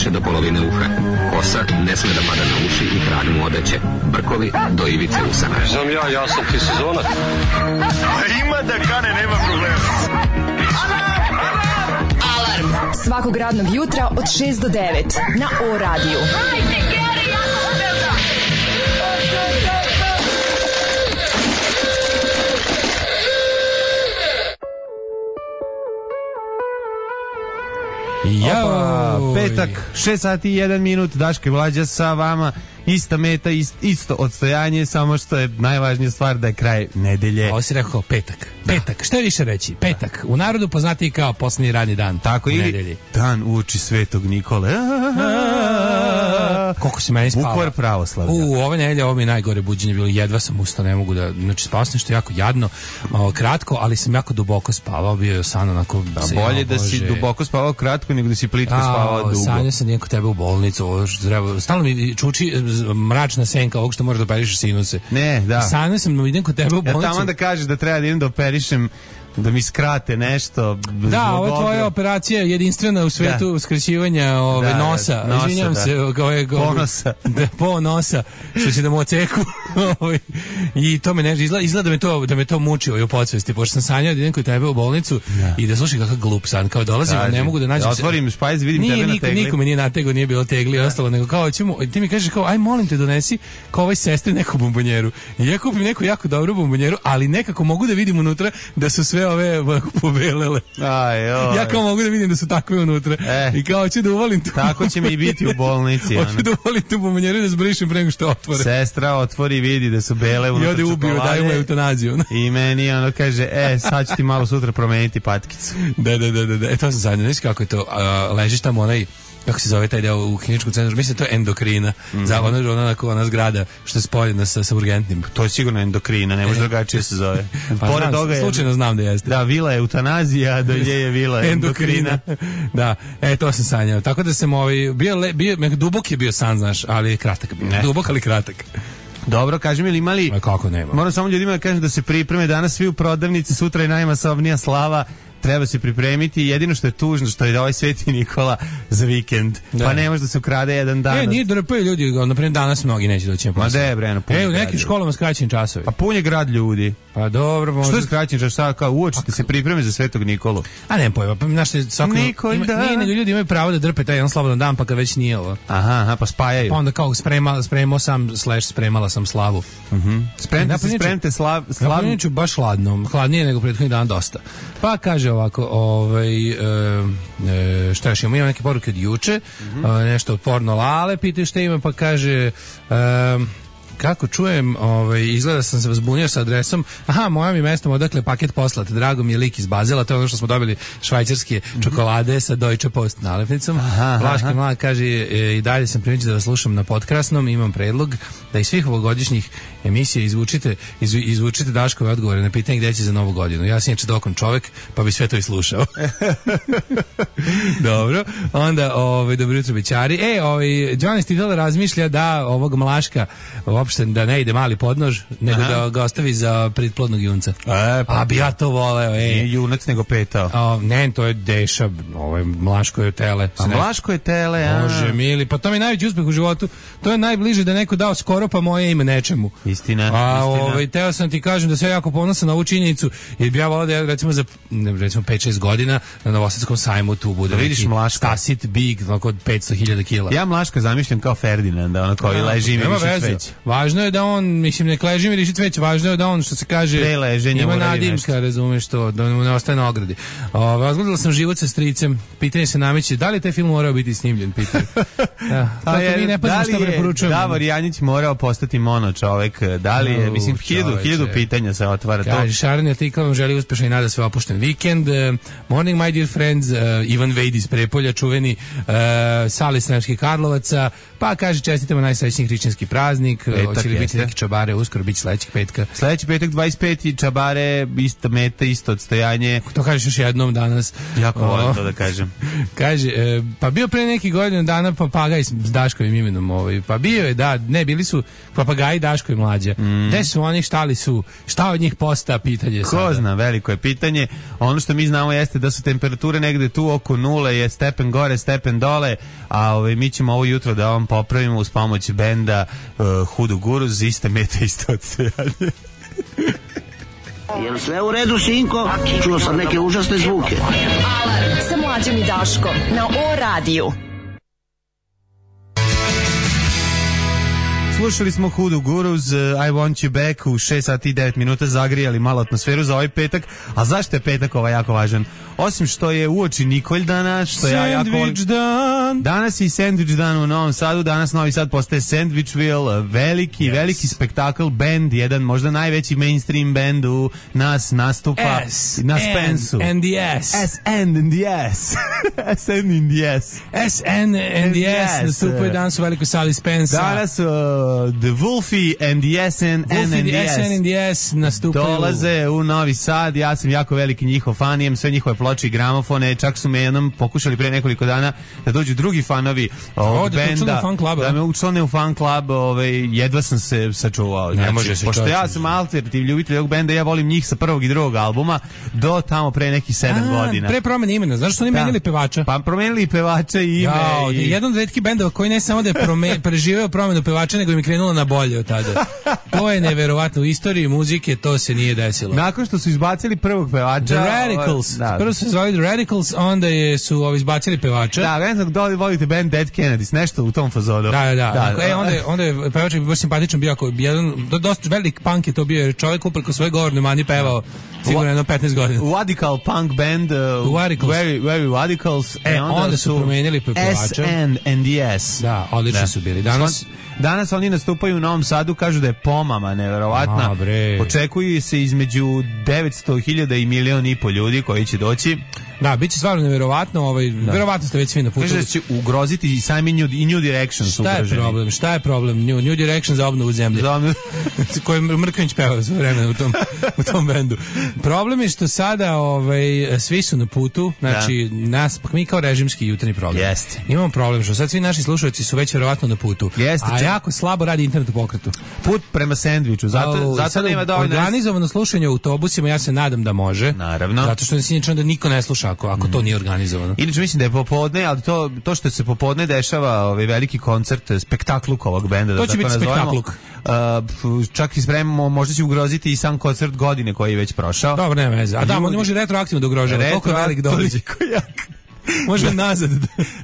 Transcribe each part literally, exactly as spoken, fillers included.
više do polovine uha. Kosa ne sme da pada na uši i kralj mu odeće. Brkovi do ivice usana. Znam ja, ja sam ti sezonac. Ima da kane, nema problema. Alarm svakog radnog jutra od šest do devet na O radiju. Jao, petak, šest sati i jedan minut, Daško i Mlađa sa vama, ista meta, ist, isto odstojanje, samo što je najvažnija stvar da je kraj nedelje. Ovo si rekao petak, petak, što je više reći, petak, u narodu poznatiji kao posljednji radni dan. Tako, ili nedelji. Dan uoči Svetog Nikole. Koliko si meni spava. Bukvar pravoslavlja. U, ove nedelje, ovo mi je najgore buđenje bilo, jedva sam ustao, ne mogu da, znači spavao sam što je jako jadno, malo kratko, ali sam jako duboko spavao, bio je san onako... Da, bolje da si duboko spavao kratko nego da si plitko spavao dugo. Sanja sam nije kod tebe u bolnicu, stalno mi čuči mračna senka ovog što možeš da operišeš sinuse. Ne, da. Sanja sam, idem kod tebe u bolnicu. Ja tamo da kažeš da treba da idem da operišem, da mi skrate nešto. Da, ovo je tvoja operacija jedinstvena u svetu da. Skraćivanja ove, da, nosa. nosa. Izvinjam da. se. Ove, Ponosa. Da, po nosa. Što si da mu oceku. I to me ne izgleda, izgleda da me to, da me to muči u podsvesti. Pošto sam sanjao da idem kod tebe u bolnicu da. I da slušaj kakav glup san. Kao dolazim, da, ne mogu da nađem... Da otvorim špajz, vidim nije, tebe niko, na tegli. Nikome nije na tegli, nije bilo tegli i ostalo. Nego kao, ćemo, ti mi kažeš kao, aj molim te donesi kao ovoj sestri neku bombonjeru. I ja kupim neku jako dobru bombonjeru, ali nekako mogu da vidim unutra da su sve ove pobelele. Aj, oj. Ja kao mogu da vidim da su takve unutra. Eh, I kao hoću da uvalim tu. Tako će mi i biti u bolnici. Hoću da uvalim tu bombonjeru da zbrišem pre nego što otvore. Sestra otvori, vidi da su bele unutra. I ode ubiju, daju mu eutanaziju. I meni ono kaže, e, sad ću ti malo sutra promeniti patkicu. Da, da, da, da. E, to sam zadnje. Znaš kako je to? A, ležiš tamo onaj, kako se zove taj deo u kliničkom centru, mislim da to je endokrina, mm-hmm. za ona, ona, ona zgrada što je spojena sa, sa urgentnim. To je sigurno endokrina, ne može drugačije se zove. Pa Pored znam, toga je, slučajno znam da jeste. Da, vila je eutanazija, dolje je vila endokrina. Da, e, to sam sanjao. Tako da sam ovaj, bio, le, bio dubok je bio san, znaš, ali kratak bio. Ne. Dubok, ali kratak. Dobro, kaži mi, ili imali... A kako nema? Moram samo ljudima da kažem da se pripreme danas svi u prodavnici, sutra je najmasovnija slava, treba se pripremiti. Jedino što je tužno što je ovaj Sveti Nikola za vikend. Da. Pa ne može da se ukrade jedan dan. E, nije drpaju ljudi, naprimjer danas mnogi neće doći na posao. Ma da je, bre, E, u nekim školama skraćeni časovi. Pa pun je grad ljudi. Pa dobro, možda... Što je skraćeni čas? Sad kao uočite se pripreme za Svetog Nikolu. A ne pojma, pa znaš, svako... Nikol, ima, da. Nije, nego ljudi imaju pravo da drpe taj jedan slobodan dan, pa kad već nije ovo. Aha, aha, pa spajaju. Pa onda kao sprema, spremao sam, slash spremala sam slavu. Mhm. Uh-huh. Spremte se, spremte slav... slav... Ja baš hladno, hladnije nego prethodnih dana dosta. Pa kaže ovako, ovaj, e, e, šta još imamo, imam neke poruke od juče, uh-huh. e, nešto od porno Lale, pitaju šta ima, pa kaže... E, kako čujem, ovaj, izgleda sam se zbunio sa adresom, aha, moja mi mestom odakle paket poslat, drago mi je lik iz Bazela, to je ono što smo dobili švajcarske čokolade sa Deutsche Post nalepnicom. Vlaška mlada kaže, e, i dalje sam primijetio da vas slušam na Podkrasnom, imam predlog da iz svih ovogodišnjih emisija izvučite, izvu, izvučite Daškove odgovore na pitanje gde će za novu godinu. Ja sam inače dokon čovek, pa bi sve to i slušao. Dobro, onda, ovaj, dobro jutro bićari. E, ovaj, Johnny Stidel razmišlja da ovog Mlaška uopšte da ne ide mali podnož, nego aha. Da ga ostavi za pretplodnog junca. E, pa, a bi ja to voleo, ej. Nije junac, nego petao. A, ne, to je Deša, ovo je Mlaško je tele. A Mlaško je tele, a. Bože mili, pa to mi je najveći uspeh u životu. To je najbliže da neko dao skoro pa moje ime nečemu. Istina, a, istina. Ovaj, teo sam ti kažem da se jako ponosan na ovu činjenicu, jer bi ja volao da ja, recimo za recimo pet šest godina na Novosadskom sajmu tu bude. Da vidiš Mlaška. Stasit big, oko petsto hiljada kila. Ja Mlaška zamišljam kao Ferdinanda, ono koji leži i miriši cveće. Važno je da on, mislim, ne leži miriši cveće, važno je da on, što se kaže, ima nadimka, razumeš to, da mu ne ostaje na ogradi. Razgledala sam Život sa stricem, pitanje se nameće, da li je taj film morao biti snimljen, pitanje. Ja, tako je, mi ne pazimo što preporučujemo. Davor Janjić morao postati mono čovek, da li je, mislim, hiljadu, hiljadu pitanja se otvara. Kaže, Šaran Jatika vam želi uspešan i nada sve opušten vikend. Uh, morning, my dear friends, uh, Ivan Vejd iz Prepolja, čuveni uh, Sali Sremskih Karlovaca, pa kaže, čestitamo najsrećniji hrišćanski praznik. E, Petak, hoće li biti jeste. neki čabare uskoro, biti sledećeg petka. Sledeći petak dvadeset peti i čabare, isto meta, isto odstojanje. To kažeš još jednom danas. Jako O, volim to da kažem. Kaže, e, pa bio pre neki godinu dana papagaj s s Daškovim imenom, ovaj. Pa bio je, da, ne, bili su papagaji Daško i Mlađa. Mm. Gde su oni, šta li su, šta od njih posta, pitanje Ko sada. zna, veliko je pitanje. Ono što mi znamo jeste da su temperature negde tu oko nule, je stepen gore, stepen dole, a ovaj, mi ćemo ovo jutro da vam popravimo uz pomoć benda uh, Hudu Guruz, iste meta, isto odstojanje. Jel sve u redu, sinko? Čuo sam neke užasne zvuke. Alarm sa Mlađom i Daškom na O radiju. Slušali smo Hudu Guruz, uh, I Want You Back u šest sati i devet minuta, zagrijali malo atmosferu za ovaj petak. A zašto je petak ovaj jako važan? Osim što je uoči Nikoldana, što ja jako volim. Sandvič dan. Danas je Sandvič dan u Novom Sadu, danas Novi Sad postaje Sandvičville, veliki, yes. veliki spektakl, band, jedan možda najveći mainstream band u nas nastupa S na Spensu. and the S. S and in the S. S and in the S. S N and the S nastupaju danas u velikoj sali Spensa. Danas uh, The Wolfie and the S N and Wolfie, the the S N and the S nastupaju. Dolaze u Novi Sad, ja sam jako veliki njihov fan, imam sve njihove ploče i gramofone, čak su me jednom pokušali pre nekoliko dana da dođu drugi fanovi ovog da benda, da me učlane u fan klub, ovaj, jedva sam se sačuvao. Ne znači, može se pošto čovječ. ja sam alternativ ljubitelj ovog benda, ja volim njih sa prvog i drugog albuma do tamo pre nekih sedam A, godina. Pre promene imena, znaš što oni Da. menjali pevača? Pa promenili i pevača i ime. Jao, i... jedan od retkih bendova koji ne samo da je prome, preživeo promenu pevača, nego im je krenulo na bolje od tada. To je neverovatno. U istoriji muzike to se nije desilo. Nakon što su izbacili prvog pevača... The Radicals. Da. Prvo su se zvali The Radicals, onda je, su ovi izbacili pevača. Da, ne znam da li volite band Dead Kennedys, nešto u tom fazonu. Da, da, da. da, E, onda, je, onda je pevač je baš simpatičan bio, ako jedan, do, dosta velik punk je to bio, jer čovjek upreko svoje govorne mani pevao sigurno jedno petnaest godina. Radical punk band, uh, Radicals. very, very Radicals. E, onda, onda su promenili pevača. S N and the S. Da, odlični Da. su bili. Danas... Danas oni nastupaju u Novom Sadu, kažu da je pomama neverovatna. A, bre. Očekuju se između devetsto hiljada i milion i po ljudi koji će doći. Da, bit će stvarno neverovatno, ovaj, verovatno ste već svi na putu. Kaže da će ugroziti i sami New, i New Direction su Šta je ugroženi. problem? Šta je problem? New, New Direction za obnovu zemlje. Za obnovu. Koji Mrković pevao sve vreme u tom, u tom bendu. Problem je što sada ovaj, svi su na putu, znači da. nas, pa mi kao režimski jutarnji program. Jeste. Imamo problem što sad svi naši slušalci su već verovatno na putu. Jeste, a če... jako slabo radi internet u pokretu. Put prema sendviču, zato, o, zato nema dovoljno... Organizovano slušanje u autobusima, ja se nadam da može. Naravno. Zato što se da niko ne sluša ako, ako mm. to nije organizovano. Inače mislim da je popodne, ali to, to što se popodne dešava, ovaj veliki koncert, spektakluk ovog benda, da to će tako biti nazovemo. spektakluk. Uh, čak i spremamo, možda će ugroziti i sam koncert godine koji je već prošao. Dobro, nema veze. A da, on može retroaktivno da ugrožava. Retro, Koliko je velik dođe. Može nazad.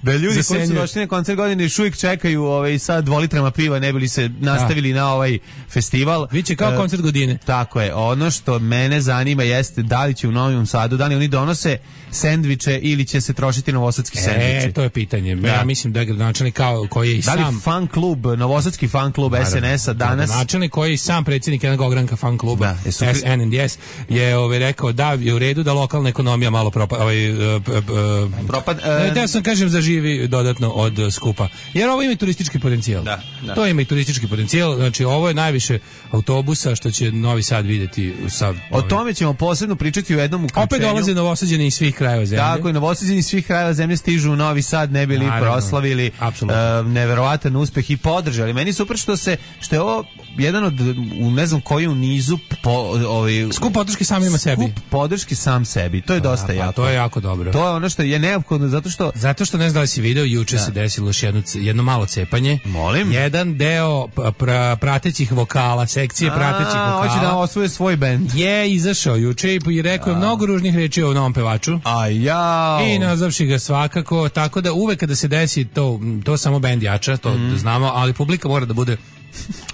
Da ljudi koji su došli na koncert godine još uvijek čekaju ovaj, sa dvolitrama piva, ne bili se nastavili da. na ovaj festival. Biće kao uh, koncert godine. Tako je. Ono što mene zanima jeste da li će u Novom Sadu, da li oni donose sendviče ili će se trošiti novosadski e, sendviči. E, to je pitanje. Da. Ja mislim da je gradonačelnik kao koji je i da sam... Da li fan klub, novosadski fan klub S N S-a danas... Gradonačelnik koji je sam predsjednik jednog ogranka fan kluba da, S N and S je ovaj, rekao da je u redu da lokalna ekonomija malo propa... Ovaj, uh, uh, propad... Uh, da sam kažem zaživi dodatno od uh, skupa. Jer ovo ima i turistički potencijal. Da, da. To ima i turistički potencijal. Znači ovo je najviše autobusa što će Novi Sad vidjeti sa... O ovim. tome ćemo posebno pričati u jednom uključenju. Opet dolaze Novosađeni iz svih krajeva zemlje. Tako je, Novosađeni iz svih krajeva zemlje stižu u Novi Sad, ne bili Naravno. proslavili uh, neverovatan uspeh i podržali. Meni super što se što je ovo jedan od u ne znam koji u nizu po, ovaj skup podrške samima sebi. Skup podrške sam sebi. To je dosta pa, jako. To je jako dobro. To je ono što je neophodno zato što zato što ne znam da li si video juče da. se desilo još jedno jedno malo cepanje. Molim. Jedan deo pra, pratećih vokala, sekcije A, pratećih vokala. Hoće da osvoje svoj bend. Je izašao juče i rekao je mnogo ružnih reči o novom pevaču. A ja. I nazavši ga svakako, tako da uvek kada se desi to to samo bend jača, to mm. znamo, ali publika mora da bude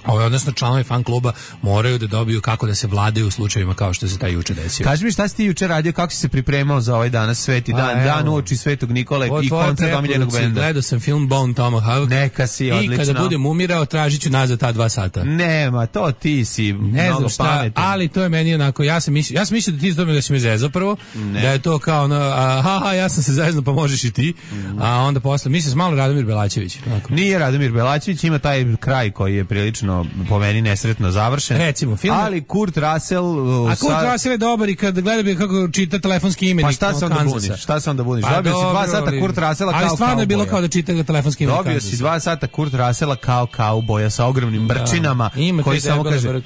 Ovo, odnosno članovi fan kluba moraju da dobiju kako da se vladaju u slučajevima kao što se taj juče desio. Kaži mi šta si ti juče radio, kako si se pripremao za ovaj danas sveti dan, A, dan uoči Svetog Nikole i koncert omiljenog benda. Gledao sam film Bone Tomahawk. Neka si, odlično. I kada budem umirao, tražit ću nazad ta dva sata. Nema, to ti si ne mnogo znam šta, pametan. Ali to je meni onako, ja sam mislio, ja sam mislio da ti zdobi da si me zezao prvo, ne. Da je to kao ono, aha, ja sam se zezno, pa možeš i ti. Mm. A onda posle, mislim, malo Radomir Belačević. Onako. Nije Radomir Belačević, ima taj kraj koji je prilično po meni nesretno završen. Recimo, film... Ali Kurt Russell... A Kurt sa... Russell je dobar i kad gleda bi kako čita telefonski imenik. Pa šta se onda buniš? Šta se onda buniš? Pa dobio dobro, si dva sata ali, Kurt Russella kao ali stvarno je bilo kao da čita telefonski imenik. Dobio si dva sata Kurt Russella kao kauboja sa ogromnim brčinama, da, koji samo kaže...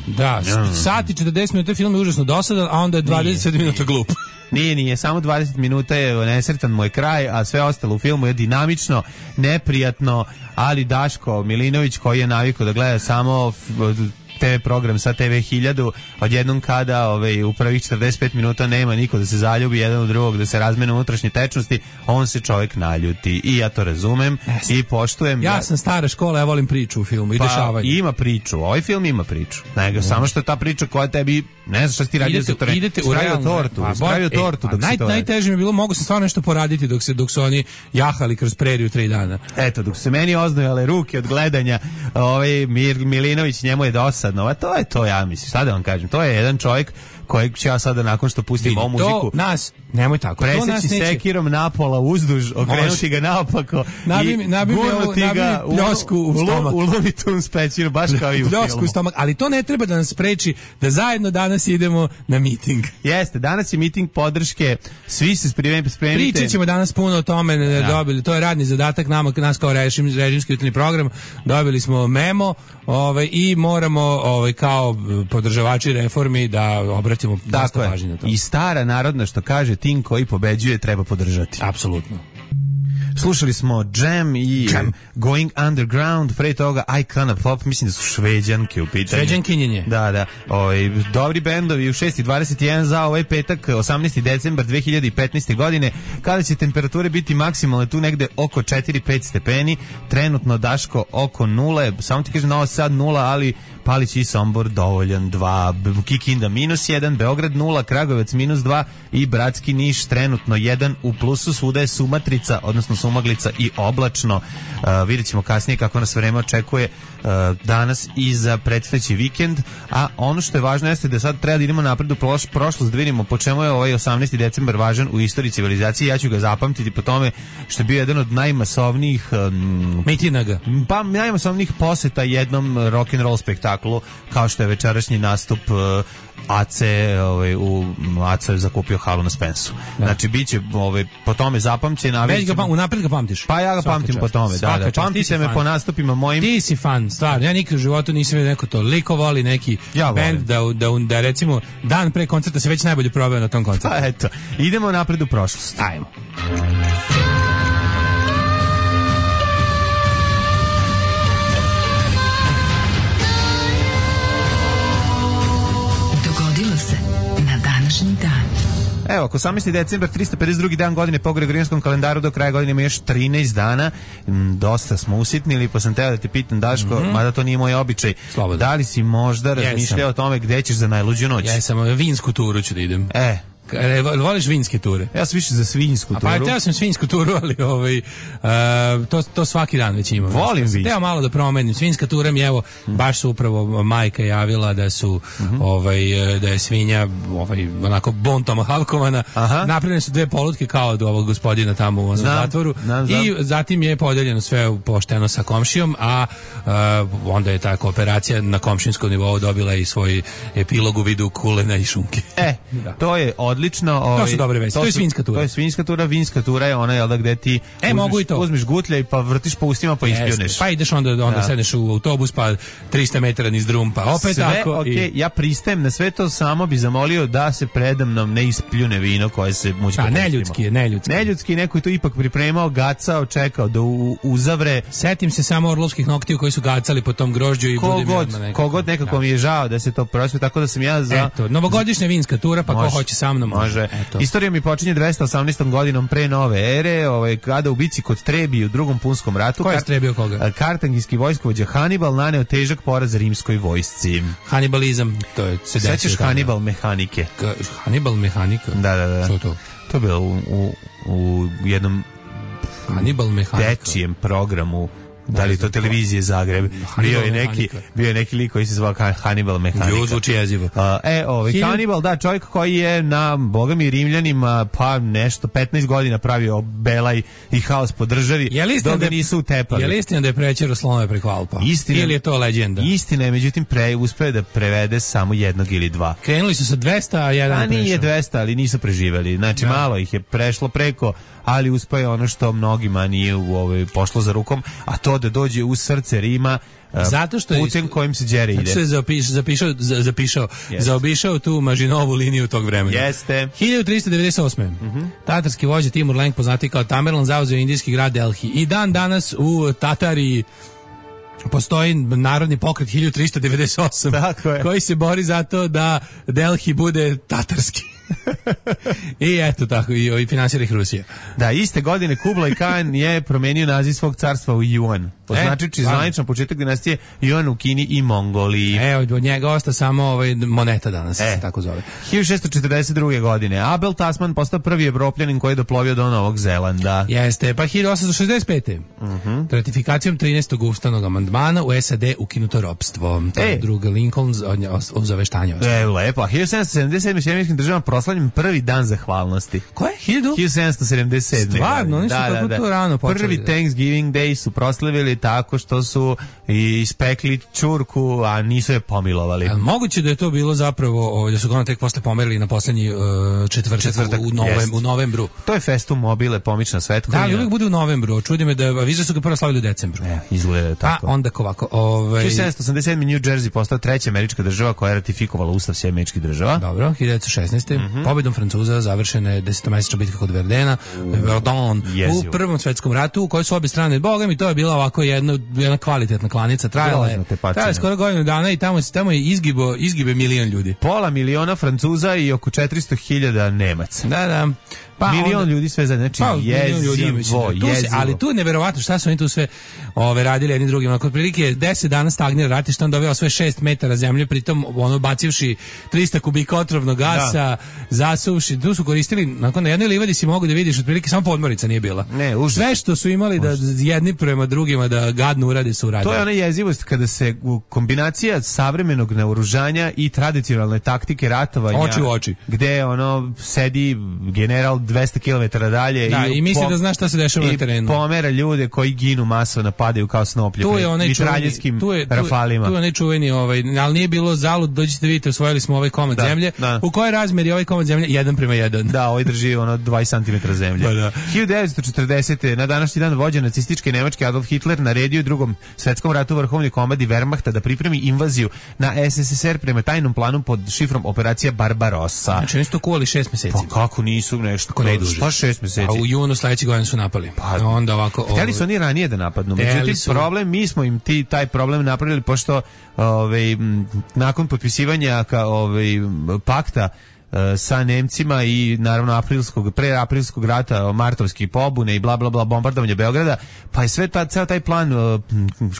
Da, sat i četrdeset minuta film je užasno dosadan, a onda je dvadeset minuta glup. Nije, nije, samo dvadeset minuta je nesretan moj kraj, a sve ostalo u filmu je dinamično, neprijatno, ali Daško Milinović koji je navikao da gleda samo te ve program sa te ve hiljadu, odjednom kada ovaj, u prvih četrdeset pet minuta nema niko da se zaljubi jedan u drugog, da se razmene unutrašnje tečnosti, on se čovjek naljuti. I ja to razumem yes. i poštujem. Ja da... sam stara škola, ja volim priču u filmu i pa, dešavanje. Ima priču, ovaj film ima priču. Nego, mm. samo što je ta priča koja tebi, ne znaš šta si ti radio za to. Idete u realnu tortu, pa, spravio e, tortu pa, dok naj, si to najteže mi je bilo, mogu sam stvarno nešto poraditi dok, se, dok su oni jahali kroz preriju tri dana. Eto, dok su se meni oznojale ruke od gledanja, ovaj Mir, Milinović, njemu je dosadno, a to je to, ja mislim, šta da vam kažem, to je jedan čovjek kojeg ću ja sada nakon što pustim ovu muziku nas, nemoj tako, preseći sekirom napola uzduž, okrenuti ga naopako nabi, i nabi gurnuti ga u pljosku u stomak. U Looney Tunes pećinu, baš kao i u filmu. Stomak, ali to ne treba da nas spreči da zajedno danas idemo na miting. Jeste, danas je miting podrške, svi se spremite. Pričat ćemo danas puno o tome, ja. dobili, to je radni zadatak nama, nas kao režim, režimski jutarnji program, dobili smo memo ovaj, i moramo ovaj, kao podržavači reformi da obratimo dosta pažnje na to. I stara narodna što kaže, tim koji pobeđuje treba podržati. Apsolutno. Slušali smo Jam i Jam. Going Underground, pre toga Icona Pop, mislim da su Šveđanke u pitanju. Šveđankinjenje. Da, da. Ovaj dobri bendovi u šest i dvadeset jedan za ovaj petak, osamnaesti decembar dve hiljade petnaeste. godine, kada će temperature biti maksimalne tu negde oko četiri pet stepeni, trenutno Daško oko nule, samo ti kažem Novi Sad nula, ali Palić i Sombor dovoljan dva, Kikinda minus jedan, Beograd nula, Kragujevac minus dva i Bratski Niš trenutno jedan u plusu, svuda je sumatrica, odnosno sumaglica i oblačno. Uh, vidjet ćemo kasnije kako nas vreme očekuje uh, danas i za predstojeći vikend, a ono što je važno jeste da sad treba da idemo napred u proš, prošlost, da vidimo po čemu je ovaj osamnaesti decembar važan u istoriji civilizacije. Ja ću ga zapamtiti po tome što je bio jedan od najmasovnijih um, mitinaga, pa najmasovnijih poseta jednom rock'n'roll spektaklu, kao što je večerašnji nastup uh, Ace, ovaj, u Ace je zakupio halu na Spensu. Da. Znači, bit će ovaj, po tome zapamćen. Već ga, unapred ga pamtiš? Pa ja ga Svaka pamtim čast. Po tome, da, da. Pamtite me fan. Po nastupima mojim. Ti si fan, stvarno. Ja nikad u životu nisam vidio neko toliko voli neki ja band da, da, da recimo dan pre koncerta se već najbolje probao na tom koncertu. Pa eto, idemo napred u prošlost. Ajmo. Evo, ako osamnaesti decembar, tristo pedeset drugi dan godine po Gregorijanskom kalendaru, do kraja godine ima još trinaest dana. Dosta smo usitnili, pa sam teo da te pitam, Daško, mm-hmm. mada to nije moj običaj. Slobodno. Da li si možda razmišljao o tome gde ćeš za najluđu noć? Ja sam, vinsku turu ću da idem. E, voliš vinske ture? Ja sam više za svinjsku turu. A pa ja sam svinjsku turu, ali ovaj, uh, to, to svaki dan već imam. Volim vinsku. Teo malo da promenim. Svinjska tura mi, evo, baš su upravo majka javila da su, mm-hmm. ovaj, da je svinja ovaj, onako bontom havkovana. Napravljene su dve polutke kao od ovog gospodina tamo u onom znam, zatvoru. Znam, znam. I zatim je podeljeno sve pošteno sa komšijom, a uh, onda je ta kooperacija na komšinskom nivou dobila i svoj epilog u vidu kulena i šunke. E, da. To je od odlično. Ovaj, to su dobre vesti. To, to je svinjska tura. To je svinjska tura, vinska tura je ona, jel da, gde ti e, uzmiš, mogu i to. Uzmiš gutljaj pa vrtiš po ustima pa ispljuneš. Pa ideš onda, onda da. sedneš u autobus pa trista metara niz drum pa opet sve, tako. Okay, i... ja pristajem na sve to, samo bi zamolio da se predamnom ne ispljune vino koje se mučka. A neljudski je, neljudski. Neljudski, neko je to ipak pripremao, gacao, čekao da u, uzavre. Setim se samo orlovskih noktiju koji su gacali po tom grožđu i kogod, budem odmah nekako. Kogod nekako da. Mi je žao da se to prospe, tako da sam ja za... Eto, novogodišnja vinska tura, pa može, ko hoće sa mnom. Može. Istorija mi počinje dvesta osamnaestom godinom pre nove ere, ovaj, kada u bici kod Trebi u drugom punskom ratu. Ko je strebio koga? Kartagijski vojskovođa Hanibal naneo težak poraz rimskoj vojsci. Hanibalizam, to je se desilo. Sećaš Hanibal mehanike? Ka, Hanibal mehanika? Da, da, da. Što to? To je bilo u, u, u jednom Hanibal mehanika. dečijem programu Da li to televizije Zagreb? Bio je neki, bio je neki lik koji se zvao Hannibal Mehanika. Jo, zvuči jezivo. Uh, e, ovaj Hilj... Hannibal, da, čovjek koji je na, bogami, Rimljanima pa nešto petnaest godina pravio belaj i haos po državi, dok ga nisu utepali. Je li istina da je prećero slonove preko Alpa? Istina, ili je to leđenda? Istina je, međutim, pre, uspeo da prevede samo jednog ili dva. Krenuli su sa dvesta, a jedan a nije prešao. dvesta, ali nisu preživeli. Znači, da. Malo ih je prešlo preko, ali uspeo je ono što mnogima nije u ovaj, pošlo za rukom, a to da dođe u srce Rima, zato što putem is... kojim se đere ide. Zato što je zapiš, zapišao, zapišao, zaobišao tu Mažinovu liniju tog vremena. Jeste. hiljadu trista devedeset osme. Mm-hmm. Tatarski vođa Timur Lenk, poznati kao Tamerlan, zauzeo indijski grad Delhi. I dan danas u Tatariji postoji narodni pokret hiljadu trista devedeset osam koji se bori za to da Delhi bude tatarski. I eto tako, i, i finansira ih Rusija. Da, iste godine Kublai Khan je promenio naziv svog carstva u Yuan, označujući e, zvanično početak dinastije Yuan u Kini i Mongoliji. E, od njega osta samo ovaj, moneta danas, e. se tako zove. hiljadu šessto četrdeset druge. godine Abel Tasman postao prvi Evropljanin koji je doplovio do Novog Zelanda. Jeste, pa hiljadu osamsto šezdeset pete. Uh-huh. Ratifikacijom trinaestog ustavnog amandmana u S A D ukinuto ropstvo. To je druga Lincoln o zaveštanje. E, lepo. hiljadu sedamsto sedamdeset sedme. Sjemičkim državama proslavljen prvi dan zahvalnosti. Ko je? hiljadu sedamsto sedamdeset sedme. Stvarno, oni su da, tako da, to rano počeli. Prvi da. Thanksgiving Day su proslavili tako što su ispekli čurku, a nisu je pomilovali. A moguće da je to bilo zapravo, da su ga ono tek posle pomerili na poslednji uh, četvrtak, četvrtak u, novem, u novembru. To je Festum mobile, pomična svetkovina. Da, ali uvijek bude u novembru. Čudi me da viže su ga prvo slavili u decembru. E, izgleda tako. A onda ovako. Ovaj... hiljadu sedamsto osamdeset sedme. New Jersey postao treća američka država koja je ratifikovala Ustav Sjedinjenih Američkih Država. Dobro, hiljadu devetsto šesnaeste. Mm-hmm. Pobedom Francuza završena je desetomesečna bitka kod Verdena, Verdun, u Prvom svetskom ratu, u kojoj su obje strane, boga mi, to je bila ovako jedna, jedna kvalitetna klanica, trajala je, trajala je skoro godinu dana i tamo, tamo je izgibo, izgibe milion ljudi. Pola miliona Francuza i oko četiristo hiljada Nemaca. Da, da. Pa milion onda, ljudi sve za, znači pa, jezivo, jezivo. Se, ali tu je neverovatno šta su oni tu sve ove, radili jedni drugima. Kod prilike deset dana stagnira rat i što on doveo sve šest metara zemlje, pritom ono bacivši trista kubika otrovnog gasa, da. Zasuvši, tu su koristili, nakon na jednoj livadi si mogu da vidiš, otprilike samo podmornica nije bila. Ne, užas. Sve što su imali da jedni prema drugima da gadno urade su uradili. To je ona jezivost kada se kombinacija savremenog naoružanja i tradicionalne taktike ratovanja, oči u oči, gde ono sedi general dvesta kilometara dalje da, i, i misli da zna šta se dešava na terenu. I pomera ljude koji ginu masovno, padaju kao snoplje pred mitraljetskim rafalima. Tu je onaj čuveni, ovaj, ali nije bilo zalud, dođite vidite, osvojili smo ovaj komad da, zemlje. Da. U kojoj razmeri ovaj komad zemlje? Jedan prema jedan. Da, ovaj drži ono dvadeset centimetara zemlje. Pa da. hiljadu devetsto četrdesete. na današnji dan vođa nacističke Nemačke Adolf Hitler naredio u Drugom svetskom ratu vrhovni komandi Wehrmachta da pripremi invaziju na S S S R prema tajnom planu pod šifrom operacija Barbarossa. Znači, oni su to kuvali šest meseci. Pa kako nisu nešto? Kako ne duže? Šta šest meseci? A u junu sledeće godine su napali. Pa onda ovako. Hteli su oni ranije da napadnu. Međutim, su... problem, mi smo im ti taj problem napravili pošto ovaj, nakon potpisivanja ka, ovaj, pakta sa Nemcima i naravno aprilskog, pre aprilskog rata, martovskih pobune i bla bla bla, bombardovanje Beograda, pa je sve ta, ceo taj plan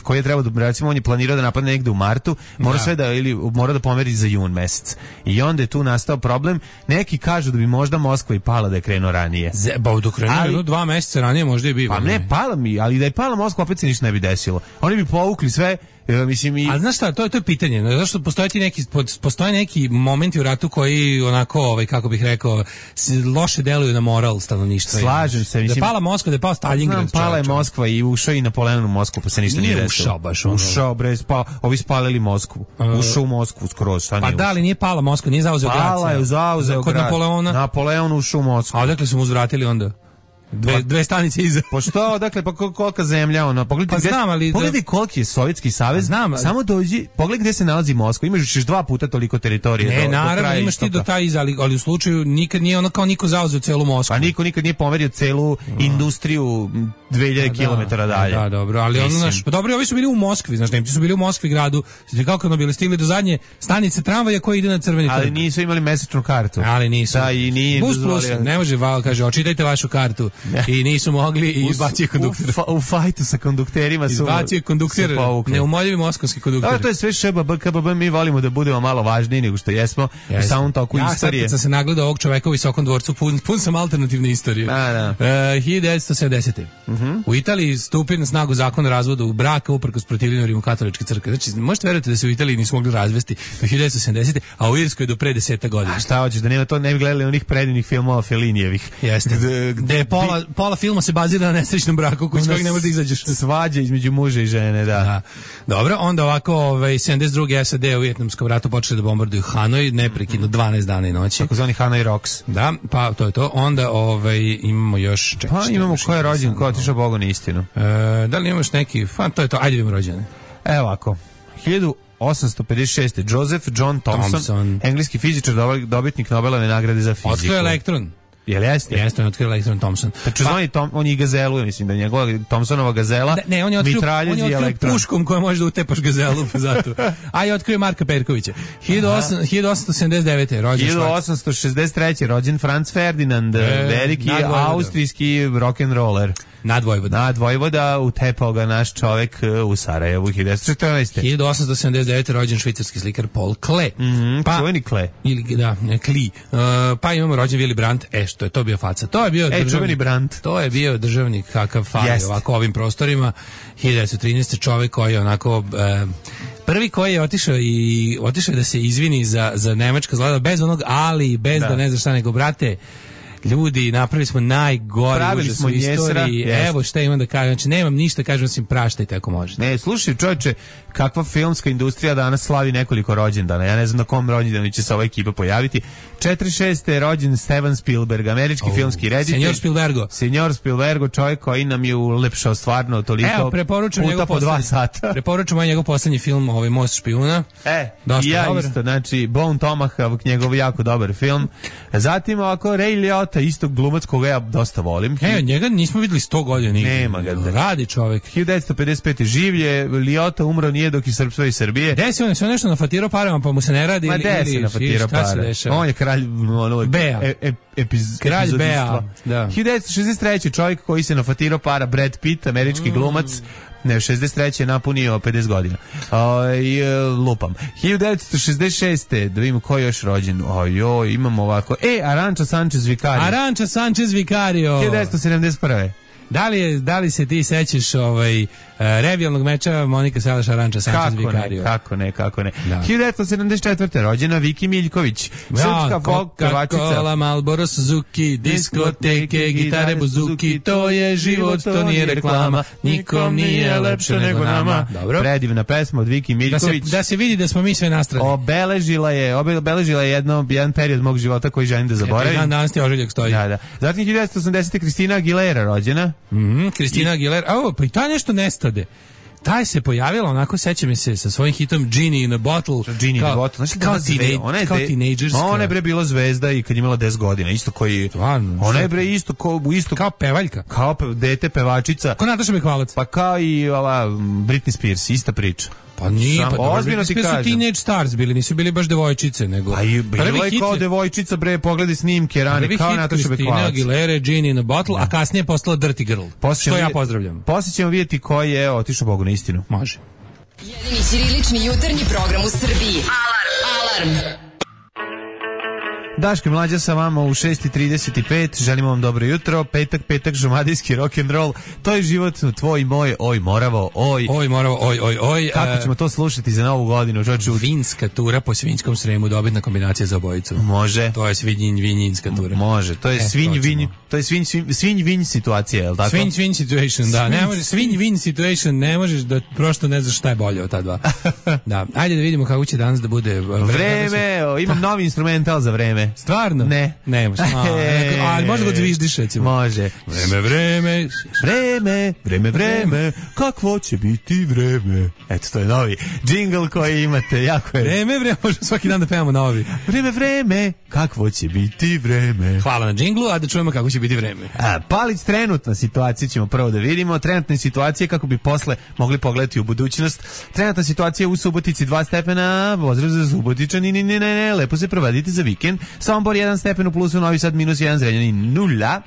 koji je trebao da, recimo on je planirao da napadne negde u martu, mora da. sve da, ili mora da pomeri za jun mesec. I onda je tu nastao problem. Neki kažu da bi možda Moskva i pala da je krenuo ranije. Ba, dok krenuo dva meseca ranije možda i bi. Pa ne, pala mi, ali da je pala Moskva opet se ništa ne bi desilo. Oni bi povukli sve. Ja, mislim i... A znaš šta, to je to je pitanje. Zašto postoje neki postoje neki momenti u ratu koji onako, ovaj kako bih rekao, loše deluju na moral stanovništva. Slažem se, mislim. Da je pala Moskva, da je pao Stalingrad. Pala je Moskva i ušao i Napoleon u Moskvu, pa se ništa nije, nije desilo. Ušao baš ono. Ušao bre, pa ovi spalili Moskvu. Uh, ušao u Moskvu skroz, šta nije. Pa da li nije pala Moskva, nije zauzeo grad. Pala je, zauzeo kod grad. Napoleona. Napoleon ušao u Moskvu. A odakle su mu uzvratili onda? Dve, dve stanice iza. Pa što, dakle, pa kolika zemlja, ono, pogledaj, pa znam, ali pogledaj koliki je Sovjetski savez, znam, ali... samo dođi, pogledaj gdje se nalazi Moskva, imaš još dva puta toliko teritorije. Ne, do, naravno, do kraja imaš ti do taj iza, ali, ali u slučaju nikad nije ono kao niko zauzeo celu Moskvu. Pa niko nikad nije pomerio celu no. industriju dve hiljade kilometara dalje. Da, dobro, ali ono, naš, pa dobro, ovi su bili u Moskvi, znaš, Nemci su bili u Moskvi gradu, znači kako ono bili stigli do zadnje stanice tramvaja koji ide na Crveni trg. Ali nisu imali mesečnu kartu. Ali nisu. Da, i nije Bus plus, ne može, Val kaže, očitajte vašu kartu. i nisu mogli i izbacio kondukter. U, fa, u fajtu sa kondukterima su izbacio kondukter, neumoljivi moskovski kondukter. Da, to je sve š b b k b b, mi volimo da budemo malo važniji nego što jesmo u samom toku ja, istorije. Ja sad kad sam se nagledao ovog čoveka u Visokom dvorcu, pun, pun sam alternativne istorije. A, da. Uh, hiljadu devetsto sedamdesete. Uh-huh. U Italiji stupi na snagu zakon o razvodu braka uprkos protivljenju rimokatoličke crkve. Znači, možete verovati da se u Italiji nisu mogli razvesti do hiljadu devetsto sedamdesete. a u Irskoj do pre deseta godina. A šta hoćeš, da nema to, ne bi gledali onih predivnih filmova Fellinijevih. Jeste. Gde je pola, pola filma se bazira na nesrećnom braku koji s kojeg ne možeš da izađeš. Svađa između muža i žene, da. da. Dobro, onda ovako, ovaj, sedamdeset druge. S A D u Vijetnamskom ratu počeli da bombarduju Hanoj, neprekidno dvanaest dana i noći. Tako zvani Hanoi Rocks. Da, pa to je to. Onda ovaj, imamo još... Ček, pa imamo ko je rođen, ko je otišao Bogu na istinu. E, da li imaš neki... Pa to je to, ajde vidimo rođene. Evo ovako, hiljadu osamsto pedeset šeste. Joseph John Thomson, Thompson. engleski fizičar, dobitnik Nobelove nagrade za fiziku. Otkrio elektron. Jel jeste? Jeste, on je otkrio elektron Thomson. Tačno zvani Tom, on je i gazelu, ja mislim da je njegova Thomsonova gazela. Da, ne, on je otkrio, on je otkrio puškom koja može da utepaš gazelu zato. A i otkrio Marka Perkovića. hiljadu osamsto sedamdeset devete. rođen hiljadu osamsto šezdeset treće. rođen Franz Ferdinand, e, veliki austrijski rock'n'roller. Nadvojvoda. Nadvojvoda, utepao ga naš čovek u Sarajevu hiljadu devetsto četrnaeste. hiljadu osamsto sedamdeset devete. rođen švicarski slikar Paul Klee. Mm, pa, čuveni Klee. Ili, da, Klee. Uh, pa imamo rođen Willy Brandt. E, što je to bio faca? To je bio e, državnik. Brandt. To je bio državnik kakav fali ovako ovim prostorima. hiljadu devetsto trinaeste. čovek koji je onako... Uh, prvi koji je otišao i otišao da se izvini za, za nemačka zlada, bez onog ali, bez da, da ne zna šta nego, brate, ljudi, napravili smo najgore užas u istoriji. Evo šta imam da kažem. Znači, nemam ništa, kažem osim praštajte ako možete. Ne, slušaj, čovječe, kakva filmska industrija danas slavi nekoliko rođendana. Ja ne znam na kom rođendanu će se ova ekipa pojaviti. četrdeset šeste. je rođen Steven Spielberg, američki oh, filmski reditelj. Senjor Spielbergo. Senjor Spielbergo, čovjek koji nam je ulepšao stvarno toliko. Evo, preporučam puta po dva sata. Preporučam ovaj njegov poslednji film, ovaj Most špijuna. E, dosta i ja dobar. Isto, znači Bone Tomahawk, njegov jako dobar film. Zatim ovako Ray Liotta, isto glumac koga ja dosta volim. E, njega nismo videli sto godina nigde. Nema ga. Da. Radi čovjek. hiljadu devetsto pedeset pete. življe, Liotta umro nije dok je Srpstva i Srbije. Desi on se nešto nafatirao parama, pa mu se ne radi. Ma desi nafatirao para. On je kralj ono, Bea. E, e, epiz, kralj Bea. Da. hiljadu devetsto šezdeset treće. čovjek koji se nafatirao para, Brad Pitt, američki mm. glumac. Ne, šezdeset treće. je napunio pedeset godina. Oj, lupam. hiljadu devetsto šezdeset šeste. Da vidimo ko je još rođen. Ojoj, imamo ovako. E, Aranča Sanchez Vicario. Aranča Sanchez Vicario. hiljadu devetsto sedamdeset prve. Da li, je, da li se ti sećaš ovaj, uh, revijalnog meča Monika Salaš Aranča Sanchez Vicario? Kako ne, kako ne. Da. hiljadu devetsto sedamdeset četvrte. rođena Viki Miljković. Srpska folk pevačica. Coca-Cola, Marlboro, Suzuki, diskoteke, gitare, buzuki, to je život, to nije reklama, nikom nije lepše nego nama. Dobro. Predivna pesma od Viki Miljković. Da se, da se vidi da smo mi sve nastrani. Obeležila je, obeležila je jedno, jedan period mog života koji želim da zaboravim. Dan danas ti ožiljak stoji. Da, da. Zatim hiljadu devetsto osamdesete. Kristina Aguilera rođena. Mhm, Kristina Aguilera. O, pa i ta nešto nestade. Taj se pojavila, onako seća mi se sa svojim hitom Genie in a Bottle. Genie in a Bottle. Znači, kao teenage, ona je, de, teenagerska. Ona je bre bila zvezda i kad je imala deset godina, isto koji... Stvarno. Ona je bre isto, ko, isto kao pevaljka. Kao pe, dete pevačica. Ko Nataša Bekvalac. Pa kao i ova Britney Spears, ista priča. Pa nije, Sam, pa ozbiljno ti kažem. Su teenage stars bili, nisu bili baš devojčice, nego... Pa i bila je kao devojčica, bre, pogledaj snimke rane, kao Nataša Bekvalac. Kristina Aguilera, Genie in a Bottle, da. A kasnije postala Dirty Girl. Što ja pozdravljam. Poslije ćemo vidjeti ko je otišao Bogu na istinu. Može. Jedini ćirilični jutarnji program u Srbiji. Alarm! Alarm! Daško i Mlađa sa vama u šest i trideset pet. Želimo vam dobro jutro. Petak, petak, žumadijski rock'n'roll. To je život tvoj i moj. Oj, Moravo, oj. Oj, Moravo, oj, oj, oj. Kako ćemo to slušati za novu godinu? Čoču? Vinska tura po Svinjskom Sremu, dobitna kombinacija za obojicu. Može. To je svinjin, vinjinska tura. Može. To je e, svinj, vinj, to je svinj, svinj, svinj, vinj situacija, je li tako? Svinj, vinj situation, da. Ne možeš, svinj, vinj situation, ne možeš da prosto ne znaš šta je bolje od ta dva. Da. Ajde da vidimo kako će danas da bude vreme. Vreme, o, imam novi instrumental za vreme. Stvarno? Ne. Ne može. Ali možda ga zviždiš, recimo. Može. Vreme, vreme, vreme, vreme, vreme, kakvo će biti vreme. Eto, to je novi džingl koji imate, jako je. Vreme, vreme, možemo svaki dan da pevamo novi. Vreme, vreme, kakvo će biti vreme. Hvala na džinglu, a da čujemo kako će biti vreme. A, Palić, trenutna situacija ćemo prvo da vidimo. Trenutna situacija kako bi posle mogli pogledati u budućnost. Trenutna situacija u Subotici dva stepena, pozdrav za Subotičani, ne, ne, ne, ne, lepo se provadite za vikend. Sombor jedan stepen u plusu, Novi Sad minus jedan, Zrenjanin nula.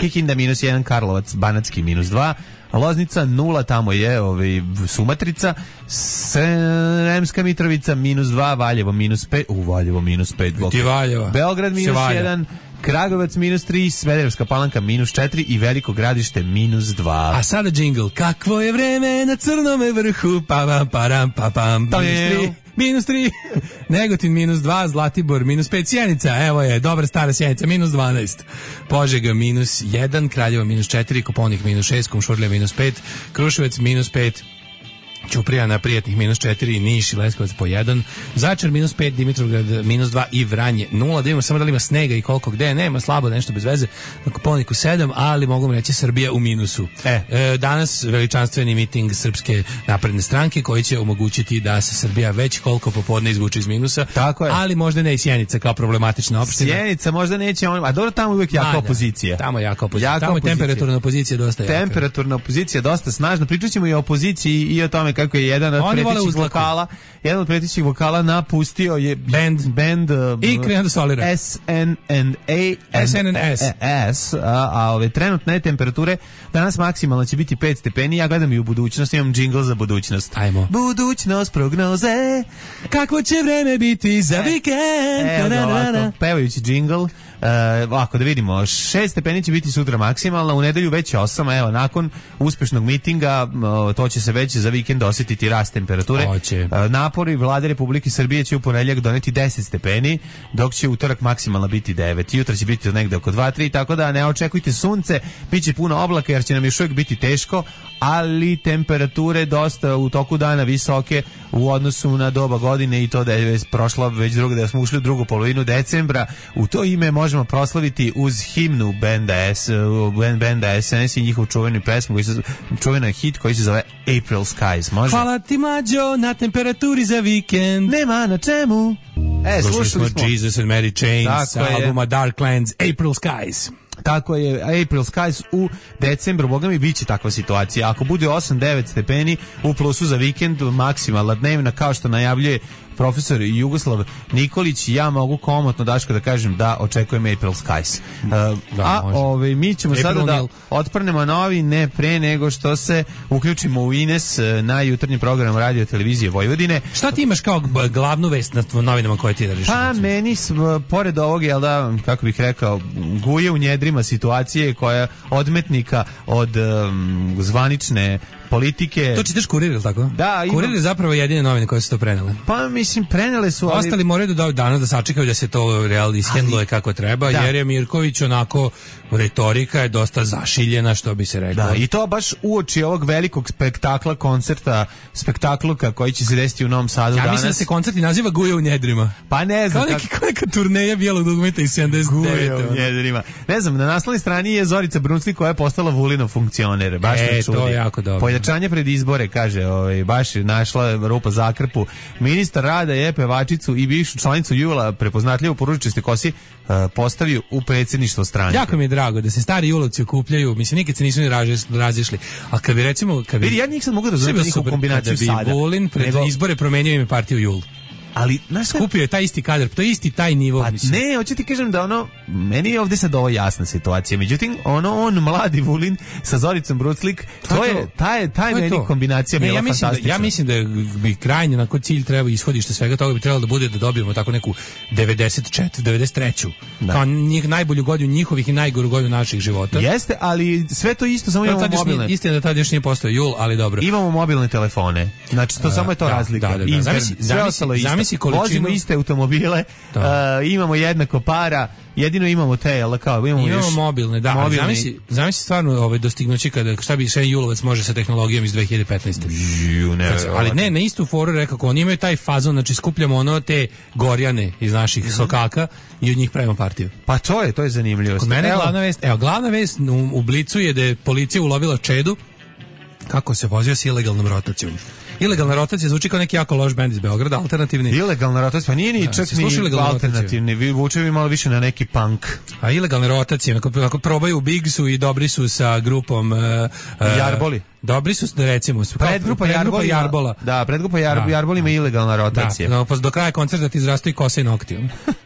Kikinda minus jedan, Karlovac, Banatski minus dva, Loznica nula, tamo je ovaj, Sumatrica, Sremska Mitrovica minus dva, Valjevo minus pet, u Valjevo minus pet, Beograd minus jedan, Kragujevac minus tri, Smederevska Palanka minus četiri i Veliko Gradište minus dva. A sada džingl, kakvo je vreme na Crnome vrhu, pa pam, param, pa pam, minus tri. Minus tri, Negotin minus dva, Zlatibor minus pet, Sjenica, evo je, dobra stara Sjenica, minus dvanaest, Požega minus jedan, Kraljevo minus četiri, Koponik minus šest, Kumšurlja minus pet, Kruševac minus pet, Ćuprija na Prijatnih minus četiri, Niš i Leskovac po jedan, Začar minus pet, Dimitrovgrad minus dva i Vranje nula. Da vidimo samo da li ima snega i koliko gde, nema, slabo, nešto bez veze, na Koponiku sedam, ali mogu vam reći Srbija u minusu. E. E, danas veličanstveni miting Srpske napredne stranke koji će omogućiti da se Srbija već koliko popodne izvuče iz minusa. Tako je. Ali možda ne i Sjenica kao problematična opština. Sjenica možda neće, on, a dobro tamo uvijek jaka opozicija. Tamo je jaka opozicija. Jaka tamo je opozicija. temperaturna opozicija dosta jaka. Temperaturna opozicija dosta snažna. Pričat ćemo i o opoziciji i o tome kako je jedan od pretećih vokala, jedan od pretećih vokala napustio je band, band uh, i krenuo da solira. S N N A S N N S. S, a, a ove trenutne temperature danas maksimalno će biti pet stepeni. Ja gledam i u budućnost, imam džingl za budućnost. Ajmo. Budućnost prognoze. Kako će vreme biti za vikend? Evo da ovako, pevajući džingl. Uh, ovako da vidimo, šest stepeni će biti sutra maksimalna, u nedelju već osam, evo nakon uspešnog mitinga uh, to će se već za vikend osjetiti rast temperature. Uh, napori vlade Republike Srbije će u ponedjeljak doneti deset stepeni, dok će utorak maksimalna biti devet. Jutra će biti negde oko dva tri, tako da ne očekujte sunce, bit će puno oblaka jer će nam još uvijek biti teško, ali temperature dosta u toku dana visoke u odnosu na doba godine i to da je već prošla već druga, da smo ušli u drugu polovinu decembra. U to ime možemo proslaviti uz himnu benda S, benda S N S i njihov čuveni pesmu, koji se, čuvena hit koji se zove April Skies. Može? Hvala ti mlađo na temperaturi za vikend. Nema na čemu. E, slušali smo, smo Jesus and Mary Chain sa albuma Darklands, April Skies. Tako je, April Skies u decembru, boga mi biće takva situacija. Ako bude osam devet stepeni u plusu za vikend, maksimalna dnevna, kao što najavljuje profesor Jugoslav Nikolić, ja mogu komotno, Daško, da kažem da očekujem April Skies. Uh, da, a ove, mi ćemo April sada da Nil. otprnemo novi, ne pre nego što se uključimo u Ines na jutarnji program Radio Televizije Vojvodine. Šta ti imaš kao glavnu vest na novinama koje ti držiš? Pa meni, pored ovog, jel da, kako bih rekao, guje u njedrima situacije koja odmetnika od um, zvanične politike. To čitaš Kurir, ili tako? Da, imam. Kurir je zapravo jedine novine koje su to prenele. Pa mislim, prenele su, ali... Ostali moraju da danas da sačekaju da se to real ishendluje kako treba, da. Jer je Mirković onako, retorika je dosta zašiljena, što bi se reklo. Da, i to baš uoči ovog velikog spektakla, koncerta, spektakluka koji će se desiti u Novom Sadu ja danas. Ja mislim da se koncert i naziva Guje u njedrima. Pa ne znam. Kao neki, kao neka turneja bijelog dugmeta iz sedamdeset devete. Guje u njedrima. Ne znam, na naslovnoj strani je Zorica Brunsli koja je postala Vulinov funkcioner. Baš e, me čudi. to je jako dobro. Pojačanje pred izbore, kaže, ovaj, baš je našla rupa zakrpu. Ministar rada je pevačicu i bivšu članicu Jula, prepoznatljivu poručiste kosi, uh, postavio u predsjedništvo stranke. Jako mi je drago da se stari julovci okupljaju, mislim, nikad se nisu ni razišli. A kad bi recimo... Kad bi, vidi, ja njih sad mogu da razumjeti njihovu kombinaciju sada. Kada bi Vulin pred nego... izbore promenio ime partiju Jul. Ali, znaš, skupio je taj isti kadar, to je isti taj nivo. Pa ne, hoću ti kažem da ono, meni je ovdje sad ovo jasna situacija, međutim, ono, on mladi Vulin sa Zoricom Bruclik, to, to je, ta je, ta je meni to. Kombinacija bila ja fantastična. Da, ja mislim da bi krajnje, na koji cilj treba ishodište svega toga bi trebalo da bude da dobijemo tako neku devedeset četvrtu, devedeset treću Da. Kao njih, najbolju godinu njihovih i najgoru godinu naših života. Jeste, ali sve to isto, samo imamo mobilne. Istina da tad još nije postao Jul, ali dobro. Imamo mobilne telefone, znači to uh, samo je to da, razlika. Da, da, da. Zamisli, zamisli, vozimo iste automobile, uh, imamo jednako para, jedino imamo te, jel kao, imamo, imamo još mobilne, da, mobilni. Zamisli, zamisli stvarno ovaj dostignuće kada, šta bi sve Julovac može sa tehnologijom iz dve hiljade petnaeste Ju, ne, ali ne, na istu foru rekao, oni imaju taj fazon, znači skupljamo ono te gorjane iz naših mm-hmm. sokaka i od njih pravimo partiju. Pa to je, to je zanimljivo. Kod mene je glavna vest, evo, glavna vest u, u Blicu je da je policija ulovila Čedu kako se vozio s ilegalnom rotacijom. Ilegalna rotacija zvuči kao neki jako loš bend iz Beograda, alternativni. Ilegalna rotacija, pa nije ni da, čak ni alternativni, vi vuče mi malo više na neki punk. A ilegalna rotacija, ako, ako probaju u Bigsu i dobri su sa grupom uh, Jarboli. Dobri su, da recimo, predgrupa Jarbolima, Jarbola. Da, predgrupa Jarb, da, Jarbol ima ilegalna rotacija. Da, no, do kraja koncerta ti izrastu i kose i nokti.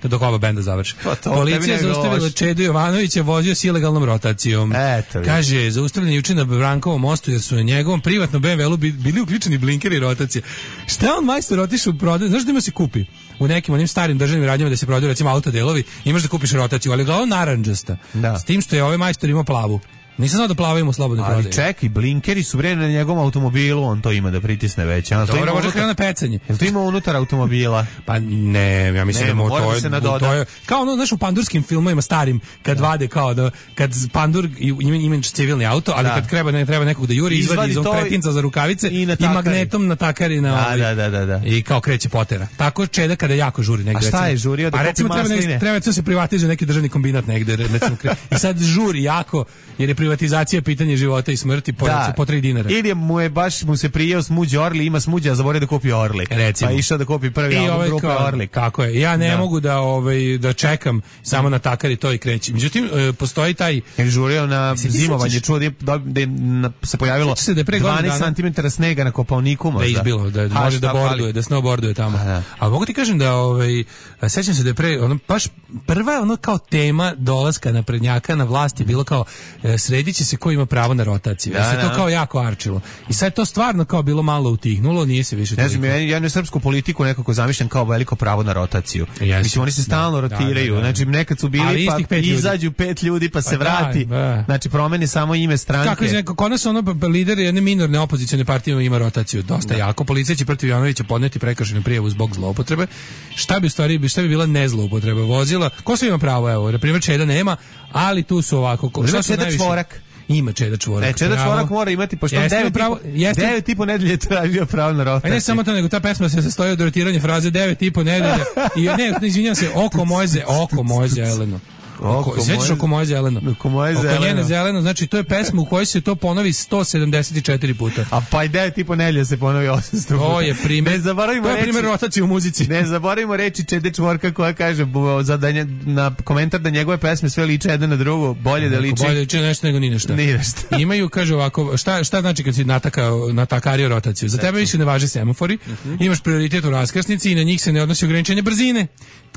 To dok ova benda završi. Policija je zaustavila Čedu Jovanovića, vozio s ilegalnom rotacijom. Eto, kaže, zaustavljen juče na Brankovom mostu jer su na njegovom privatnom be em ve-u bili uključeni blinkeri i rotacije. Šta on majstor otišao u prodaju? Znaš da ima se kupi? U nekim onim starim državnim radnjama da se prodaju recimo autodelovi, imaš da kupiš rotaciju, ali glavno narandžasta. Da. S tim što je ovaj majstor imao plavu. Nisam znao da plavaju u slobodnoj prodaji. Ali čekaj, blinkeri su bre na njegovom automobilu, on to ima da pritisne već. Dobro, to može krenuti na pecanje. Jel to ima unutar automobila? Pa ne, ja mislim Nemo, da to, da to, to je kao ono, znaš, u pandurskim filmovima starim, kad da. vade kao da, kad pandur ima, ima civilni auto, ali da. kad treba, ne, treba nekog da juri, izvadi iz on kretinca za rukavice i, i magnetom natakari na da, ovaj, da, da, da. i kao kreće potera. Tako Čeda kada jako žuri negde. A šta je žurio da kupi masline? Treba da se privatizuje neki državni kombinat negde, recimo. I sad žuri jako, jer je privatizacija pitanje života i smrti po, da. po tri dinara. Ili mu je baš mu se prijeo smuđ Orli, ima smuđa, a zaboravio da kupi Orli. Recimo. Pa išao da kupi prvi album ovaj grupe Orli. Kako je? Ja ne da. mogu da ovaj da čekam samo na takari to i kreći. Međutim e, postoji taj je žurio na zimovanje, čuo da, da se pojavilo se da pre dvanaest centimetara snega na Kopaoniku možda. Da izbilo, da ha, može da borduje, da snowboarduje tamo. Da. A mogu ti kažem da ovaj sećam se da je pre ono baš prva ono kao tema dolaska naprednjaka na vlast je bilo kao e, srediće se ko ima pravo na rotaciju. Da, se to kao jako arčilo. I sad je to stvarno kao bilo malo utihnulo, nije se više ne znam, ja, ja ne srpsku politiku nekako zamišljam kao veliko pravo na rotaciju. Yes. Mislim, oni se stalno da, rotiraju. Da, da, da. Znači, nekad su bili pa pet izađu pet ljudi pa se pa vrati. Da, da. Znači, promeni samo ime stranke. Kako je, kod nas ono lider jedne minorne opozicione partije ima rotaciju dosta da. jako. Policija će protiv Jovanovića podneti prekršajnu prijavu zbog zloupotrebe. Šta bi u stvari, šta bi bila nezloupotreba vozila? Ko sve ima pravo, evo, na primjer Čeda nema, ali tu su ovako, ko, šta su najviše? Čvorak. Ima Čeda Čvorak. E, Čeda Čvorak mora imati, pošto on devet pravo, jeste, devet i po nedelje tražio pravo na rotaciju. A ne samo to, nego ta pesma se sastoji od rotiranja fraze devet i po nedelje. I ne, izvinjam se, oko moje, oko moje zeleno. Oko, sećaš oko moje zeleno? Oko moje zeleno. Oko njene zeleno, znači to je pesma u kojoj se to ponovi sto sedamdeset četiri puta. A pa i devet i po nedelje se ponovi osamsto puta. To je primjer. Ne zaboravimo to je primjer rotacije u muzici. Ne zaboravimo reći Čede Čvorka koja kaže za da nje, na komentar da njegove pesme sve liče jedna na drugu, bolje da liči. Bolje liči nešto nego ni nešto. Ni nešto. Imaju, kaže ovako, šta, šta znači kad si natakao, natakario rotaciju? Za tebe više ne važe semafori, uh-huh. imaš prioritet u raskrsnici i na njih se ne odnosi ograničenje brzine,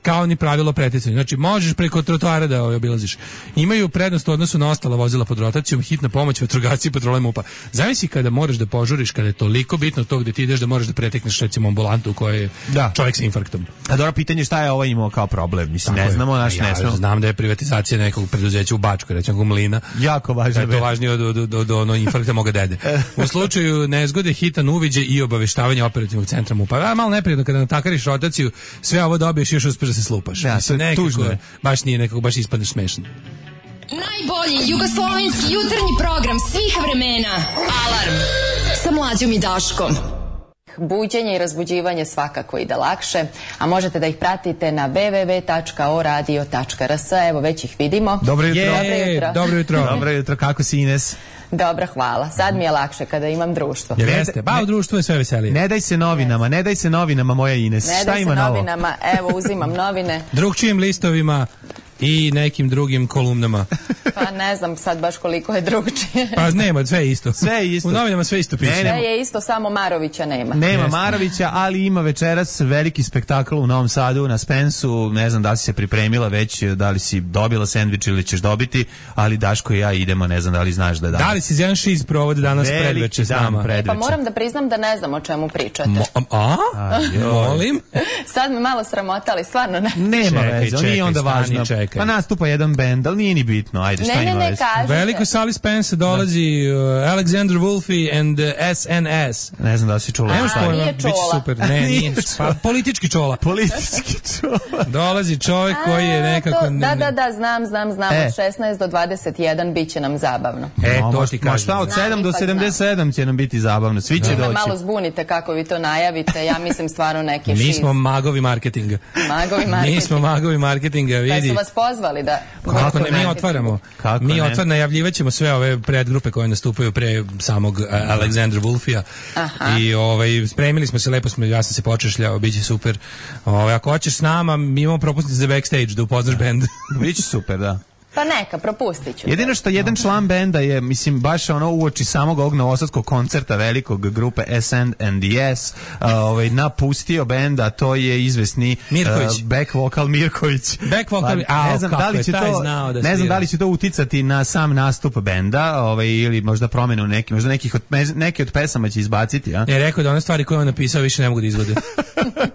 kao ni pravilo preticanja. Znači, možeš preko trotoara da ovaj obilaziš. Imaju prednost u odnosu na ostala vozila pod rotacijom, hitna pomoć, vatrogasci, patrole MUP-a. Zamisli kada moraš da požuriš, kada je toliko bitno to gde ti ideš da moraš da pretekneš recimo ambulantu u kojoj je da. čovjek sa infarktom. A dobro pitanje šta je ovaj imao kao problem? Mislim, tako ne znamo, naš ja, ne znamo. Znam da je privatizacija nekog preduzeća u Bačkoj, recimo Mlina. Jako važno. Da je to važnije od, od, od, od ono infarkta moga dede. U slučaju nezgode, hitan uviđaj i obaveštavanje operativnog centra MUP-a. A malo neprijatno kada natakariš rotaciju, sve ovo dobiješ i još uspeš da se slupaš. Ja, mislim, nekako, baš nije nekako, baš ispadneš smešan. Najbolji jugoslovenski jutarnji program svih vremena. Alarm sa Mlađom i Daškom. Buđenje i razbuđivanje svakako ide lakše, a možete da ih pratite na w w w tačka o radio tačka r s. Evo, već ih vidimo. Dobro jutro. Dobro jutro. Dobro jutro. Dobro jutro. Kako si, Ines? Dobro, hvala. Sad mi je lakše kada imam društvo. Jer jeste, ba u društvu je sve veselije. Ne daj se novinama, ne daj se novinama, moja Ines. Ne daj se novinama, evo uzimam novine. Drugčijim listovima i nekim drugim kolumnama. Pa ne znam sad baš koliko je drugčije. Pa nema, sve je isto. Sve je isto. U novinama sve isto piše. Sve je isto, samo Marovića nema. Nema Marovića, ali ima večeras veliki spektakl u Novom Sadu na Spensu. Ne znam da li si se pripremila već, da li si dobila sendvič ili ćeš dobiti, ali Daško i ja idemo, ne znam da li znaš da je danas. Da li si jedan šiz provode danas predveče s nama? E, pa moram da priznam da ne znam o čemu pričate. Mo, a? a Molim? Sad me malo sramotali, stvarno ne. Nema veze, nije onda važno. Pa nastupa jedan bend, ali nije ni bitno. Ajde, šta ne, ima ne, ne, kažete. Veliko Sally Spence dolazi uh, Alexander Wolfe and uh, S N S. Ne znam da si čula. A, nije čola. Biće super. Ne, nije. Pa, politički čola. Politički čola. Dolazi čovjek koji je nekako... To, da, da, da, znam, znam, znam. E. Od šesnaest do dvadeset jedan bit će nam zabavno. E, to ti kažem. Ma šta, od sedam do sedamdeset sedam će nam biti zabavno. Svi će da. doći. Malo zbunite kako vi to najavite. Ja mislim stvarno neki šiz. Mi smo magovi marketinga. Magovi marketinga. Mi smo magovi marketinga, vidi. Da su vas pozvali da... Kako ne, mi otvaramo. Kako mi otvaramo, najavljivaćemo sve ove predgrupe koje nastupaju pre samog uh, Alexandra Wolfija. I ovaj, spremili smo se, lepo smo, ja sam se počešljao, bit će super. Ovaj, ako hoćeš s nama, mi imamo propusnice za backstage, da upoznaš bend. Biće super, da. Pa neka, propustit ću. Jedino što jedan član benda je, mislim, baš ono uoči samog ovog novosadskog koncerta velikog grupe S and the S, uh, ovaj, napustio benda, to je izvesni Mirković. Uh, back vokal Mirković. Back vocal, pa, ne znam kako da li će je taj to, znao da ne znam svira. da li će to uticati na sam nastup benda, ovaj, ili možda promenu neki, možda nekih od, neke od pesama će izbaciti, a? Je rekao da one stvari koje on napisao više ne mogu da izvode.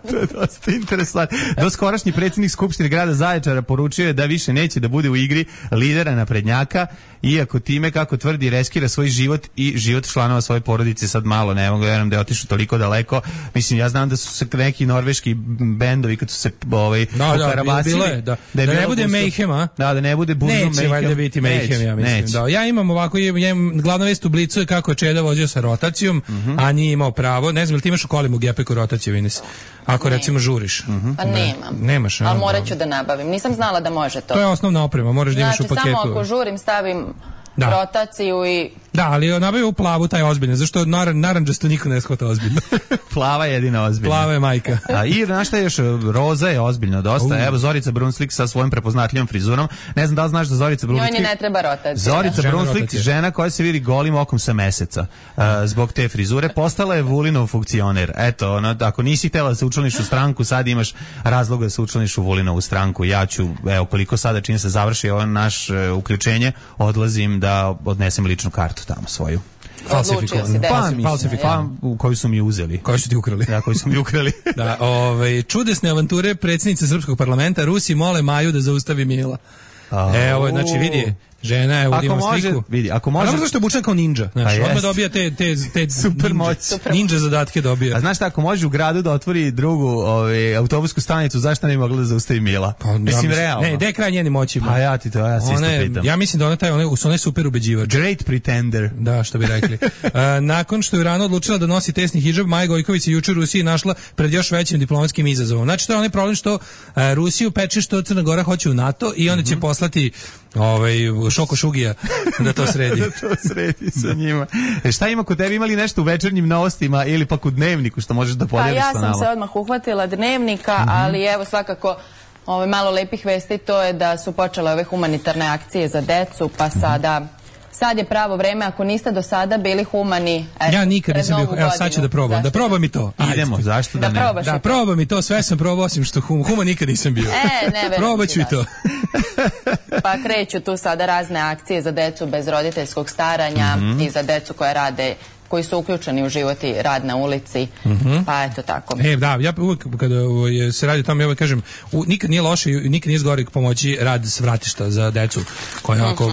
To je dosta interesantno. Doskorašnji predsjednik Skupštine grada Zaječara poručio je da više neće da bude u igri lidera naprednjaka, iako time, kako tvrdi, reskira svoj život i život članova svoje porodice. Sad malo, ne mogu vjerujem da je otišao toliko daleko. Mislim, ja znam da su se neki norveški bendovi kad su se ovaj, da, pokarabasili, da, da, da, je da ne bude gusto, Mayhem, a? Da, da ne bude burzum Mayhem. Neće valjda biti Mayhem, ja mislim. Neće. Da. Ja imam ovako, ja imam, glavna vest u Blicu je kako je Čeda vozio sa rotacijom, uh-huh. a nije imao pravo. Ne znam, ili ti imaš u kolima u Gepeku rotaciju, Ines? Ako ne. recimo žuriš. Uh-huh. Pa nemam. Nemaš, a? Ali morat ću da nabavim. Nisam znala da može to. To je osnovna oprema, moraš da imaš znači, u paketu. samo ako žurim stavim da. rotaciju i... Da, ali nabavio u plavu taj ozbiljno, zašto naran, naranđasto niko ne shvata ozbiljno. Plava je jedina ozbiljna. Plava je majka. A i znaš šta je još, roza je ozbiljno dosta. Uh. Evo Zorica Brunslik sa svojom prepoznatljivom frizurom. Ne znam da li znaš da Zorica Brunslik... Njoj ni ne treba rotacija. Zorica žena Brunslik, rotacija. žena koja se vidi golim okom sa meseca. Uh, zbog te frizure postala je Vulinov funkcioner. Eto, ono, ako nisi htjela da se učlaniš u stranku, sad imaš razloga da se učlaniš u Vulinovu stranku. Ja ću, evo, koliko sada čim se završi ovo naš uh, uključenje, odlazim da odnesem ličnu kartu tamo svoju. Odlučio si, pa, mislim, pa, u koju su mi uzeli. Koju su ti ukrali. Ja, koju su mi ukrali. Da, ovaj, čudesne avanture predsjednice Srpskog parlamenta, Rusi mole Maju da zaustavi Mila. Evo, znači vidi, žena je, ovdje ima sliku. Vidi, ako može... A znam zašto je obučena kao ninja, znaš, odmah dobija te, te, te super ninja, moć. ninja zadatke dobija. A znaš šta, ako može u gradu da otvori drugu ovaj, autobusku stanicu, zašto ne bi mogla da zaustavi Mila? Pa, mislim, ja, realno. Ne, gde je kraj njeni moći? Pa ja ti to, ja se isto pitam. Ja mislim da ona taj, ona, ona je super ubeđivač. Great pretender. Da, što bi rekli. uh, nakon što je rano odlučila da nosi tesni hidžab, Maja Gojković je juče u Rusiji našla pred još većim diplomatskim izazovom. Znači, to je onaj problem što uh, Rusiju peče što Crna Gora hoće u NATO i onda će mm-hmm. poslati ovaj Šoko Šugija da to sredi. da to sredi sa njima. E šta ima kod tebe, imali nešto u večernjim novostima ili pak u dnevniku što možeš da podijeliš sa nama? Pa ja sam se odmah uhvatila dnevnika, mm-hmm. ali evo svakako ovaj, malo lepih vesti, to je da su počele ove humanitarne akcije za decu, pa sada... Sad je pravo vreme, ako niste do sada bili humani. Et, ja nikad nisam bio, evo sad ću da probam, zašto? Da probam i to. Ajde. Idemo, zašto da, da ne? Probaš da, probam i to, sve sam probao, osim što hum, human nikad nisam bio. E, ne verujem. Probat ću i to. Pa kreću tu sada razne akcije za decu bez roditeljskog staranja mm-hmm. i za decu koje rade, koji su uključeni u život i rad na ulici, mm-hmm. pa eto tako. E, da, ja uvijek kada se radi o tome, ja uvijek kažem, u, nikad nije loše i nikad nije zgorek pomoći rad s vratišta za decu, koja je ako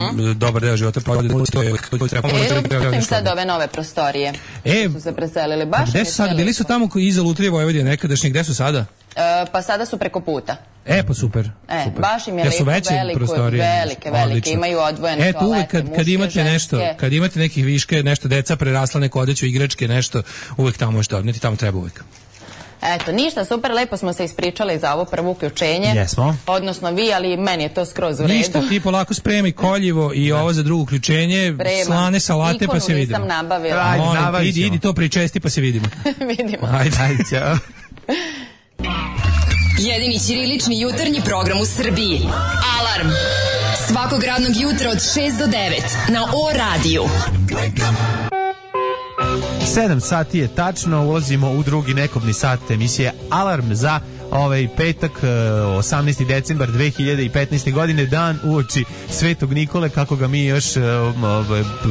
Hmm? dobar deo života provode to je treba im sad ove nove prostorije. E, su se preselili baš. Gde su sad bili su tamo koji iza Lutrije Vojvodine nekadašnji, gde su sada? E, pa sada su preko puta. E, pa super. E, super. baš im je ja su lepo, veliko, velike, velike, odlično. Imaju odvojene e, toalete, kad, kad imate ženske. nešto, kad imate nekih viške, nešto deca prerasla neko odeću, igračke, nešto, uvek tamo možete odneti, tamo treba uvek. Eto, ništa, super, lepo smo se ispričali za ovo prvo uključenje. Jesmo. Odnosno vi, ali meni je to skroz u redu. Ništa, ti polako spremi koljivo i ovo za drugo uključenje, Spremam. slane salate Ikonu pa se vidimo. Ikonu nisam nabavila. Ajde, Molim, idi, idi to pričesti pa se vidimo. vidimo. Ajde, ajde, ćao. Jedini ćirilični jutarnji program u Srbiji. Alarm. Svakog radnog jutra od šest do devet na O radiju. sedam sati je tačno, ulazimo u drugi nekobni sat emisije Alarm za ovaj petak, osamnaesti decembar dve hiljade petnaeste. godine, dan uoči Svetog Nikole, kako ga mi još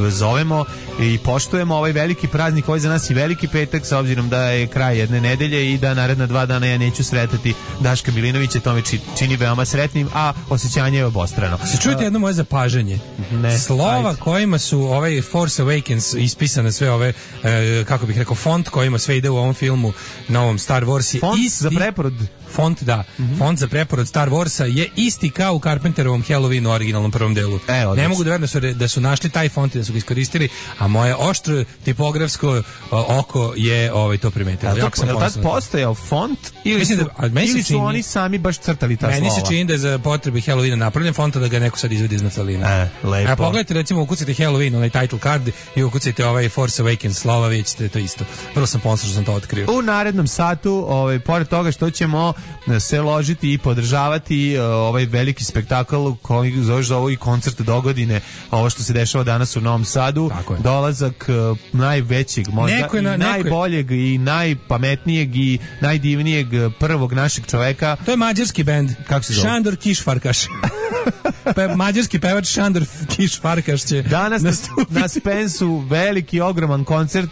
zovemo i poštujemo. Ovaj veliki praznik, ovaj za nas i veliki petak, s obzirom da je kraj jedne nedelje i da naredna dva dana ja neću sretati Daška Milinovića, to me čini veoma sretnim, a osjećanje je obostrano. Se čujete jedno moje zapažanje? Ne, slova ajde. Kojima su ovaj Force Awakens ispisane sve ove, e, kako bih rekao, font kojima sve ide u ovom filmu, novom Star Wars je font isti, za preporod. Font, da. Mm-hmm. Font za preporod Star Warsa je isti kao u Carpenterovom Halloweenu originalnom prvom delu. E, ne mogu da verujem da su, da su našli taj font i da su ga iskoristili, a moje oštro tipografsko o, oko je ovaj, to primetilo. Je li tad postojao font ili su, da, ili su čini, oni sami baš crtali ta meni slova? Meni se čini da je za potrebe Halloweena napravljen font, da ga neko sad izvedi iz naftalina. E, lepo. A pogledajte, recimo, ukucajte Halloween, onaj title card i ukucajte ovaj Force Awakens slova, vidite to isto. Prvo sam ponosno što sam to otkrio. U narednom satu, ovaj, pored toga što ćemo se ložiti i podržavati uh, ovaj veliki spektakl koji zoveš za ovo i koncert dogodine, ovo što se dešava danas u Novom Sadu, dolazak uh, najvećeg, možda i na, najboljeg i najpametnijeg i najdivnijeg prvog našeg čoveka. To je mađarski bend. Kako se zove? Šandor Kišfarkaš. Pe, mađarski pevač Šandor Kišfarkaš će danas nastupiti. Na Spensu veliki, ogroman koncert.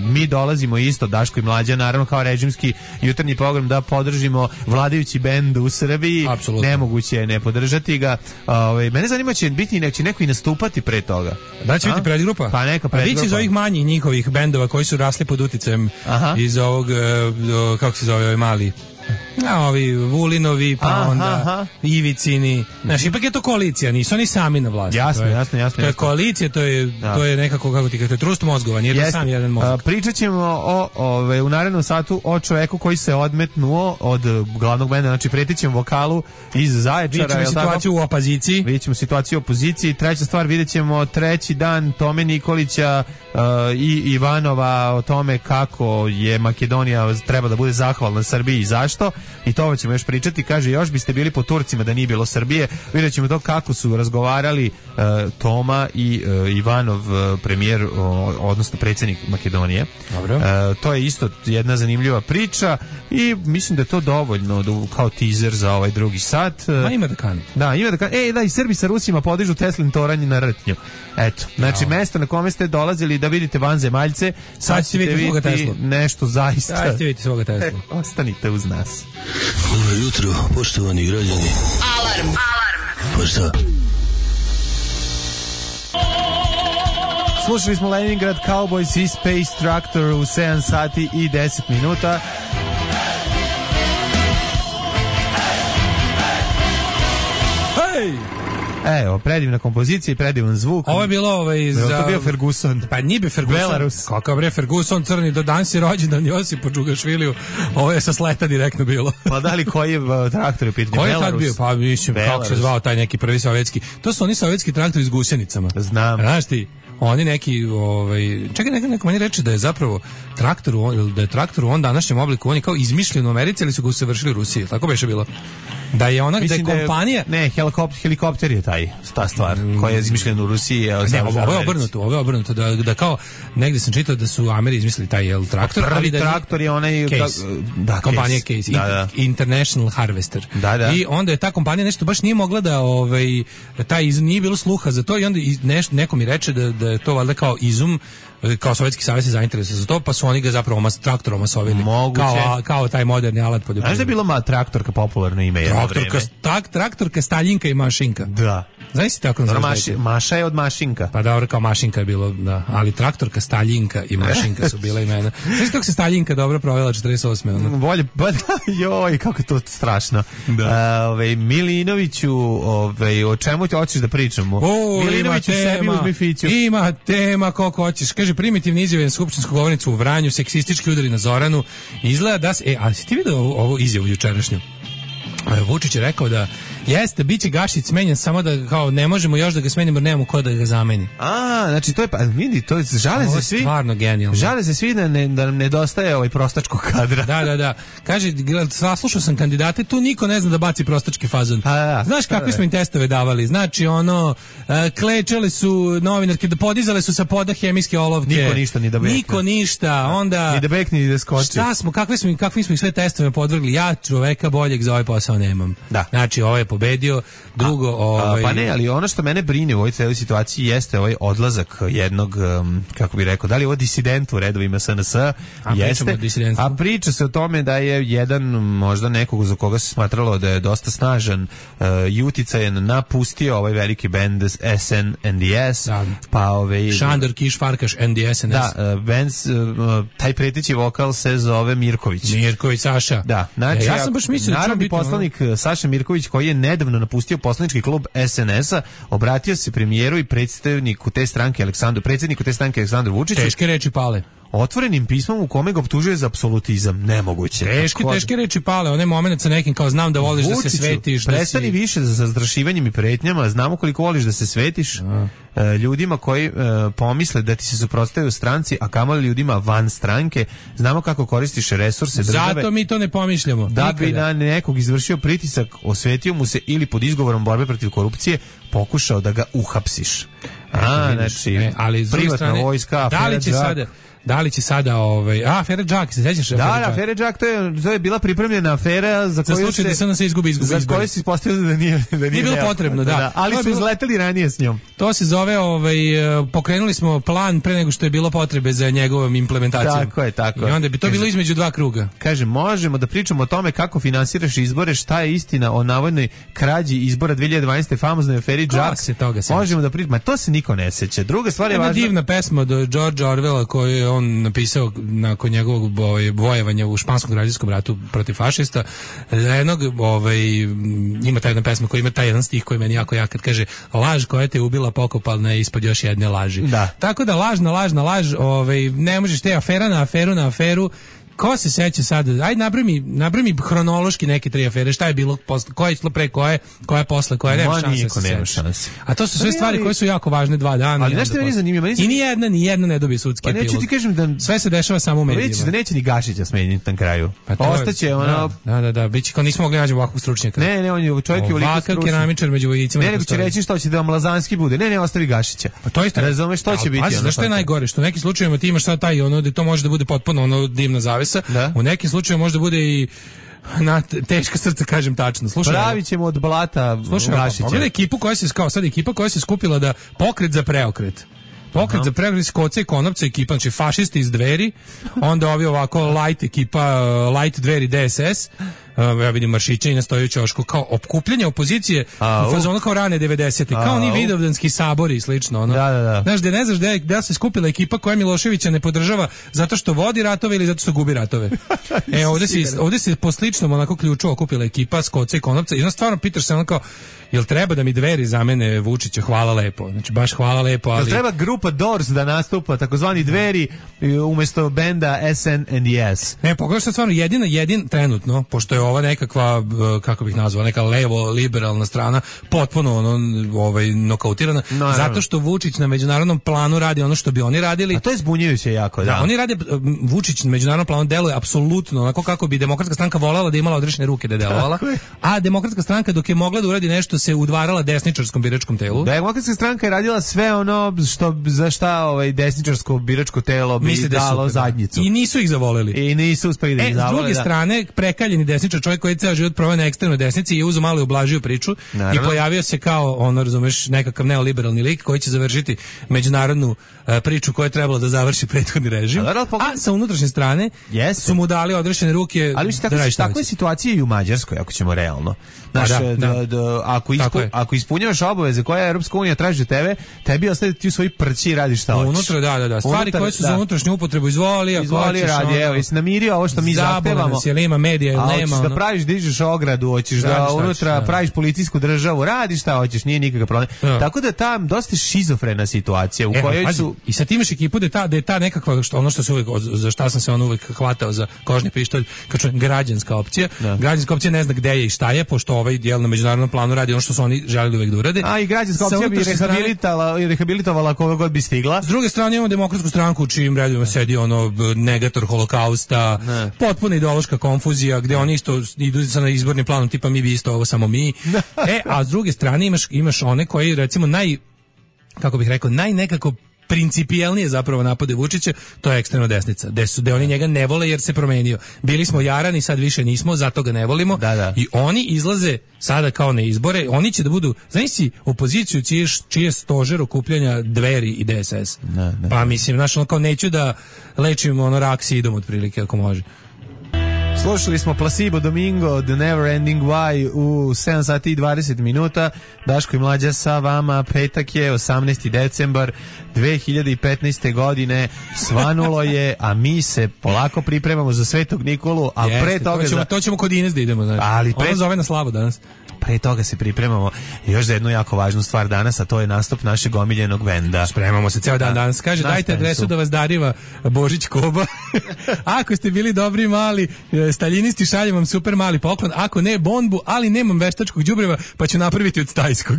Mi dolazimo isto, Daško i Mlađa, naravno kao režimski jutarnji program, da podržimo vladajući bend u Srbiji. Apsolutno. Nemoguće je ne podržati ga. Ove, mene zanima, će biti neće neko i nastupati pre toga. Da će biti predgrupa? Pa neka predgrupa. Biće iz ovih manjih njihovih bendova koji su rasli pod uticajem iz ovog, kako se zove ovaj mali, a ovi Vulinovi, pa aha, onda aha. Ivicini. Znaš, ipak je to koalicija, nisu oni sami na vlasti. Jasno, to je, jasno, jasno. To je koalicija, to je, ja. to je nekako, kako ti kažete, trust mozgova, nije to sam jedan mozak. Pričat ćemo o, ove, u narednom satu o čoveku koji se odmetnuo od glavnog benda, znači pretit ćemo vokalu iz Zaječara. Vidjet ćemo situaciju u opoziciji. Vidjet ćemo situaciju u opoziciji. Treća stvar, vidjet ćemo treći dan Tome Nikolića uh, i Ivanova o tome kako je Makedonija treba da bude zahvalna Srbiji i zašto. I to ćemo još pričati. Kaže, još biste bili po Turcima da nije bilo Srbije. Vidjet ćemo to kako su razgovarali uh, Toma i uh, Ivanov, uh, premijer, uh, odnosno predsjednik Makedonije. Dobro. Uh, to je isto jedna zanimljiva priča i mislim da je to dovoljno da, kao teaser za ovaj drugi sat. Ma ima da kani. Da, ima da kani. Ej, da, i Srbi sa Rusima podižu Teslin toranj na Rtnju. Eto, znači, mesto na kome ste dolazili da vidite vanzemaljce, sad ćete vidjeti nešto zaista. Sad ćete vidjeti svoga Teslu. E, ostanite uz nas. Dobro jutro, poštovani građani. Alarm, alarm. Pa šta? Slušali smo Leningrad Cowboys i Space Tractor u sedam sati i deset minuta. Hej! Evo, predivna kompozicija i predivan zvuk. Ovo je bilo ovaj za... To bio Ferguson. Pa nije bi Ferguson. Belarus. Kakav bre Ferguson crni, do danas je rođendan Josipa Džugašviliju. Ovo je sa sleta direktno bilo. Pa da li koji je traktor je pitanje? Koji je tad bio? Pa mislim, Belarus. Kako se zvao taj neki prvi sovjetski? To su oni sovjetski traktori s gusenicama. Znam. Znaš ti? Oni neki, ovaj, čekaj, neko, neko meni reče da je zapravo traktor, da je traktor u on današnjem obliku, on je kao izmišljen u Americi, ali su ga usavršili u Rusiji, tako beše bilo. Da je ona, da je kompanija... Ne, helikopter, helikopter je taj, ta stvar, mm. koja je izmišljena u Rusiji. Je ne, ovo, ovo je obrnuto, ovo je obrnuto, da, da kao, negdje sam čitao da su Ameri izmislili taj jel, traktor. Prvi ali da traktor je onaj... Case. Da, kompanija Case, Case. Da, da. International Harvester. Da, da. I onda je ta kompanija nešto baš nije mogla da, ovaj, taj iz, nije bilo sluha za to i onda neš, neko mi reče da, da je to valjda kao izum, kao Sovjetski savez se zainteresuje za to, pa su oni ga zapravo mas, traktorom masovili. Kao, kao taj moderni alat poljoprivredni. Znaš da je bilo ma, traktorka popularno ime jedno traktorka, tak, traktorka, Staljinka i Mašinka. Da. Znaš si tako nazvaš? Maši, Maša je od Mašinka. Pa dobro, kao Mašinka je bilo, da. Ali traktorka, Staljinka i Mašinka su bila imena. Znaš kako se Staljinka dobro provela četrdeset osme Ono? Bolje, ba, joj, kako je to strašno. Da. A, ove, Milinoviću, ove, o čemu ti hoćeš da pričamo? O, Milinoviću sebi uzmi fiću. Ima tema koliko hoćeš. Kaže, primitivne izjave na skupštinsku govornicu u Vranju, seksistički udari na Zoranu. Izgleda da se... E, ali si ti vidio ovu, ovu izjavu jučerašnju? Vučić je rekao da jeste, bit će Gašić smenjen, samo da kao ne možemo još da ga smenimo, jer nemamo ko da ga zameni. A, znači to je, pa vidi, to je, žale se svi. Stvarno genijalno. Žale se svi da, ne, da nam nedostaje ovaj prostačkog kadra. Da, da, da. Kaže, saslušao sam kandidate, tu niko ne zna da baci prostački fazon. A, da, znaš kakve smo im testove davali? Znači, ono, klečale su novinarke, da podizale su sa poda hemijske olovke. Niko ništa ni da bekne. Niko ništa, onda... Ni da bekne, ni da skoči. Šta smo, kakve smo, kakvi smo ih sve testove podvrgli? Ja čoveka boljeg za ovaj posao nemam. Da. Znači, ovo je pobedio, drugo... A, ovaj... Pa ne, ali ono što mene brine u ovoj celoj situaciji jeste ovaj odlazak jednog, um, kako bih rekao, da li je ovo disident u redovima S N S? A, jeste, a priča se o tome da je jedan, možda nekog za koga se smatralo da je dosta snažan uh, i uticajan, napustio ovaj veliki band S N N D S. Da. Pa ovaj... Šandor Kišfarkaš, N D S N S. Da, uh, band, uh, taj pretići vokal se zove Mirković. Mirković, Saša. Da, znači, e, ja sam baš mislio narodni poslanik Saša Mirković, koji je nedavno napustio poslanički klub S N S-a, obratio se premijeru i predstavniku te stranke Aleksandru, predsjedniku te stranke Aleksandru Vučiću. Teške reči pale. otvorenim pismom u kome ga optužuje za apsolutizam. Nemoguće. Teške, teške reči pale, onaj moment sa nekim kao znam da voliš Vučiću, da se svetiš. Prestani da si... više za zastrašivanjem i pretnjama, znamo koliko voliš da se svetiš e, ljudima koji e, pomisle da ti se suprotstavljaju stranci, a kamoli ljudima van stranke, znamo kako koristiš resurse države. Zato mi to ne pomišljamo. Da nikada. bi na nekog izvršio pritisak, osvetio mu se ili pod izgovorom borbe protiv korupcije pokušao da ga uhapsiš. A, znači, e, ali privatna strane, vojska, da li će Džak. sada Da li će sada ovaj a afera Džak, se sećaš? Da, da, afera Džak, to je to je bila pripremljena afera za koju se da se ona se izgubi izgubi. Za koju se ispostavilo da nije da nije, nije bilo potrebno, da. da ali su izleteli ranije s njom. To se zove ovaj pokrenuli smo plan pre nego što je bilo potrebe za njegovom implementacijom. Tako je, tako. I onda bi to Kaže, bilo između dva kruga. Kaže, možemo da pričamo o tome kako finansiraš izbore, šta je istina o navodnoj krađi izbora dve hiljade dvanaeste famoznoj aferi Džak. Možemo da pričamo, ma to se niko ne seća. Druga stvar je važna. Divna pesma od George Orwella koju je on napisao nakon njegovog ovaj, vojevanja u španskom građanskom ratu protiv fašista. Jednog, ovaj, ima ta jedna pesma koja ima taj jedan stih koji meni jako jak, kad kaže laž koja te ubila pokopalna je ispod još jedne laži. Da. Tako da laž na laž na laž, ovaj, ne možeš te afera na aferu na aferu. Ko se seća sad? Ajde napravi mi, napravi mi hronološki neke tri afere. Šta je bilo posle, koja je išlo pre koje, koja je posle koje, nema šanse. Nema šanse. A to su sve stvari koje su jako važne dva dana. Ali nešto meni zanimljivo. I ni jedna, ni jedna ne dobije sudski epilog. Pa neću ti kažem da sve se dešava samo u medijima. Vidite da neće ni Gašića smeniti na kraju. Pa ostaće ono. Da, da, da, biće kao nismo mogli naći ovakvog stručnjaka. Ne, ne, on je čovjek je ovakav stručnjak. Keramičar među vojnicima. Ne, nego će reći što će da Mlazanski bude. Ne, ne, ostavi Gašića. Pa to isto. Razumeš što će biti. Znaš što je najgore? Što u nekim slučajevima ti imaš sad taj ono da to može da bude potpuno ono dimna zavesa. U nekim slučajevima može da bude i na teška srca, kažem tačno. Slušaj, pravi ćemo od blata Gašića. Pogledaj ekipu koja se kao sad ekipa koja se skupila da pokret za preokret. Pokret uh-huh. za preokret Koce i Konopca ekipa, znači fašisti iz Dveri, onda ovi ovako light ekipa, light Dveri D S S, ja vidim Maršića i nastoji u ćošku, kao opkupljanje opozicije u fazonu kao rane devedesete, kao oni vidovdanski sabori i slično. Ono. Da, da, da. Znaš, da ne znaš da, je, da se skupila ekipa koja Miloševića ne podržava zato što vodi ratove ili zato što gubi ratove. E, ovde se, ovde se po sličnom onako ključu okupila ekipa s Koce i Konopca i onda stvarno pitaš se ono kao, jel treba da mi Dveri zamene Vučića, hvala lepo. Znači, baš hvala lepo, ali... Jel treba grupa Doors da nastupa, takozvani Dveri, umjesto benda S N and S? Ne, pogledaš sad stvarno jedina, jedin trenutno, pošto je ova nekakva, kako bih nazvao, neka levo-liberalna strana, potpuno ono, ovaj, nokautirana, no, zato što Vučić na međunarodnom planu radi ono što bi oni radili. A to je zbunjujuće jako, da. Da, oni rade, Vučić na međunarodnom planu deluje apsolutno onako kako bi Demokratska stranka voljela da imala odrešene ruke da je delovala, a Demokratska stranka dok je mogla da uradi nešto se udvarala desničarskom biračkom telu. Demokratska stranka je radila sve ono što za šta ovaj desničarsko biračko telo bi Misli dalo da zadnjicu. I nisu ih zavoleli. I nisu uspeli da ih e, zavole. S druge da. strane, prekaljeni desničar, čovjek koji je ceo život proveo na ekstremnoj desnici i uzeo malo i ublažio priču. Naravno. I pojavio se kao, ono, razumeš, nekakav neoliberalni lik koji će završiti međunarodnu uh, priču koja je trebala da završi prethodni režim. A, a sa unutrašnje strane yes. su mu dali odrešene ruke. Ali tako, da tako je situacija i u Mađarskoj, ako ćemo realno. Znaš, da, da, da. Da, ako, ispu, ako ispunjavaš obaveze koje Europska unija traži od tebe, tebi ostaje ti u svoji prći i radiš šta hoćeš. Unutra, da, da, da. Stvari Unutar, koje su da. za unutrašnju upotrebu izvoli, ako izvoli hoćeš, radi, evo, jesi namirio ovo što mi zahtevamo. Jel ima medija, ili nema. Hoćeš da praviš, dižeš ogradu, hoćeš da unutra da. praviš policijsku državu, radiš šta hoćeš, nije nikakav problem. Da. Tako da tam dosta šizofrena situacija u e, kojoj pazi, su... I sad imaš ekipu da je ta, da je ta nekakva, što, ono što se uvijek, za šta sam se on uvijek hvatao za kožni pištolj, kao čujem, građanska opcija. Da. Građanska opcija ne zna gde je i šta je, pošto ovaj dijel na međunarodnom planu radi ono što su oni želeli uvek da urade. A i građanska opcija bi rehabilitovala, i rehabilitovala koga god bi stigla. S druge strane imamo Demokratsku stranku u čijim redovima sedi ono negator holokausta, ne. potpuna ideološka konfuzija, gde oni isto idu sa izbornim planom tipa mi bi isto ovo samo mi. E, a s druge strane imaš, imaš one koji recimo naj, kako bih rekao, naj nekako principijelnije zapravo napade Vučića, to je ekstremno desnica. Gde su, gde oni njega ne vole jer se promenio. Bili smo jarani, sad više nismo, zato ga ne volimo. Da, da. I oni izlaze sada kao na izbore, oni će da budu, znaš si, opoziciju čije, čije stožer okupljanja Dveri i D S S. Da, da. Pa mislim, znaš, ono kao neću da lečim ono rak sidom otprilike, ako može. Slušali smo Placebo Domingo, The Never Ending Why u sedam sati i dvadeset minuta. Daško i Mlađa sa vama. Petak je osamnaesti decembar dve hiljade petnaeste. godine. Svanulo je, a mi se polako pripremamo za Svetog Nikolu, a Jeste, pre toga... To ćemo, za... to ćemo kod Ines da idemo. Znači. Ali pre... Ona zove na slavu danas. pre toga se pripremamo još za jednu jako važnu stvar danas, a to je nastup našeg omiljenog benda. Spremamo se ceo dan danas. Kaže, dajte adresu da vas dariva Božić Koba. Ako ste bili dobri mali staljinisti, šaljem vam super mali poklon. Ako ne, bombu, ali nemam veštačkog đubreva, pa ću napraviti od stajskog.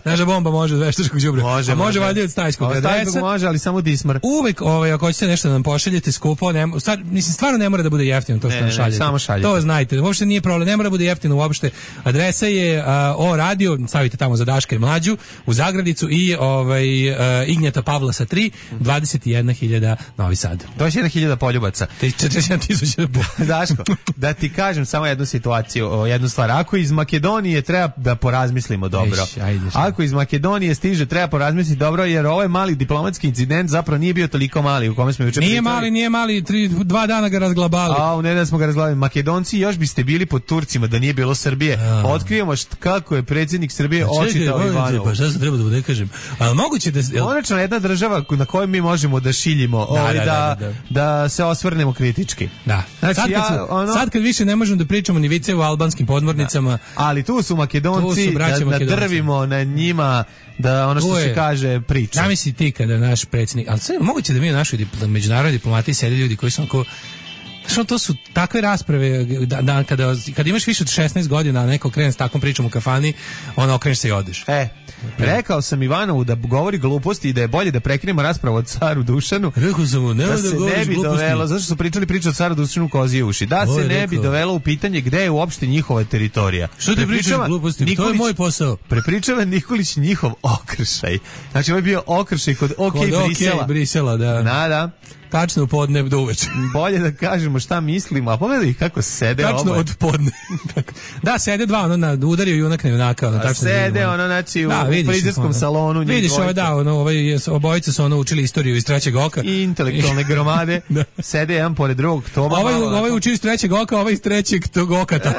Naša bomba može od veštačkog đubreva. Može, a može, može. valjda od stajskog. Od stajskog može, ali samo dismar. Uvek, ovaj, ako hoćete nešto da nam pošaljete skupo, ne, stvar, mislim, stvarno ne mora da bude jeftino to što ne, nam ne, šaljete. Samo šaljete. To znajte, uopšte nije problem, ne mora da bude jeftino uopšte. Adresa je uh, o radio, stavite tamo za Daška i Mlađu, u Zagradicu i ovaj, uh, Ignjeta Pavlasa tri, dvadeset jedna hiljada Novi Sad. dvadeset jedna hiljada poljubaca. četrdeset jedan tisuća Daško, da ti kažem samo jednu situaciju, jednu stvar. Ako iz Makedonije treba da porazmislimo dobro. Eš, ajde, Ako iz Makedonije stiže, treba porazmisliti dobro, jer ovaj mali diplomatski incident zapravo nije bio toliko mali u kome smo juče Nije pričali. mali, nije mali, tri, dva dana ga razglabali. A u nedelju smo ga razglabali. Makedonci, još biste bili pod Turcima da nije bilo Srbije. A. Otkrijemo št, kako je predsjednik Srbije Pa čekaj, očitao molim te, Ivanovu. Pa šta se treba da bude, kažem? Ali moguće da... jel- Konačno jedna država na kojoj mi možemo da šiljimo, Da, ovaj, da, da, da, da, da. se osvrnemo kritički. Da. Znači, sad, kad ja, su- ono- sad kad više ne možemo da pričamo ni vice u albanskim podmornicama, Ali tu su Makedonci, Tu su braća da, da Makedonci. drvimo na njima, da ono što Tu je- se kaže priča. zamisli ti kada naš predsjednik, ali sve moguće da mi u našoj dipl- međunarodnoj diplomati sede ljudi koji su onako, znaš, ono, to su takve rasprave da, da kada, kada imaš više od šesnaest godina, a neko krene s takvom pričom u kafani, ono, okreneš se i odeš. E, rekao sam Ivanovu da govori gluposti i da je bolje da prekinemo raspravu o caru Dušanu. Rekao sam mu, nemoj Da da, se ne govoriš bi gluposti. dovelo, zašto su pričali priču o caru Dušanu kozije uši, da Ovo se je ne bi rekao. dovelo u pitanje gde je uopšte njihova teritorija. Što ti pričaš Prepričava gluposti? To je Nikolić- moj posao. Prepričava Nikolić njihov okršaj. Znači, ovo je bio okršaj kod OK Kod OK Brisela. Brisela, da. Da, da. Tačno u podne do uveče. Bolje da kažemo šta mislimo, a pogledaj kako sede Tačno oboje. od podne. da, sede dva, ono, na, udario junak na junaka. Ono, A tačno sede, vidimo, ono, znači, u Da, vidiš, frizerskom ono, salonu, njih Vidiš, dvojica. ovaj, da, ono, ovaj, je- obojice su ono učili istoriju iz trećeg oka. I intelektualne gromade Da. sede jedan pored drugog. To Ovaj, ovaj uči iz trećeg oka, ovaj iz trećeg tog okata.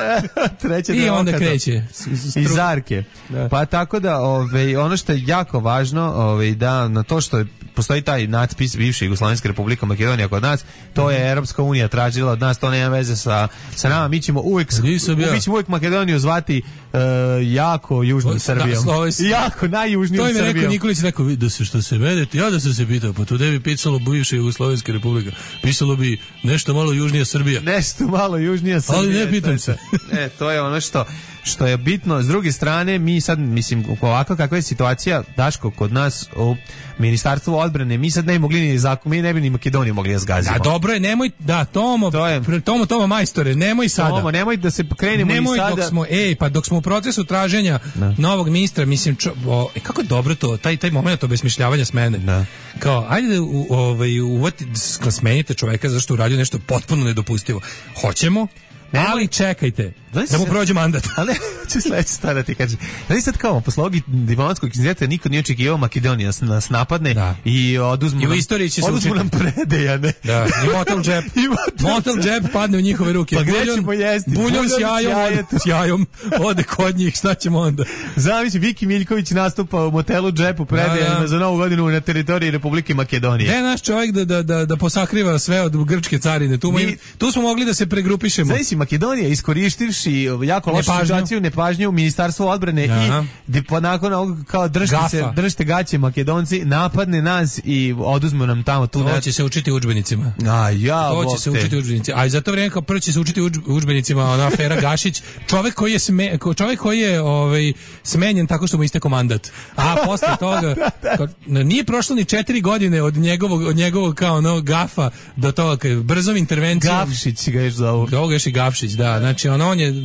treće I onda okata. kreće. S- s- Iz stru- Zarke. Da. Pa tako da, ovaj, ono što je jako važno, ovaj, da na to što je, postoji taj natpis bivše Jugoslovenske Republike Makedonija kod nas, to je Europska unija tražila od nas, to nema veze sa, sa nama, mi ćemo uvijek, Nisam ja. mi ćemo uvijek Makedoniju zvati e, jako južnom Da, Srbijom. sloves- Jako najjužnijom To im je rekao Srbijom. Nikolić, rekao, "Vi, da se što se mene, ja da sam se pitao, pa tu ne bi pisalo bivša Jugoslovenska Republika, pisalo bi nešto malo južnija Srbija. Nešto malo južnija Srbija. Ali ne pitam se. E, to je ono što što je bitno. S druge strane, mi sad, mislim, ovako kakva je situacija, Daško, kod nas u Ministarstvu odbrane, mi sad ne bi mogli ni zakon, mi ne bi ni Makedoniju mogli da zgazimo. Da, dobro je, nemoj, da, Tomo, To je- pre- Tomo, Tomo majstore, nemoj sada. Tomo, nemoj da se krenemo Nemoj i sada. dok smo, ej, pa dok smo u procesu traženja novog ministra, mislim, čo, o, e, kako je dobro to, taj, taj moment obesmišljavanja smene. Da. Kao, ajde da u, ovaj, uvati, da smenite čoveka zašto uradio nešto potpuno nedopustivo. Hoćemo, Nemoj- ali čekajte, Znaš da mu se- prođe mandat. Ali ne, ću sledeće stvar da ti kažem. Znači sad kao, posle ovog diplomatskog incidenta niko nije očekivao Makedonija nas, nas napadne Da. i oduzmu I u nam, istoriji će se oduzmu učiti. nam predejane. Da, i motel džep. I motel motel džep padne u njihove ruke. Pa gde Buljon- ćemo jesti? Buljon Buljon s jajom, s ode, s jajom, ode kod njih, šta ćemo onda? Zamisli, Viki Miljković nastupa u motelu džepu predejanima Da, da. za novu godinu na teritoriji Republike Makedonije. Gde je naš čovjek da, da, da, da posakriva sve od grčke carine? Tu, Mi- Mi, tu smo mogli da se pregrupišemo. Znači si Makedonija iskoristivši jako lošu Nepažnju. situaciju, nepažnju u Ministarstvu odbrane Aha. i di- pa nakon ovog kao držite Gafa. se, držite gaće Makedonci, napadne nas i oduzmu nam tamo tu. To ne- će se učiti u udžbenicima. A ja, To bog će se te. učiti u udžbenicima. A i za to vrijeme kao prvo će se učiti u udž- u udžbenicima ona afera Gašić, čovjek koji je sme, ko- čovjek koji je ovaj smenjen tako što mu istekao mandat. A posle toga kao, nije prošlo ni četiri godine od njegovog od njegovog kao ono gafa do toga kad brzom intervencijom Gavšić ga još zovu. Ovoga još i Gavšić, da. Znači, on, on je uh,